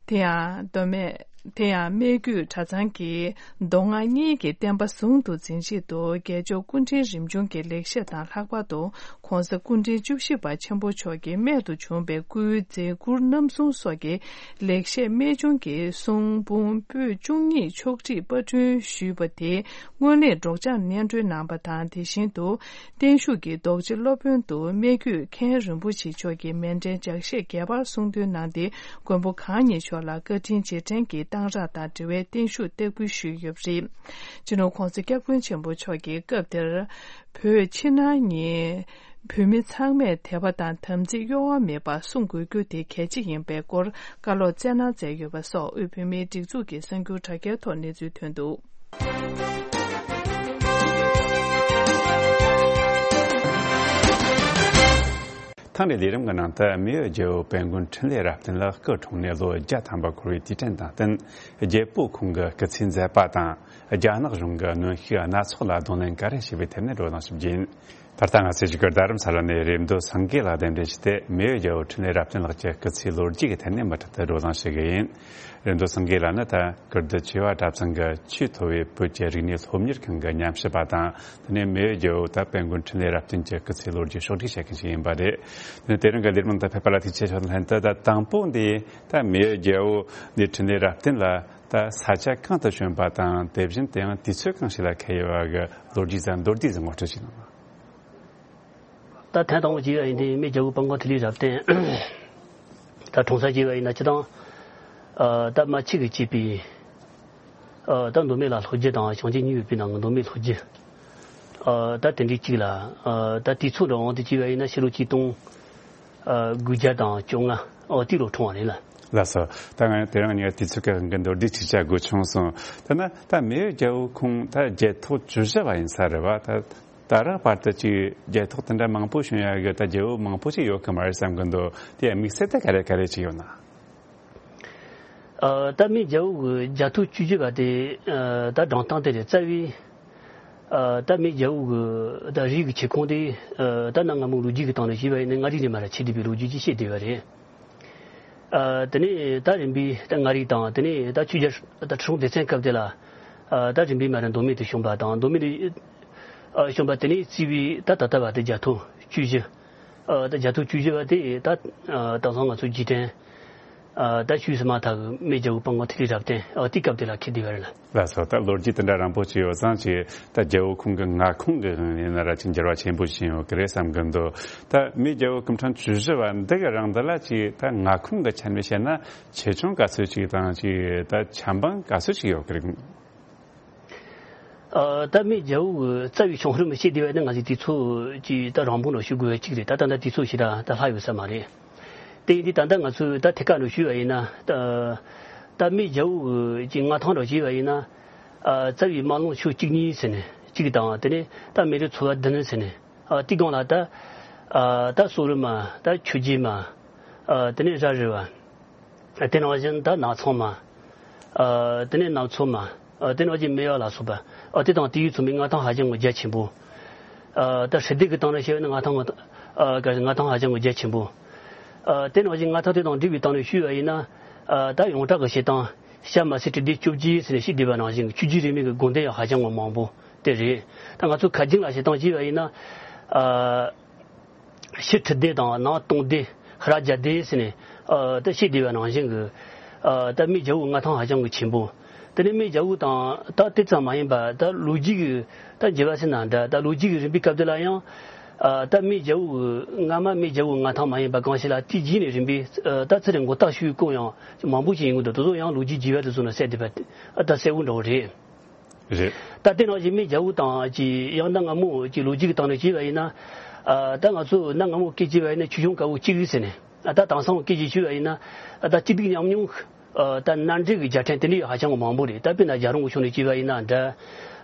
དེ་ཡང་མདོ་སྨད། དེ་ཡང་སྨད་རྒྱུད་གྲྭ་ཚང་གིས་མདོ་སྔགས་གཉིས་ཀྱི་བསྟན་པ་ཟུང་དུ་འཛིན་ཆེད་དུ། རྒྱལ་མཆོག་སྐུ་ཕྲེང་རིམ་བྱོན་གྱི་ལེགས་བཤད་དང་། ལྷག་པར་དུ་༸གོང་ས་སྐུ་ཕྲེང་བཅུ་བཞི་པ་ཆེན་པོ་མཆོག་གི་རྨད་དུ་བྱུང་བའི་སྐུའི་མཛད་ཁུར་རྣམ་གསུམ་སོགས་ཀྱི་ལེགས་བཤད་རྨད་བྱུང་གི་གསུང་འབུམ་པོད་བཅུ་གཉིས་ཕྱོགས་སྒྲིག་པར་སྐྲུན་ཞུས་པ་དེ་སྔོན་གླེང་སྒྲོག་སྦྱང་སྙན་སྒྲོན་གནང་བ་དང་། དེ་བཞིན་དུ། བརྟན་བཞུགས་ཀྱི་རྡོ་རྗེ་སློབ་དཔོན་དུ་སྨད་རྒྱུད་མཁན་རིན་པོ་ཆེ་མཆོག་གིས་མཎྜལ་ལྗགས་བཤད་རྒྱས་པར་གསུང་འདོན་གནང་སྟེ། མགོན་པོ་གང་ཉིད་མཆོག་ལ་བཀའ་དྲིན་རྗེས་དྲན་གྱི་རྟ་ གཏང་རག་དང་འབྲེལ་བའི་བརྟན་བཞུགས་སྟེགས་འབུལ་ཞུས་ཡོད་པ་རེད། སྤྱི་ནོར་༸གོང་ས་༸སྐྱབས་མགོན་ཆེན་པོ་མཆོག་གིས་སྐབས་དེར། བོད་ཕྱི་ནང་གཉིས་བོད་མི་ཚང་མས་དད་པ་དང་དམ་ཚིག་གཡོ་བ་མེད་པར་སྲུང་དགོས་རྒྱུ་དེ་གལ་ཆེ་ཡིན་པའི་སྐོར་བཀའ་སློབ་སྩལ་གནང་མཛད་ཡོད་པ་སོགས་དབུས་བོད་མིའི་སྒྲིག་འཛུགས་ཀྱི་གསར་འགྱུར་དྲ་རྒྱའི་ཐོག་གནས་ཚུལ་ཐོན་འདུག་ཐེངས་འདིའི་ལས་རིམ་གྱི་ནང་དུ་མེས་པོ་རྒྱལ་པོ་དཔལ་མགོན་འཕྲིན་ལས་རབ་བརྟན་ལ་སྐུ་འཁྲུངས་ནས་ལོ་བརྒྱ་ཐམ་པ་འཁོར་བའི་དུས་དྲན་དང་བསྟུན། རྒྱལ་པོ་ཁོང་གི་སྐུ་ཚེའི་མཛད་པ་དང་། རྒྱ་ནག་གཞུང་གི་གནོན་ཤུགས་སྣ་ཚོགས་ལ་གདོང་ལེན་ག་རེ་བྱས་པའི་ཐད་ནས་བགྲོ་གླེང་ཞིབ་རྒྱས་ཡིན། ད་ལྟ་ང་ཚོས་བཞུགས་སྒར་རྡ་རམ་ས་ལ་ནས་རེབ་མདོ་སེང་གེ་ལགས་གདན་འདྲེན་བྱས་ཏེ། མེས་པོ་རྒྱལ་པོ་འཕྲིན་ལས་རབ་བརྟན་ལགས་ཀྱི་སྐུ་ཚེའི་ལོ་རྒྱུས་ཀྱི་ཐད་ནས་མུ་མཐུད་དུ་བགྲོ་གླེང་ཞུ་གི་ཡིན། རེབ་མདོ་སེང་གེ་ལགས་ནི་ད་ཀིརྟི་བྱེས་པ་གྲྭ་ཚང་གི་ཆེས་མཐོ་བའི་བོད་ཀྱི་རིག་གནས་སློབ་གཉེར་ཁང་གི་ཉམས་ཞིབ་པ་དང་། དེ་ནས་མེས་པོ་རྒྱལ་པོ་ད་དཔལ་མགོན་འཕྲིན་ལས་རབ་བརྟན་གྱི་སྐུ་ཚེའི་ལོ་རྒྱུས་ཕྱོགས་སྒྲིག་བྱེད་མཁན་ཞིག་ཡིན་པ་རེད། དེ་ནས་དེ་རིང་གི་ལས་རིམ་ནང་དུ་ཕེབས་པ་ལ་ཐུགས་རྗེ་ཆེ་ཞུ། ལྷན་དུ་ད་དང་པོ་འདི་ད་མེས་པོ་རྒྱལ་པོ་འདི་འཕྲིན་ལས་རབ་བརྟན་ལ་ད་ས་ཆ་གང་དུ་བྱོན་པ་དང་། དེ་བཞིན་དུ་ཡང་དུས་ཚོད་གང་ཞིག་ལ་འཁེལ་ཡོད་པ་གི་ལོ་རྒྱུས་ཟིག་མདོར་བསྡུས་ཟིག་ངོ་སྤྲོད་ཞིག་གནང་། ད་ཐེངས་དང་པོ་བྱས་པ་ཡིན་དུས་མེས་རྒྱལ་པོ་དཔལ་མགོན་འཕྲིན་ལས་རབ་བརྟན་ད་འཁྲུངས་ས་བྱས་པ་ཡིན་ན། སྤྱིར་བཏང་ཨ་ད་རྨ་ཆུ་གིས་གཙོས་པའི་ཨ་ད་མདོ་སྨད་ལ་ལྷོ་རྒྱུད་དང་བྱང་ཆུབ་གཉིས་པོའི་ནང་གི་མདོ་སྨད་ལྷོ་རྒྱུད། ཨ་ད་དེ་འདྲའི་གཅིག་ལ། ཨ་ད་དུས་ཚོད་འདྲ་དབང་དུ་བྱས་པ་ཡིན་ན་ཕྱི་ལོ་ཆིག་སྟོང་ཨ་དགུ་བརྒྱ་དང་བཅོ་ལྔ། ཨོ་དེ་ལོ་འཁྲུངས་པ་རེད་ལ། ལགས་སོ། ད་ང་དེ་རིང་ངས་དུས་ཚོད་ཀྱི་དབང་གིས་མདོར་བསྡུས་ཅིག་བྱ་དགོས་བྱུང་སོང་། ད་ན་ད་མེས་པོ་རྒྱལ་པོ་ཁོང་ད་རྒྱལ་ཐོག་བཅུ་བཞི་པ་ཡིན་ས་རེད་བ། ད་ད་རག་བར་དུ་ཅིག་རྒྱལ་ཐོག་དེ་འདྲ་མང་པོ་བྱུང་ཡ་གི་ད་རྒྱལ་པོ་མང་པོ་ཅིག་ཡོད་གི་མ་རེད་བསམ་གི་འདུག་དེ་དམིགས་བསལ་ད་ག་རེ་ག་རེ་ཅིག་ཡོད་ན། ཨ་ད་མེས་རྒྱལ་པོ་གི་རྒྱལ་ཐོག་བཅུ་བཞི་པ་དེ་ཨ་ད་སྒྲུང་གཏམ་དེ་རེད། རྩ་བའི་ཨ་ད་མེས་རྒྱལ་པོ་གི་ད་རིགས་ཀྱི་མཆེད་ཁུངས་དེ་ཨ་ད་གནའ་སྔ་མོའི་ལོ་རྒྱུས་ཀྱི་སྟེང་ནས་བཤད་པ་ཡིན་ན་མངའ་རིས་ནས་མར་ཆགས་བསྡད་པའི་ལོ་རྒྱུས་ཅིག་བཤད་བསྡད་པ་རེད། ཨ་དེ་ནས་ད་རིམ་པས་ད་མངའ་རིས་དང་། དེ་ནས་ད་ཆོས་རྒྱལ་ད་ཁྲི་སྲོང་ལྡེ་བཙན་སྐབས་དེ་ལ་ཨ་ད་རིམ་པས་མར་མདོ་སྨད་དུ་བྱོན་པ་དང་། མདོ་སྨད་དུ་ཨ་བྱོན་པ་དེ་ནས་བརྩིས་པའི་ད་ད་ལྟ་བར་དུ་རྒྱལ་ཐོག་བཅུ་བཞི། ཨ་ད་རྒྱལ་ཐོག་བཅུ་བཞི་པ་དེ་ད་ཨ་དེང་སང་ང་ཚོ་རྗེས་དྲན་ཨ་ད་ཆོས་སི་མ་ཐག་གི་མེས་རྒྱལ་པོ་དཔལ་མགོན་འཕྲིན་ལས་རབ་བརྟན་ཨ་དེའི་སྐབས་དེ་ལ་འཁེལ་བསྡད་པ་རེད་ལ། ལགས་སོ། ད་ལོ་རྒྱུས་དེ་འདྲ་རིང་པོ་ཅིག་ཡོད་ཙང་ཅིག་ད་རྒྱལ་པོ་ཁོང་གི་མངའ་ཁོངས་ཀྱི་དབང་ཡིན་ན་ར་ཅིག་འགྱུར་བ་ཆེན་པོ་ཕྱིན་ཡོད་ཀྱི་རེད་བསམ་གི་འདུག་ད་མེས་རྒྱལ་པོ་སྐུ་ཕྲེང་བཅུ་བཞི་པ་འདི་གི་རིང་འདི་ལ་ཅིག་ད་མངའ་ཁོངས་ཀྱི་ཆ་ནས་བཤད་ན་ཆེ་ཆུང་ག་ཚོད་ཅིག་དང་། ཅིག་ད་ཆ་འབངས་ག་ཚོད་ཅིག་ཡོད་ཀྱི་རེད། ཨ་ད་མེས་རྒྱལ་པོ་གི་རྩ་བའི་བྱུང་རིམ་བཤད་བསྡད་པ་ནི་ང་ཚོས་དུས་ཚོད་ཀྱི་ད་རིང་པོ་ནང་ཞུ་དགོས་པ་གཅིག་རེད། ད་ད་ལྟ་དུས་ཚོད་ཞེ་དྲག་ད་ལྷག་ཡོད་ས་མ་རེད། དེ་ཡིན་དུས་ད་ལྟ་ང་ཚོས་ད་ཐད་ཀར་ནང་ཞུས་པ་ཡིན་ན། ད་ད་མེས་རྒྱལ་པོ་གི་མངའ་ཐང་འདྲ་བྱས་པ་ཡིན་ན། ཨ་རྩ་བའི་དམག་རླུང་ཕྱོགས་གཅིག་གཉིས་ཟེར་ནས་གཅིག་དང་། དེ་ནས་ད་མི་རིགས་ཚོ་བ་བདུན་ཟེར་ནས། ཨ་དེའི་སྒང་ལ་ད་ཨ་ད་སོག་རི་མ། ད་ཆོས་རྗེ་མ། ཨ་དེ་ནས་ར་རི་བ། དེ་ནང་བཞིན་ད་ནག་ཚང་མ། ཨ་དེ་ནས་ནག་ཚོ་མ། ཨ་དེ་ནང་བཞིན་མེས་པ་ལ་སོགས་པ། ཨ་དེ་དང་དེའི་ཚོ་མི་མངའ་ཐང་ཧ་ཅང་གི་རྒྱ་ཆེན་པོ། ཨ་ད་ཧྲི་སྡེ་གི་སྟེང་ནས་བཤད་ན་མངའ་ཐང་། ཨ་ག་མངའ་ཐང་ཧ་ཅང་གི་རྒྱ་ཆེན་པོ། ཨ་དེ་ནང་བཞིན་མངའ་ཐང་དེ་དང་འབྲེལ་བའི་སྟེང་ནས་ཞུས་པ་ཡིན་ན། ཨ་ད་ཡོངས་གྲགས་ཀྱི་བཤད་སྟངས་ཤ་མ་སི་གྲི་སྡེ་བཅོ་བརྒྱད་ཟེར་ནས་བཤད་བསྡད་པ་ནང་བཞིན་གྱི་ཆོས་བརྒྱུད་རིས་མེད་ཀྱི་དགོན་སྡེ་ཡང་ཧ་ཅང་གི་མང་པོ་དེ་རེད། ད་ང་ཚོ་ཁ་རྒྱུན་ལ་བཤད་སྟངས་བྱས་པ་ཡིན་ན། ཨ། ཕྱི་ཁྲི་སྡེ་དང་ནང་སྟོང་སྡེ། ཧ་ར་རྒྱ་སྡེ་ཟེར་ནས། ཨ་ད་བཤད་བསྡད་པ་ནང་བཞིན་གྱི། ཨ་ད་མེས་རྒྱལ་པོའི་མངའ་ཐང་ཧ་ཅང་གི་ཆེན་པོ། དེ་ནས་མེས་རྒྱལ་པོ་དང་ད་དེ་ཙམ་མ་ཡིན་པ། ད་ལོ་རྒྱུས་ཀྱི་ད་འགྱུར་བ་ཟེར་ན་འདྲ། ད་ལོ་རྒྱུས་ཀྱི་རིམ་པའི་སྐབས་དེ་ལ་ཡང་། ཨ་ད་མེས་རྒྱལ་པོ་གི་སྔ་མ་མེས་རྒྱལ་པོའི་མངའ་ཐང་མ་ཡིན་པ་གང་ཞིག་ལ་དེའི་རྗེས་ནས་རིམ་པས། ཨ་ད་ཚུར་མགོ་བཏགས་ཞུས་སྐོར་ཡང་མང་པོ་ཞིག་ཡིན་གྱི་འདུག་དེ་ཚོ་ཡང་ལོ་རྒྱུས་རྒྱས་པ་དེ་ཚོ་ནས་གསལ་བསྡད་པ་ཨ་ད་གསལ་པོ་འདྲ་བོ་རེད། རེད། ད་དེ་ནང་བཞིན་མེས་རྒྱལ་པོ་དང་ཅིག་ཡང་གནའ་སྔ་མོ་ཅིག་ལོ་རྒྱུས་ཀྱི་སྟེང་ནས་བྱས་པ་ཡིན་ན། ཨ་ད་ང་ཚོ་གནའ་སྔ་མོ་སྐད་ཆ་བྱས་པ་ཡིན་ན་ཆོས་སྐྱོང་དཀར་པོ་གཅིག་ཟེར་ནས། ཨ་ད་དེང་སང་སྐད་ཆ་བྱས་པ་ཡིན་ན། ཨ་ད་སྐྱིད་སྡུག་མཉམ་མྱོང་། ཨ་ད་མནའ་འབྲེལ་གྱི་རྒྱལ་ཕྲན་དེ་འདྲའི་ཧ་ཅང་གི་མང་པོ་རེད། ད་དཔེར་ན་རྒྱལ་རོང་གི་ཕྱོགས་ནས་བྱས་པ་ཡིན་ན་འདྲ།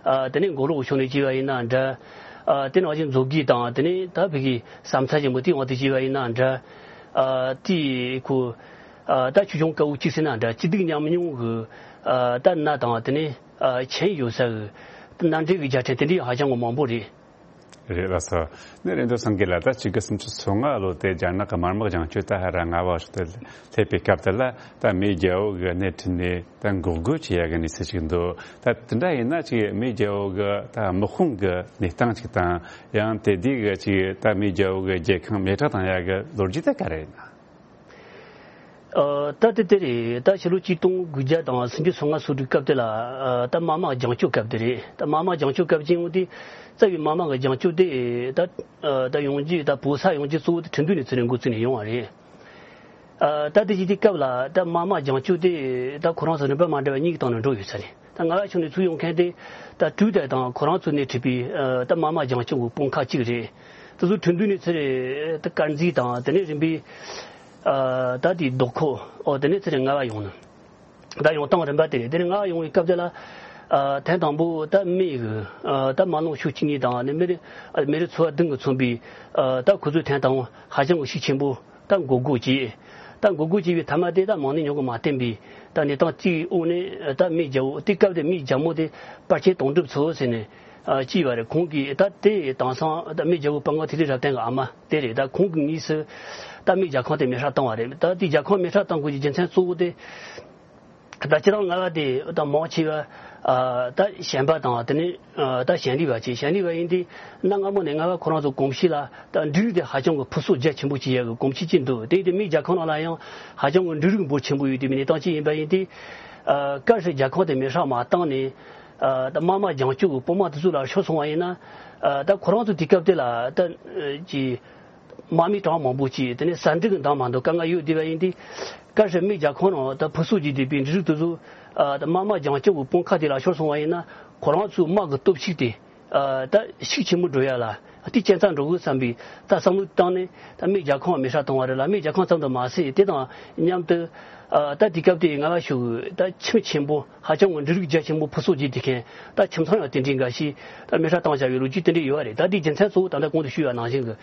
ཨ་དེ་ནས་མགོ་ལོག་གི་ཕྱོགས་ནས་བྱས་པ་ཡིན་ན་འདྲ། ཨ་དེ་ནང་བཞིན་མཛོད་དགེ་དང་། དེ་ནས་ད་བོད་ཀྱི་ས་མཚམས་ཆེན་པོ་དེའི་འོག་ཏུ་བྱས་པ་ཡིན་ན་འདྲ། ཨ་དེ་ཁོ། ཨ་ད་ཆོས་སྐྱོང་དཀར་པོ་གཅིག་ཟེར་ན་འདྲ། སྐྱིད་སྡུག་མཉམ་མྱོང་གི། ཨ་ད་མནའ་དང་། དེ་ནས་ཨ་ཆེན་ཡོད་ས་གི་མནའ་འབྲེལ་གྱི་རྒྱལ་ཕྲན་དེ་འདྲའི་ཧ་ཅང་གི་མང་པོ་རེད། རེད་ལགས་སོ། ནི་རེད་འདུག་སེང་གེ་ལགས། ད་ཆིག་སྟོང་དགུ་བརྒྱ་སུམ་ཅུ་སོ་ལྔ་ལོ་དེ་རྒྱ་ནག་གི་དམར་དམག་རྒྱང་སྐྱོད་ད་ཧ་ར་ང་བ་ཞིག་ཏུ་སླེབས་པའི་སྐབས་དེ་ལ། ད་མེས་རྒྱལ་པོ་གི་སྣེ་ཁྲིད་ནས་ད་འགོག་རྒོལ་བྱེད་ཡ་གི་གནས་ཚུལ་ཞིག་འདུག་ད་དེ་འདྲ་ཡིན་ན་ཅིག་མེས་རྒྱལ་པོ་གི་ད་དམག་དཔུང་གི་གནས་སྟངས་ཅིག་དང་། ཡང་དེ་དུས་གི་ཅིག་ད་མེས་རྒྱལ་པོ་གི་རྒྱལ་ཁང་མེ་སྲེག་བཏང་ཡ་གི་ལོ་རྒྱུས་དེ་ག་རེ་ཡིན་ན། ཨ་ད་དེ་དེ་རེད། ད་ཕྱི་ལོ་ཆིག་སྟོང་དགུ་བརྒྱ་དང་སུམ་ཅུ་སོ་ལྔ་སོ་དྲུག་སྐབས་དེ་ལ། ཨ་ད་དམར་དམག་རྒྱང་སྐྱོད་སྐབས་དེ་རེད། ད་དམར་དམག་རྒྱང་སྐྱོད་སྐབས་ཅིག་འོང་དུས་རྩ་བའི་དམར་དམག་གི་རྒྱང་སྐྱོད་དེ་ད་ཨ་ད་ཡོང་རྒྱུ། ད་བོད་ས་ཡོང་རྒྱུ་གཙོ་བོ་དེ་ཁྲིན་ཏུའུ་ནས་ཚུར་ནས་འགོ་བཙུགས་ནས་ཡོང་བ་རེད། ཨ། ད་དེ་བཞིན་དེ་སྐབས་ལ་ད་དམག་དམག་རྒྱང་སྐྱོད་དེ་ད་ཁོ་རང་ཚོ་རིམ་པ་མ་འདྲ་བ་གཉིས་ཀྱི་སྟེང་ནས་འགྲོ་ཡོད་ས་རེད། ད་རྔ་བ་ཕྱོགས་ནས་ཚུར་ཡོང་མཁན་དེ་ད་ཀྲུའུ་ཏེ་དང་ཁོ་རང་ཚོ་ནས་ཁྲིད་པའི་ཨ། ད་དམག་དམག་རྒྱང་སྐྱོད་ཀྱི་དཔུང་ཁག་གཅིག་རེད། དེ་ཚོ་ཁྲིན་ཏུའུ་ནས་ཚུར་རེད། ད་དཀར་མཛེས་དང་དེ་ནས་རིམ་པས་ཨ། ད་དེ་རྡོ་ཁོ། ཨོ། དེ་ནས་ཚུར་རེད་རྔ་བ་ཡོང་ནི། ད་ཡོང་སྟངས་རིམ་པ་དེ་རེད། དེ་ནས་རྔ་བ་ཡོང་བའི་སྐབས་དེ་ལ་ཨ། ཐེངས་དང་པོ་ད་མི་གི་ཨ། ད་དམག་ལོངས་ཤུགས་གཅིག་གཉིས་དང་ནི་མི་རེ་མི་རེ་ཚོ་བ་བདུན་གྱིས་མཚོན་པའི་ཨ། ད་ཁོ་ཚོས་ཐེངས་དང་པོ་ཧ་ཅང་གི་ཤུགས་ཆེན་པོ། ད་འགོག་རྒོལ་བྱས། ད་འགོག་རྒོལ་བྱས་པའི་མཐའ་མ་དེ་ད་མང་ནས་ཉུང་གི་མ་བསྟན་པའི་ད་གནས་སྟངས་གཅིག་འོག་ནས་ད་མི་རྒྱལ་པོ། དེ་སྐབས་དེ་མི་རྒྱལ་མོ་དེ་པར་ཆེན་དོན་གྲུབ་མཚོ་ཟེར་ནས་ཨ། བྱས་པ་རེད། ཁོང་གིས་ད་དེ་དེང་སང་ད་མི་རྒྱལ་པོ་དཔལ་མགོན་ཐིག་ལེ་རབ་བརྟན་གྱི་ཨ་མ་དེ་རེད། ད་ཁོང་གིས་དངོས་སུ་ད་མི་རྒྱལ་ཁང་དེ་མེ་སྲེག་བཏང་བ་རེད། ད་དེ་རྒྱལ་ཁང་མེ་སྲེག་བཏང་དགོས་ཀྱི་རྒྱུ་མཚན་གཙོ་བོ་དེ། ད་ཁྱེད་རང་རྔ་བ་དེ་ད་མང་ཆེ་བ་ཨ། ད་ཞན་པ་དང་དེ་ནས་ཨ། ད་ཞན་ལི་བ་བྱས། ཞན་ལི་བ་ཡིན་དུས་གནའ་སྔ་མོ་ནས་རྔ་བ་ཁོ་རང་ཚོ་གོམས་གཤིས་ལ་ད་འབྲུ་རིགས་དེ་ཧ་ཅང་གི་ཕུན་སུམ་རྒྱ་ཆེན་པོ་བྱེད་ཡག་གི་གོམས་གཤིས་ཅིག་འདུག་དེ་ཡིན་དུས་མི་རྒྱལ་ཁང་ནང་ལ་ཡང་ཧ་ཅང་གི་འབྲུ་རིགས་འབོར་ཆེན་པོ་ཡོད་དུས་མི་གནས་སྟངས་ཅིག་ཡིན་པ་ཡིན་དུས་ཨ། གལ་སྲིད་རྒྱལ་ཁང་དེ་མེ་སྲེག་མ་བཏང་ནས་ཨ། ད་དམག་དམག་རྒྱང་སྐྱོད་ཀྱི་དཔུང་དམག་དེ་ཚོ་ལ་ཤོར་སོང་བ་ཡིན་ན་ཨ། ད་ཁོ་རང་ཚོ་དེ་སྐབས་དེ་ལ་ད་ཅི། དམག་མི་གྲངས་མང་པོ་ཅིག་དེ་ནས་ཟ་འབྲུ་གི་འདང་མ་འདུག་དཀའ་ངལ་ཡོད་བསྡད་པ་ཡིན་དུས། གལ་སྲིད་མི་རྒྱལ་ཁང་ནང་ད་ཕུན་སུམ་ཚོགས་བསྡད་པའི་འབྲུ་རིགས་དེ་ཚོ་ཨ། ད་དམག་དམག་རྒྱང་སྐྱོད་ཀྱི་དཔུང་ཁག་དེ་ལ་ཤོར་སོང་བ་ཡིན་ན། ཁོ་རང་ཚོའི་དམག་གི་སྟོབས་ཤུགས་དེ་ཨ། ད་ཤུགས་ཆེན་པོ་འགྲོ་ཡ་ལ་དེ་རྐྱེན་རྩ་འགྲོ་གི་བསམ་པའི་ད་བསམ་བློ་བཏང་ནས། ད་མི་རྒྱལ་ཁང་མེ་སྲེག་བཏང་བ་རེད་ལ། མི་རྒྱལ་ཁང་ཙམ་དུ་མ་ཟད། དེ་དང་མཉམ་དུ་ཨ། ད་དེ་སྐབས་དེའི་རྔ་བ་ཕྱོགས་ཀྱི་ད་ཁྱིམ་ཆེན་པོ་ཧ་ཅང་གི་འབྲུ་རིགས་རྒྱ་ཆེན་པོ་ཕུན་སུམ་ཚོགས་བསྡད་མཁན་ད་ཁྱིམ་ཚང་ཡང་དེ་འདྲའི་འགའ་ཞིག་ད་མེ་སྲེག་བཏང་བཞག་པའི་ལོ་རྒྱུས་དེ་འདྲ་ཡོད་པ་རེད། ད་དེའི་རྒྱུ་མཚན་གཙོ་བོ་ད་ལྟ་གོང་དུ་ཞུས་པ་ནང་བཞིན་གྱི།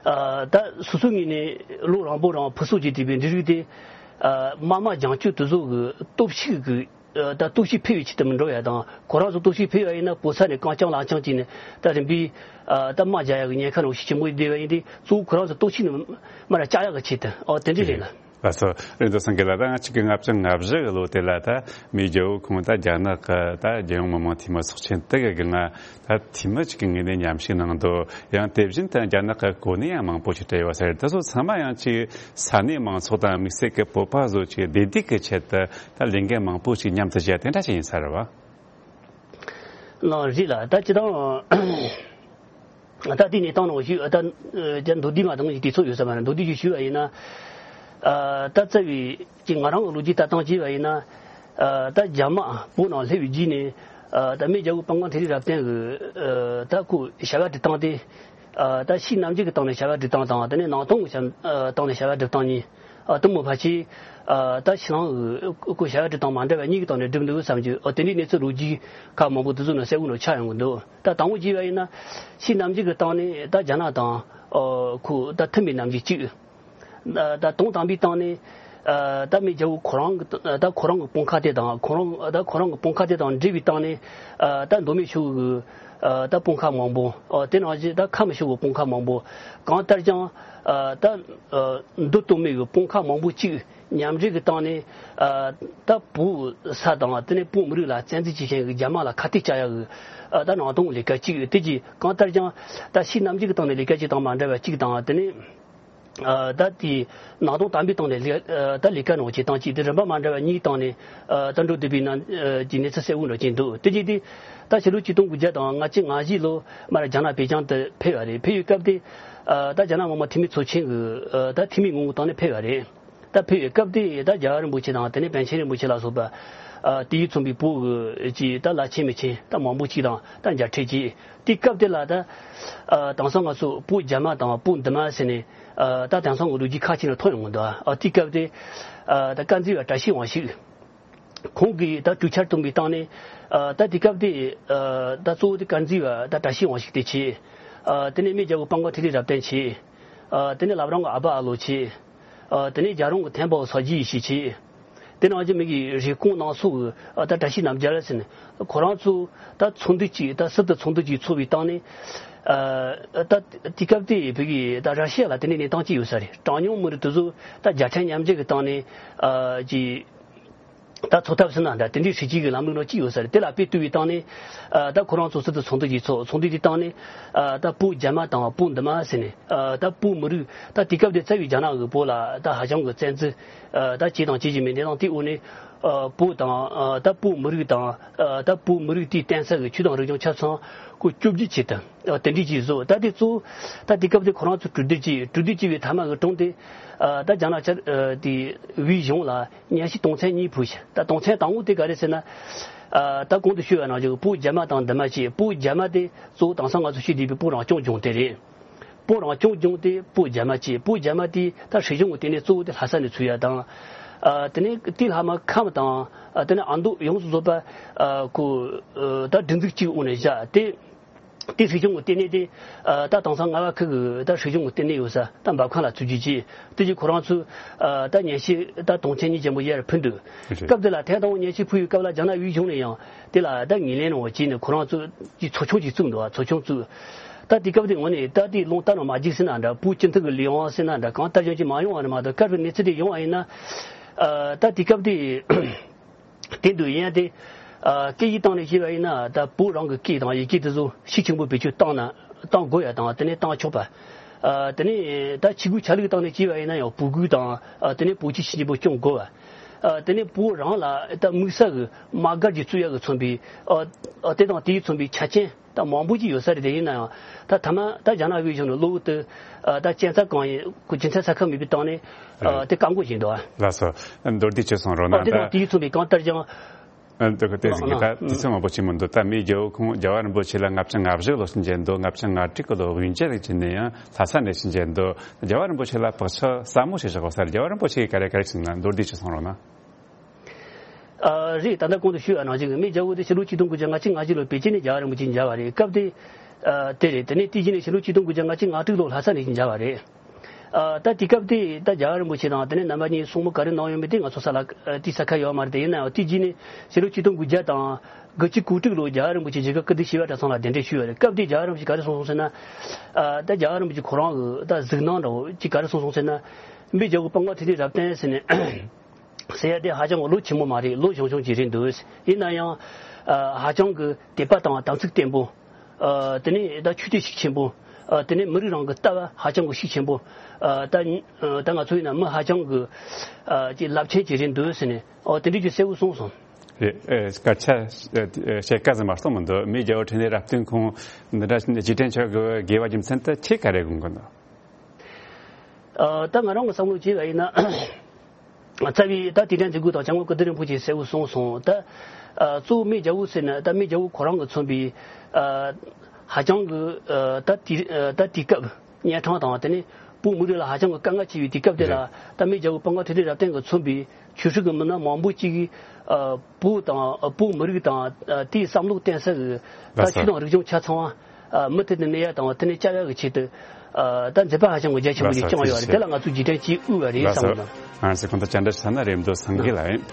ཨ། ད་སོ་སོའི་ངོས་ནས་ལོ་རིང་པོ་རིང་ཕུན་སུམ་ཚོགས་བསྡད་པའི་འབྲུ་རིགས་དེ་ཨ། དམག་དམག་རྒྱང་སྐྱོད་དེ་ཚོ་གི་སྟོབས་ཤུགས་ཀྱི་ཨ། ད་སྟོབས་ཤུགས་འཕེལ་བའི་ཆེད་དུ་མི་འགྲོ་ཡ་དང་། ཁོ་རང་ཚོ་སྟོབས་ཤུགས་འཕེལ་བ་ཡིན་ན་བོད་ས་ནས་རྐང་རྐྱང་ལག་རྐྱང་བྱས་ནས་ད་རིམ་པས་ཨ། ད་དམག་རྒྱག་ཡ་གི་ཉེན་ཁ་རང་ཤུགས་ཆེན་པོ་བསྡད་པ་ཡིན་དུས། གཙོ་བོ་ཁོ་རང་ཚོ་སྟོབས་ཤུགས་ནི་མར་བཅག་ཡ་གི་ཆེད་དུ། ཨོ། དེ་འདྲ་རེད་ལ། ལགས་སོ། རིག་འཛིན་སེང་གེ་ལགས། ད་ང་གཅིག་གི་ལྔ་བཅུ་ང་བཞི་གི་ལོ་དེ་ལ་ད་མི་རྒྱལ་པོ་ཁོང་ད་རྒྱ་ནག་གི་ད་རྒྱལ་ཡོངས་མི་དམངས་འཐུས་མི་ཚོགས་ཆེན་དེ་གི་སྒང་ད་འཐུས་མི་གཅིག་གི་ངོས་ནས་མཉམ་ཞུགས་གནང་འདུག་ཡང་དེ་བཞིན་དུ་རྒྱ་ནག་གི་གོ་གནས་ཡང་མང་པོ་ཞིག་སྤྲད་ཡོད་ཟེར། དེ་ཚོ་ཚང་མ་ཡང་ཅིག་ས་གནས་མང་ཚོགས་དང་དམིགས་བསལ་གྱི་བོད་པ་ཚོ་ཅིག་བདེ་སྡུག་གི་ཆེད་དུ་ད་ལས་འགན་མང་པོ་ཞིག་མཉམ་དུ་བྱས་དེ་འདྲ་ཞིག་ཡིན་ས་རེད་བ། ལགས་རེད་ལ། ད་སྤྱིར་བཏང་ད་དེ་ནས་བཏང་ནང་བཞིན་ད་ད་མདོར་བསྡུས་མ་གཏོང་ཞིག་དུས་ཚོད་ཡོད་ས་མ་རེད། མདོར་བསྡུས་ཞིག་ཞུས་པ་ཡིན་ན། ད་རྩ་བའི་ཅིག་ང་རང་གི་ལོ་རྒྱུས་ལྟ་སྟངས་བྱས་པ་ཡིན་ན། ད་རྒྱ་དམག་བོད་ནང་སླེབས་པའི་རྗེས་ནས་ད་མི་རྒྱལ་པོ་དཔལ་མགོན་ཐིག་ལེ་རབ་བརྟན་གྱིས་ད་ཁོས་བྱ་བ་སྒྲུབ་སྟངས་དེ། ད་ཕྱི་ནམ་རྒྱུན་གྱི་སྟེང་ནས་བྱ་བ་སྒྲུབ་སྟངས་དང་། དེ་ནས་ནང་དོན་གྱི་སྟེང་ནས་བྱ་བ་སྒྲུབ་སྟངས་གཉིས། ཨ། དེ་མོ་ཕལ་ཆེར། ཨ། ད་ཕྱི་ནང་གི་ཁོ་བྱ་བ་སྒྲུབ་སྟངས་མ་འདྲ་བ་གཉིས་ཀྱི་སྟེང་ནས་སྒྲུབ་འདུག་བསམ་རྒྱུ། ཨ། དེ་འདྲའི་གནས་ཚུལ་ལོ་རྒྱུས་ཁག་མང་པོ་དེ་ཚོ་ནང་གསལ་བོ་ནང་ཆགས་ཡོང་གི་འདུག་ད་དང་པོ་བྱས་པ་ཡིན་ན། ཕྱི་ནམ་རྒྱུན་གྱི་སྟེང་ནས་ད་རྒྱ་ནག་དང་། ཨ། ཁོ་ད་མཐུན་པའི་ནམ་རྒྱུན་གཅིག་ད་དོན་དམ་པའི་སྟེང་ནས། ཨ། ད་མི་རྒྱལ་པོ་ཁོ་རང་གི་ད་ཁོ་རང་གི་དཔུང་ཁག་དེ་དང་། ཁོ་རང་ད་ཁོ་རང་གི་དཔུང་ཁག་དེ་དང་འབྲེལ་བའི་སྟེང་ནས། ཨ། ད་མདོ་སྨད་ཕྱོགས་ཀྱི། ཨ། ད་དཔུང་ཁག་མང་པོ། ཨ། དེ་ནང་བཞིན་ད་ཁམས་ཕྱོགས་ཀྱི་དཔུང་ཁག་མང་པོ། གང་ལྟར་ཀྱང་། ཨ། ད། ཨ། མདོ་སྟོད་སྨད་ཀྱི་དཔུང་ཁག་མང་པོ་གཅིག་མཉམ་འབྲེལ་གྱི་སྟེང་ནས། ཨ། ད་བོད་ས་དང་དེ་ནས་བོད་མི་རིགས་ལ་བཙན་འཛུལ་བྱེད་མཁན་གྱི་རྒྱ་དམག་ལ་ཁ་གཏད་བཅག་ཡག་གི། ཨ། ད་ནང་དོན་ལས་ཀ་གཅིག་དེ་གྱིས་གང་ལྟར་ཀྱང་ད་ཕྱི་ནམ་རྒྱུན་གྱི་སྟེང་ནས་ལས་ཀ་གཅིག་དང་མ་འདྲ་བ་གཅིག་དང་། དེ་ནས། ཨ། ད་དེའི་ནང་དོན་དམ་པའི་སྟེང་ནས་ལས། ཨ། ད་ལས་ཀ་ནང་བྱེད་སྟངས་གཅིག་དེ་རིམ་པ་མ་འདྲ་བ་གཉིས་སྟེང་ནས། ཨ། ད་འགྲོ་བསྡད་པའི་ནང་། ཨ། གྱི་གནས་ཚུལ་གསལ་བོ་འགྲོ་གྱིན་འདུག་དེ་རྗེས་དེ་ད་ཕྱི་ལོ་ཆིག་སྟོང་དགུ་བརྒྱ་དང་ལྔ་བཅུ་ང་བཞི་ལོ་མར་རྒྱ་ནག་པེ་ཅིང་དུ་ཕེབས་པ་རེད། ཕེབས་པའི་སྐབས་དེ། ཨ། ད་རྒྱ་ནག་མི་དམངས་འཐུས་མི་ཚོགས་ཆེན་གྱི། ཨ། ད་འཐུས་མི་ངོ་བོའི་སྟེང་ནས་ཕེབས་པ་རེད། ད་ཕེབས་པའི་སྐབས་དེ་ད་རྒྱལ་བ་རིན་པོ་ཆེ་དང་དེ་ནས་པཎ་ཆེན་རིན་པོ་ཆེ་ལ་སོགས་པ། ཨ། དེའི་མཚོན་པའི་བོད་ཀྱི་ཅིག་ད་བླ་ཆེན་མི་ཆེན་ད་མང་པོ་ཅིག་དང་ད་མཇལ་འཕྲད་བྱས། དེའི་སྐབས་དེ་ལ་ད། ཨ། དེང་སང་ང་ཚོ་བོད་རྒྱ་མ་དང་བོད་འདི་མ་ཟེར་ནས། ཨ། ད་དེང་སང་གི་ལོ་རྒྱུས་ཁག་ཅིག་ནང་ཐོན་ཡོང་གི་འདུག་ཨ། དེའི་སྐབས་དེ། ཨ། ད་དཀར་མཛེས་པ་བཀྲ་ཤིས་དབང་ཕྱུག་ཁོང་གིས་ད་གྲོས་འཆར་བཏོན་པའི་སྟེང་ནས། ཨ། ད་དེའི་སྐབས་དེ། ཨ། ད་གཙོ་བོ་དེ་དཀར་མཛེས་པ་ད་བཀྲ་ཤིས་དབང་ཕྱུག་དེ་བྱས། ཨ། དེ་ནས་མི་རྒྱལ་པོ་དཔལ་མགོན་ཐིག་ལེ་རབ་བརྟན་བྱས། ཨ། དེ་ནས་བླ་བྲང་གི་ཨ་ཕ་ཨ་ལོ་བྱས། ཨ། དེ་ནས་རྒྱལ་རོང་གི་ཐེམ་པའོ་སོག་རྗེ་ཡེ་ཤེས་བྱས། དེ་ནང་བཞིན་མི་གི་རེབ་གོང་ནང་སོག་གི། ཨ། ད་བཀྲ་ཤིས་རྣམ་རྒྱལ་ཟེར་ནས་ཁོ་རང་ཚོ་ད་ཚོགས་འདུ་གཅིག་ད་སྲིད་དུ་ཚོགས་འདུ་གཅིག་ཚོགས་པའི་སྟེང་ནས། ཨ། ད་དེ་སྐབས་དེ་བོད་ཀྱི་ད་ར་ཤི་ཡ་ལ་དེ་ནས་གནས་སྟངས་གཅིག་ཡོད་ས་རེད། གྲངས་ཉུང་མི་རིགས་དེ་ཚོ་ད་རྒྱལ་ཕྲན་མཉམ་འབྲེལ་གྱི་སྟེང་ནས། ཨ། ཀྱི་ད་ཚོགས་ཐབས་ཟེར་ན་འདྲ། དེ་འདྲའི་སྲིད་ཇུས་ཀྱི་ལམ་ལུགས་ནང་གཅིག་ཡོད་ས་རེད། དེ་ལ་དཔེ་བསྟུན་པའི་སྟེང་ནས། ཨ། ད་ཁོ་རང་ཚོ་སྲིད་དུ་ཚོགས་འདུ་གཅིག་ཚོགས། ཚོགས་འདུ་དེའི་སྟེང་ནས། ཨ། ད་བོད་རྒྱ་མ་དང་བོད་འདི་མ་ཟེར་ནས། ཨ། ད་བོད་མི་རིགས་ད་དེ་སྐབས་དེ་རྩ་བའི་རྒྱ་ནག་གིས་བོད་ལ་ད་ཧ་ཅང་གི་བཙན་འཛུལ། ཨ། ད་བྱས་དང་བྱེད་བཞིན་པའི་གནས་སྟངས་དེའི་འོག་ནས། ཨ། བོད་དང་། ཨ། ད་བོད་མི་རིགས་དང་། ཨ། ད་བོད་མི་རིགས་དེའི་བརྟེན་ས་གི་ཆོས་དང་རིག་གཞུང་ཆ་ཚང་ཁོ་བཅོ་བརྒྱད་བྱས་ཏེ། ཨ། དེ་འདྲས་ཅིག་བཟོ། ད་དེ་གཙོ་བོ་ད་དེ་སྐབས་དེ་ཁོ་རང་ཚོ་གྲོས་བསྡུར་བྱས། གྲོས་བསྡུར་བྱས་པའི་མཐའ་མ་གི་དྲུང་དེ། ཨ། ད་རྒྱ་ནག་ཆ། ཨ། དེ་བོད་གཞུང་ལ་ཉན་ཞིབ་དོན་ཚན་གཉིས་ཕུལ་ཞིང་། ད་དོན་ཚན་དང་པོ་དེ་ག་རེ་ཟེར་ན། ཨ། ད་གོང་དུ་ཞུས་པ་ནང་བཞིན་བོད་རྒྱ་མ་དང་འདི་མ་བྱས། བོད་རྒྱ་མ་དེ་གཙོ་བོ་དེང་སང་ང་ཚོ་ཤེས་བསྡད་པའི་བོད་རང་སྐྱོང་ལྗོངས་དེ་རེད། བོད་རང་སྐྱོང་ལྗོངས་དེ་བོད་རྒྱ་མ་བྱས། བོད་རྒྱ་མ་དེ་ད་སྲིད་གཞུང་གི་ལྟེ་གནས་གཙོ་བོ་དེ་ལྷ་ས་ནས་ཚུགས་ཡ་དང་། ཨ། དེ་ནས་དེའི་ལྷག་མ་ཁམས་དང་། ཨ། དེ་ནས་ཨ་མདོ་ཡོངས་སུ་རྫོགས་པ། ཨ། ཁོ། ཨ། ད་སྒྲིག་འཛུགས་གཅིག་འོག་ནས་བཞག་སྟེ། དེ་སྲིད་གཞུང་གི་ལྟེ་གནས་དེ། ཨ། ད་དེང་སང་རྔ་བ་ཁུལ་གྱི་ད་སྲིད་གཞུང་གི་ལྟེ་གནས་ཡོད་ས་ད་འབབ་ཁང་ལ་བཙུགས་རྒྱུ་བྱས། དེ་རྗེས་ཁོ་རང་ཚོས། ཨ། ད་ཉན་ཞིབ་ད་དོན་ཚན་གཉིས་ཅན་པོ་ཡར་ཕུལ་འདུག་རེད། སྐབས་དེ་ལ་ཐེངས་དང་པོ་ཉན་ཞིབ་ཕུལ་བའི་སྐབས་ལ་རྒྱ་ནག་དབུས་གཞུང་ནས་ཡང་དེ་ལ་ད་ངོས་ལེན་རང་བྱས་ནས། ཁོ་རང་ཚོས་ཀྱི་ཚོགས་ཆུང་ཅིག་བཙུགས་འདུག་ཚོགས་ཆུང་བཙུགས། ད་དེ་སྐབས་དེ་ངོས་ནས་ད་དེ་ལུང་བསྟན་ནང་མ་འཇུག་ཟེར་ན་འདྲ། བོད་སྤྱི་འཐུས་ཀྱི་ལས་དབང་ཟེར་ན་འདྲ། གང་ལྟར་ཡང་ཅིག་མ་ཡོང་བ་རེད་མ་གཏོགས། སྐབས་དེ་གནས་ཚུལ་དེ་ཡོང་བ་ཡིན་ན། ཨ། ད་དེ་སྐབས་དེ། དེ་འདུག་ཡིན་ཡང་དེ། ཨ། སྐད་ཡིག་སྟེང་ནས་བཤད་པ་ཡིན་ན། ད་བོད་རང་གི་སྐད་དང་ཡི་གེ་དེ་ཚོ་ཤུགས་ཆེན་པོ་བེད་སྤྱོད་བཏང་ན། བཏང་དགོས་ཡ་དང་། དེ་ནས་བཏང་ཆོག་པ། ཨ། དེ་ནས་ད་ཆས་གོས་ཆ་ལུགས་སྟེང་ནས་བཤད་པ་ཡིན་ན་ཡང་བོད་གོས་དང་། ཨ། དེ་ནས་བོད་ཆས་ཤུགས་ཆེན་པོ་གྱོན་དགོས་པ། ཨ། དེ་ནས་བོད་རང་ལ་ད་དམིགས་བསལ་གྱི་དམག་སྒར་གྱི་བཙུགས་ཡ་གི་མཚོན་པའི། ཨ། ཨ། དེ་དང་དེའི་མཚོན་པའི་ཆ་རྐྱེན་ད་མང་པོ་ཅིག་ཡོད་ས་རེད། དེ་ཡིན་ན་ཡང་ད་མཐའ་མ་ད་རྒྱ་ནག་དབུས་གཞུང་ནས་གློ་བུར་དུ། ཨ། ད་གཅན་ཚ་གང་ཡིན་ཁོ་རྒྱུ་མཚན་གསལ་ཁ་མེད་པའི་སྟེང་ནས། ཨ། དེ་བཀག་འགོག་བྱས་འདུག་ལགས་སོ། མདོར་བསྡུས་ཅིག་གསུང་རོགས་གནང་། དེ་དང་དེའི་མཚོན་པའི་གང་ལྟར་ཀྱང་། ཨ། འདི་ག་དེ་ཟིག་གི་ད་དུས་ཚོད་མང་པོ་ཕྱིན་མི་འདུག་ད་མི་རྒྱལ་པོ་ཁོང་རྒྱལ་བ་རིན་པོ་ཆེ་ལ་ལྔ་བཅུ་ང་བཞི་ལོ་ཕྱིན་བྱས་འདུག་ལྔ་བཅུ་ང་དྲུག་གི་ལོ་དབུས་འབྱེད་ལ་ཕྱིན་ནས་ཡང་ལྷ་ས་ནས་ཕྱིན་བྱས་འདུག་རྒྱལ་བ་རིན་པོ་ཆེ་ལ་བག་ཆགས་ཟབ་མོ་ཞིག་བཞག་ཡོད་ས་རེད། རྒྱལ་བ་རིན་པོ་ཆེ་གིས་ག་རེ་ག་རེ་གསུངས་ན་མདོར་བསྡུས་ཅིག་གསུང་རོགས་གནང་། ཨ། རེད། ད་ལྟ་གོང་དུ་ཞུས་པ་ནང་བཞིན་མི་རྒྱལ་པོ་དེ་ཕྱི་ལོ་ཆིག་སྟོང་དགུ་བརྒྱ་ལྔ་བཅུ་ང་བཞི་ལོར་པེ་ཅིན་ནས་རྒྱལ་བ་རིན་པོ་ཆེ་མཇལ་བ་རེད། སྐབས་དེ། ཨ། དེ་རེད། དེ་ནས་དེ་བཞིན་ནས་ཕྱི་ལོ་ཆིག་སྟོང་དགུ་བརྒྱ་ལྔ་བཅུ་ང་དྲུག་ལོར་ལྷ་ས་ནས་མཇལ་བ་རེད། ཨ། ད་དེ་སྐབས་དེ་ད་རྒྱལ་བ་རིན་པོ་ཆེ་དང་དེ་ནས་རྣམ་པ་གཉིས་གསུང་མོལ་ག་རེ་གནང་ཡོད་མེད་དེ་ང་ཚོ་ས་ལ་ཨ་ཏི་ས་ཁ་ཡོད་མ་རེད། དེ་ཡིན་ན་ཡང་དེ་རྗེས་ནས་ཕྱི་ལོ་ཆིག་སྟོང་དགུ་བརྒྱ་དང་དགུ་བཅུ་གོ་དྲུག་ལོར་རྒྱལ་བ་རིན་པོ་ཆེ་རྒྱ་གར་ཀིརྟི་ཤེས་བྱ་གྲྭ་ཚང་ལ་གདན་འདྲེན་ཞུས་པ་རེད། སྐབས་དེ་རྒྱལ་བ་རིན་པོ་ཆེ་ག་རེ་གསུངས་སོང་ཟེར་ན། ཨ། ད་རྒྱལ་བ་རིན་པོ་ཆེ་ཁོ་རང་གི་ད་གཟིགས་སྣང་འདྲ་བོ་ཅིག་ག་རེ་གསུངས་སོང་ཟེར་ན། མི་རྒྱལ་པོ་དཔལ་མགོན་ཐུབ་བསྟན་རབ་བརྟན་ཟེར་ནས་ཟེར་ཡ་དེ་ཧ་ཅང་གི་ལོ་ཆེན་པོ་མ་རེད། ལོ་ཆུང་ཆུང་ཅིག་རེད་འདུག་ཡིན་ན་ཡང་། ཨ། ཧ་ཅང་གི་དད་པ་དང་དམ་ཚིག་བརྟན་པོ། ཨ། དེ་ནས་ད་ཆོས་དད་ཤུགས་ཆེན་པོ། ཨ། དེ་ནས་མི་རིགས་རང་གི་ལྟ་བ་ཧ་ཅང་གི་ཤུགས་ཆེན་པོ། ཨ། ད་ད་ང་ཚོ་ཡིན་ན་མི་ཧ་ཅང་གི། ཨ། ཅིག་རླབས་ཆེན་ཅིག་རེད་འདུག་ཟེར་ནས། ཨོ། དེ་འདྲ་ཅིག་གསལ་བོ་གསུངས་སོང་། རེད། ཨེ། སྐད་ཆ་ཨེ་བཤད་སྐད་ཟིག་མ་གཏོགས་མི་འདུག་མི་རྒྱལ་པོ་འཕྲིན་ལས་རབ་བརྟན་ཁོང་འདི་འདྲ་རྗེས་དྲན་ཆོག་གི་དགོས་པ་རྒྱུ་མཚན་དེ་ཁྱེད་ག་རེ་དགོངས་ཀྱི་འདུག་ཨ། ད་ང་རང་གི་བསམ་བློ་བྱས་པ་ཡིན་ན། རྩ་བའི་ད་དུས་དྲན་མཛད་སྒོའི་ཐོག་སྐྱབས་མགོན་ཀིརྟི་རིན་པོ་ཆེས་གསལ་བོ་གསུངས་སོང་། ད། ཨ། གཙོ་བོ་མི་རྒྱལ་པོ་ཟེར་ན་ད་མི་རྒྱལ་པོ་ཁོ་རང་གིས་མཚོན་པའི། ཨ། ཧ་ཅང་གི། ཨ། ད་དེ། ཨ། ད་དེ་སྐབས་གཉན་འཕྲང་དང་དེ་ནས་བོད་མི་རིགས་ལ་ཧ་ཅང་གི་དཀའ་ངལ་ཆེ་བའི་དུས་སྐབས་དེ་ལ། རེད། ད་མི་རྒྱལ་པོ་དཔལ་མགོན་ཐུབ་བསྟན་རབ་བརྟན་གྱིས་མཚོན་པའི་ཆོས་སྲིད་ཀྱི་མི་སྣ་མང་པོ་ཅིག། ཨ། བོད་དང་། ཨ། བོད་མི་རིགས་དང་། ཨ། དེའི་བསམ་བློ་བརྟན་ས་གི་ད་ལགས་སོ། ཆོས་དང་རིག་གཞུང་ཆ་ཚང་བ། ཨ། མུ་མཐུད་དུ་གནས་ཡ་དང་དེ་ནས་སྐྱབས་ཡ་གི་ཆེད་དུ། ཨ། ད་མཛད་པ་ཧ་ཅང་གི་རྒྱ་ཆེན་པོ་ཅིག་ལགས་སོ། བསྐྱངས་ཡོད་རེད། དེ་ལ་ང་ཚོས་རྗེས་དྲན་ཅིག་དབུལ་བ་རེད་བསམ་གི་འདུག་ལགས་སོ། ང་ཚོས་གོང་དུ་བཅར་འདྲི་ཞུ་ས་ན་རེད་མདོ་སངས་རྒྱས་ལགས་ཡིན།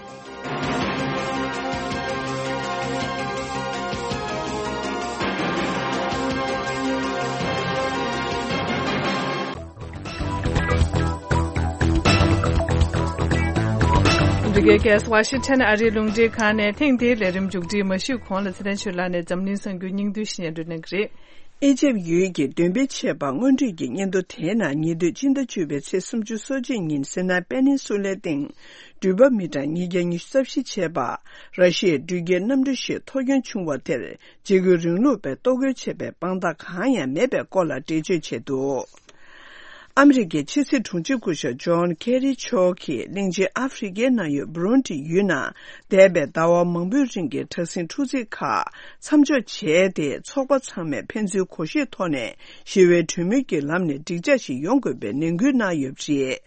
འདི་གའི་གལ་ཝ་ཤིང་ཊོན་ཨ་རིའི་རླུང་འཕྲིན་ཁང་ནས་ཐེངས་འདིའི་ལས་རིམ་མཇུག་སྒྲིལ་མ་ཞུས་གོང་ལ་ཚེ་རིང་ཆོས་ལགས་ནས་འཛམ་གླིང་གསར་འགྱུར་སྙིང་བསྡུས་ཤིག་སྙན་སྒྲོན་གནང་གི་རེད། ཨི་ཇིབ་ཡུལ་གྱི་འདོན་སྤེལ་བྱས་པ་སྔོན་འགྲོའི་གི་སྙན་ཐོ་དེའི་ནང་ཉེ་དུས་སྤྱི་ཟླ་བཅུ་པའི་ཚེས་སུམ་ཅུ་སོ་གཅིག་ཉིན་སི་ནའི་པེ་ནིན་སུ་ལའི་སྟེང་འགྲུལ་པ་མི་གྲངས་ཉིས་བརྒྱ་ཉི་ཤུ་རྩ་བཞི་བྱས་པ། ར་ཤི་ཡའི་འགྲུལ་སྐྱེལ་གནམ་གྲུ་ཞིག་འཐོར་སྐྱོན་བྱུང་བ་དེར་འཇིགས་སྐུལ་རིང་ལུགས་པས་གཏོར་རྒོལ་བྱས་པའི་དཔང་རྟགས་གང་ཡང་མེད་པའི་སྐོར་ལ་འགྲེལ་བརྗོད་བྱས་འདུག་ཨ་མི་རི་ཀའི་ཕྱི་སྲིད་དྲུང་ཆེ་སྐུ་ཞབས་ཇོན་ཁེ་རི་མཆོག་གིས་གླིང་ཆེན་ཨ་ཧྥེ་རི་ཀའི་ནང་ཡོད་བུ་རུན་ཌི་ཡུལ་ནང་འདས་པའི་ཟླ་བ་མང་པོའི་རིང་གི་དྲག་ཟིང་འཁྲུག་འཛིང་ཁག་མཚམས་འཇོག་བྱས་ཏེ། ཚོགས་པ་ཚང་མས་ཕན་ཚུན་གོ་ཤེས་ཐོག་ནས་ཞི་བའི་གྲོས་མོལ་གྱི་ལམ་ནས་འགྲིག་འཇགས་ཤིག་ཡོང་དགོས་པའི་ནན་སྐུལ་གནང་ཡོད་པ་རེད།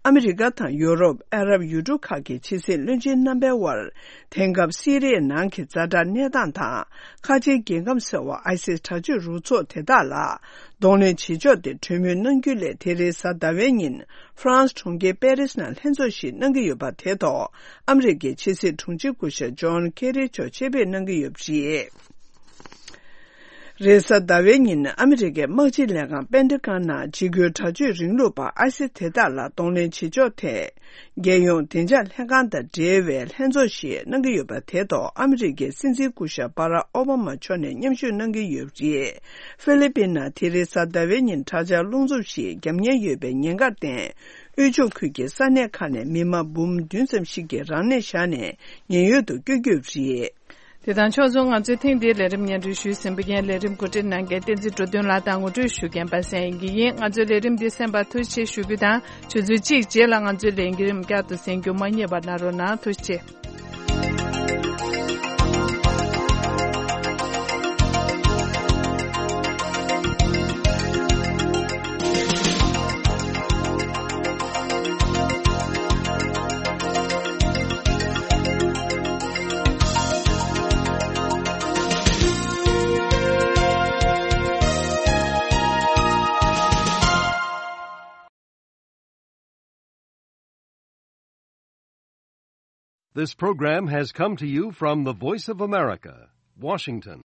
ཨ་མི་རི་ཀ་དང་ཡོ་རོབ། ཨ་རབ་ཡུལ་གྲུ་ཁག་གི་ཕྱི་སྲིད་བློན་ཆེན་རྣམ་པའི་དབར། དེང་སྐབས་སི་རི་ཡའི་ནང་གི་ཛ་དྲག་གནས་སྟངས་དང་། ཁ་ཆེའི་རྒྱལ་ཁམས་ཟེར་བ་ཨའི་སིས་དྲག་སྤྱོད་རུ་ཚོགས་དེ་དག་ལ་གདོང་ལེན་བྱེད་ཕྱོགས་དེ་གྲོས་མོལ་གནང་རྒྱུ་ལས། དེ་རིང་གཟའ་ཟླ་བའི་ཉིན་ཧྥ་རན་སི་གྲོང་ཁྱེར་པེ་རིས་ནང་ལྷན་ཚོགས་ཤིག་གནང་གི་ཡོད་པ་དེ་ཐོག་ཨ་མི་རི་ཀའི་ཕྱི་སྲིད་དྲུང་ཆེ་སྐུ་ཞབས་ཇོན་ཁེ་རི་མཆོག་ཆེད་ཕེབས་གནང་གི་ཡོད་པ་རེད། རེས་གཟའ་ཟླ་བའི་ཉིན་ཨ་མི་རི་ཀའི་དམག་སྤྱི་ལས་ཁང་པེན་ཏ་གོན་ནང་འཇིགས་སྐུལ་དྲག་སྤྱོད་རིང་ལུགས་པ་ཨའི་སི་དེ་དག་ལ་གདོང་ལེན་བྱེད་ཕྱོགས་ཐད། རྒྱལ་ཡོངས་བདེ་འཇགས་ལྷན་ཁང་དང་འབྲེལ་བའི་ལྷན་ཚོགས་ཤིག་གནང་གི་ཡོད་པ་དེ་ཐོག་ཨ་མི་རི་ཀའི་སྲིད་འཛིན་སྐུ་ཞབས་བྷ་རག་ཨོ་བྷ་མ་མཆོག་ནས་མཉམ་ཞུགས་གནང་གི་ཡོད་པ་རེད། ཧྥི་ལི་པིན་ནང་དེ་རིང་གཟའ་ཟླ་བའི་ཉིན་དྲག་ཆར་རླུང་འཚུབ་ཞིག་བརྒྱབ་ཉེན་ཡོད་པའི་ཉེན་ཁར་བརྟེན། དབུས་ལྗོངས་ཁུལ་གྱི་ས་གནས་ཁག་ནས་མི་མང་འབུམ་བདུན་ཙམ་ཞིག་གིས་རང་གནས་བཞག་ནས་ཉེན་གཡོལ་དུ་བསྐྱོད་རྒྱུ་རེད། དེ་དང་ཕྱོགས་མཚུངས་ང་ཚོའི་ཐེངས་འདིའི་ལས་རིམ་སྙན་སྒྲོན་ཞུས་ཟིན་པ་ཡིན། ལས་རིམ་གོ་སྒྲིག་གནང་མཁན་བསྟན་འཛིན་འགྲོ་དོན་ལགས་དང་ངོ་སྤྲོད་ཞུ་མཁན་པ་སངས་དབྱངས་སྐྱིད་ཡིན། ང་ཚོའི་ལས་རིམ་འདི་གསན་པར་ཐུགས་རྗེ་ཆེ་ཞུ་རྒྱུ་དང་། ཆུ་ཚོད་གཅིག་རྗེས་ལ་ང་ཚོའི་ལས་རིམ་བསྐྱར་དུ་གསན་རྒྱུ་མ་བསྙེལ་བ་གནང་རོགས་གནང་། ཐུགས་རྗེ་ཆེ། This program has come to you from the Voice of America, Washington.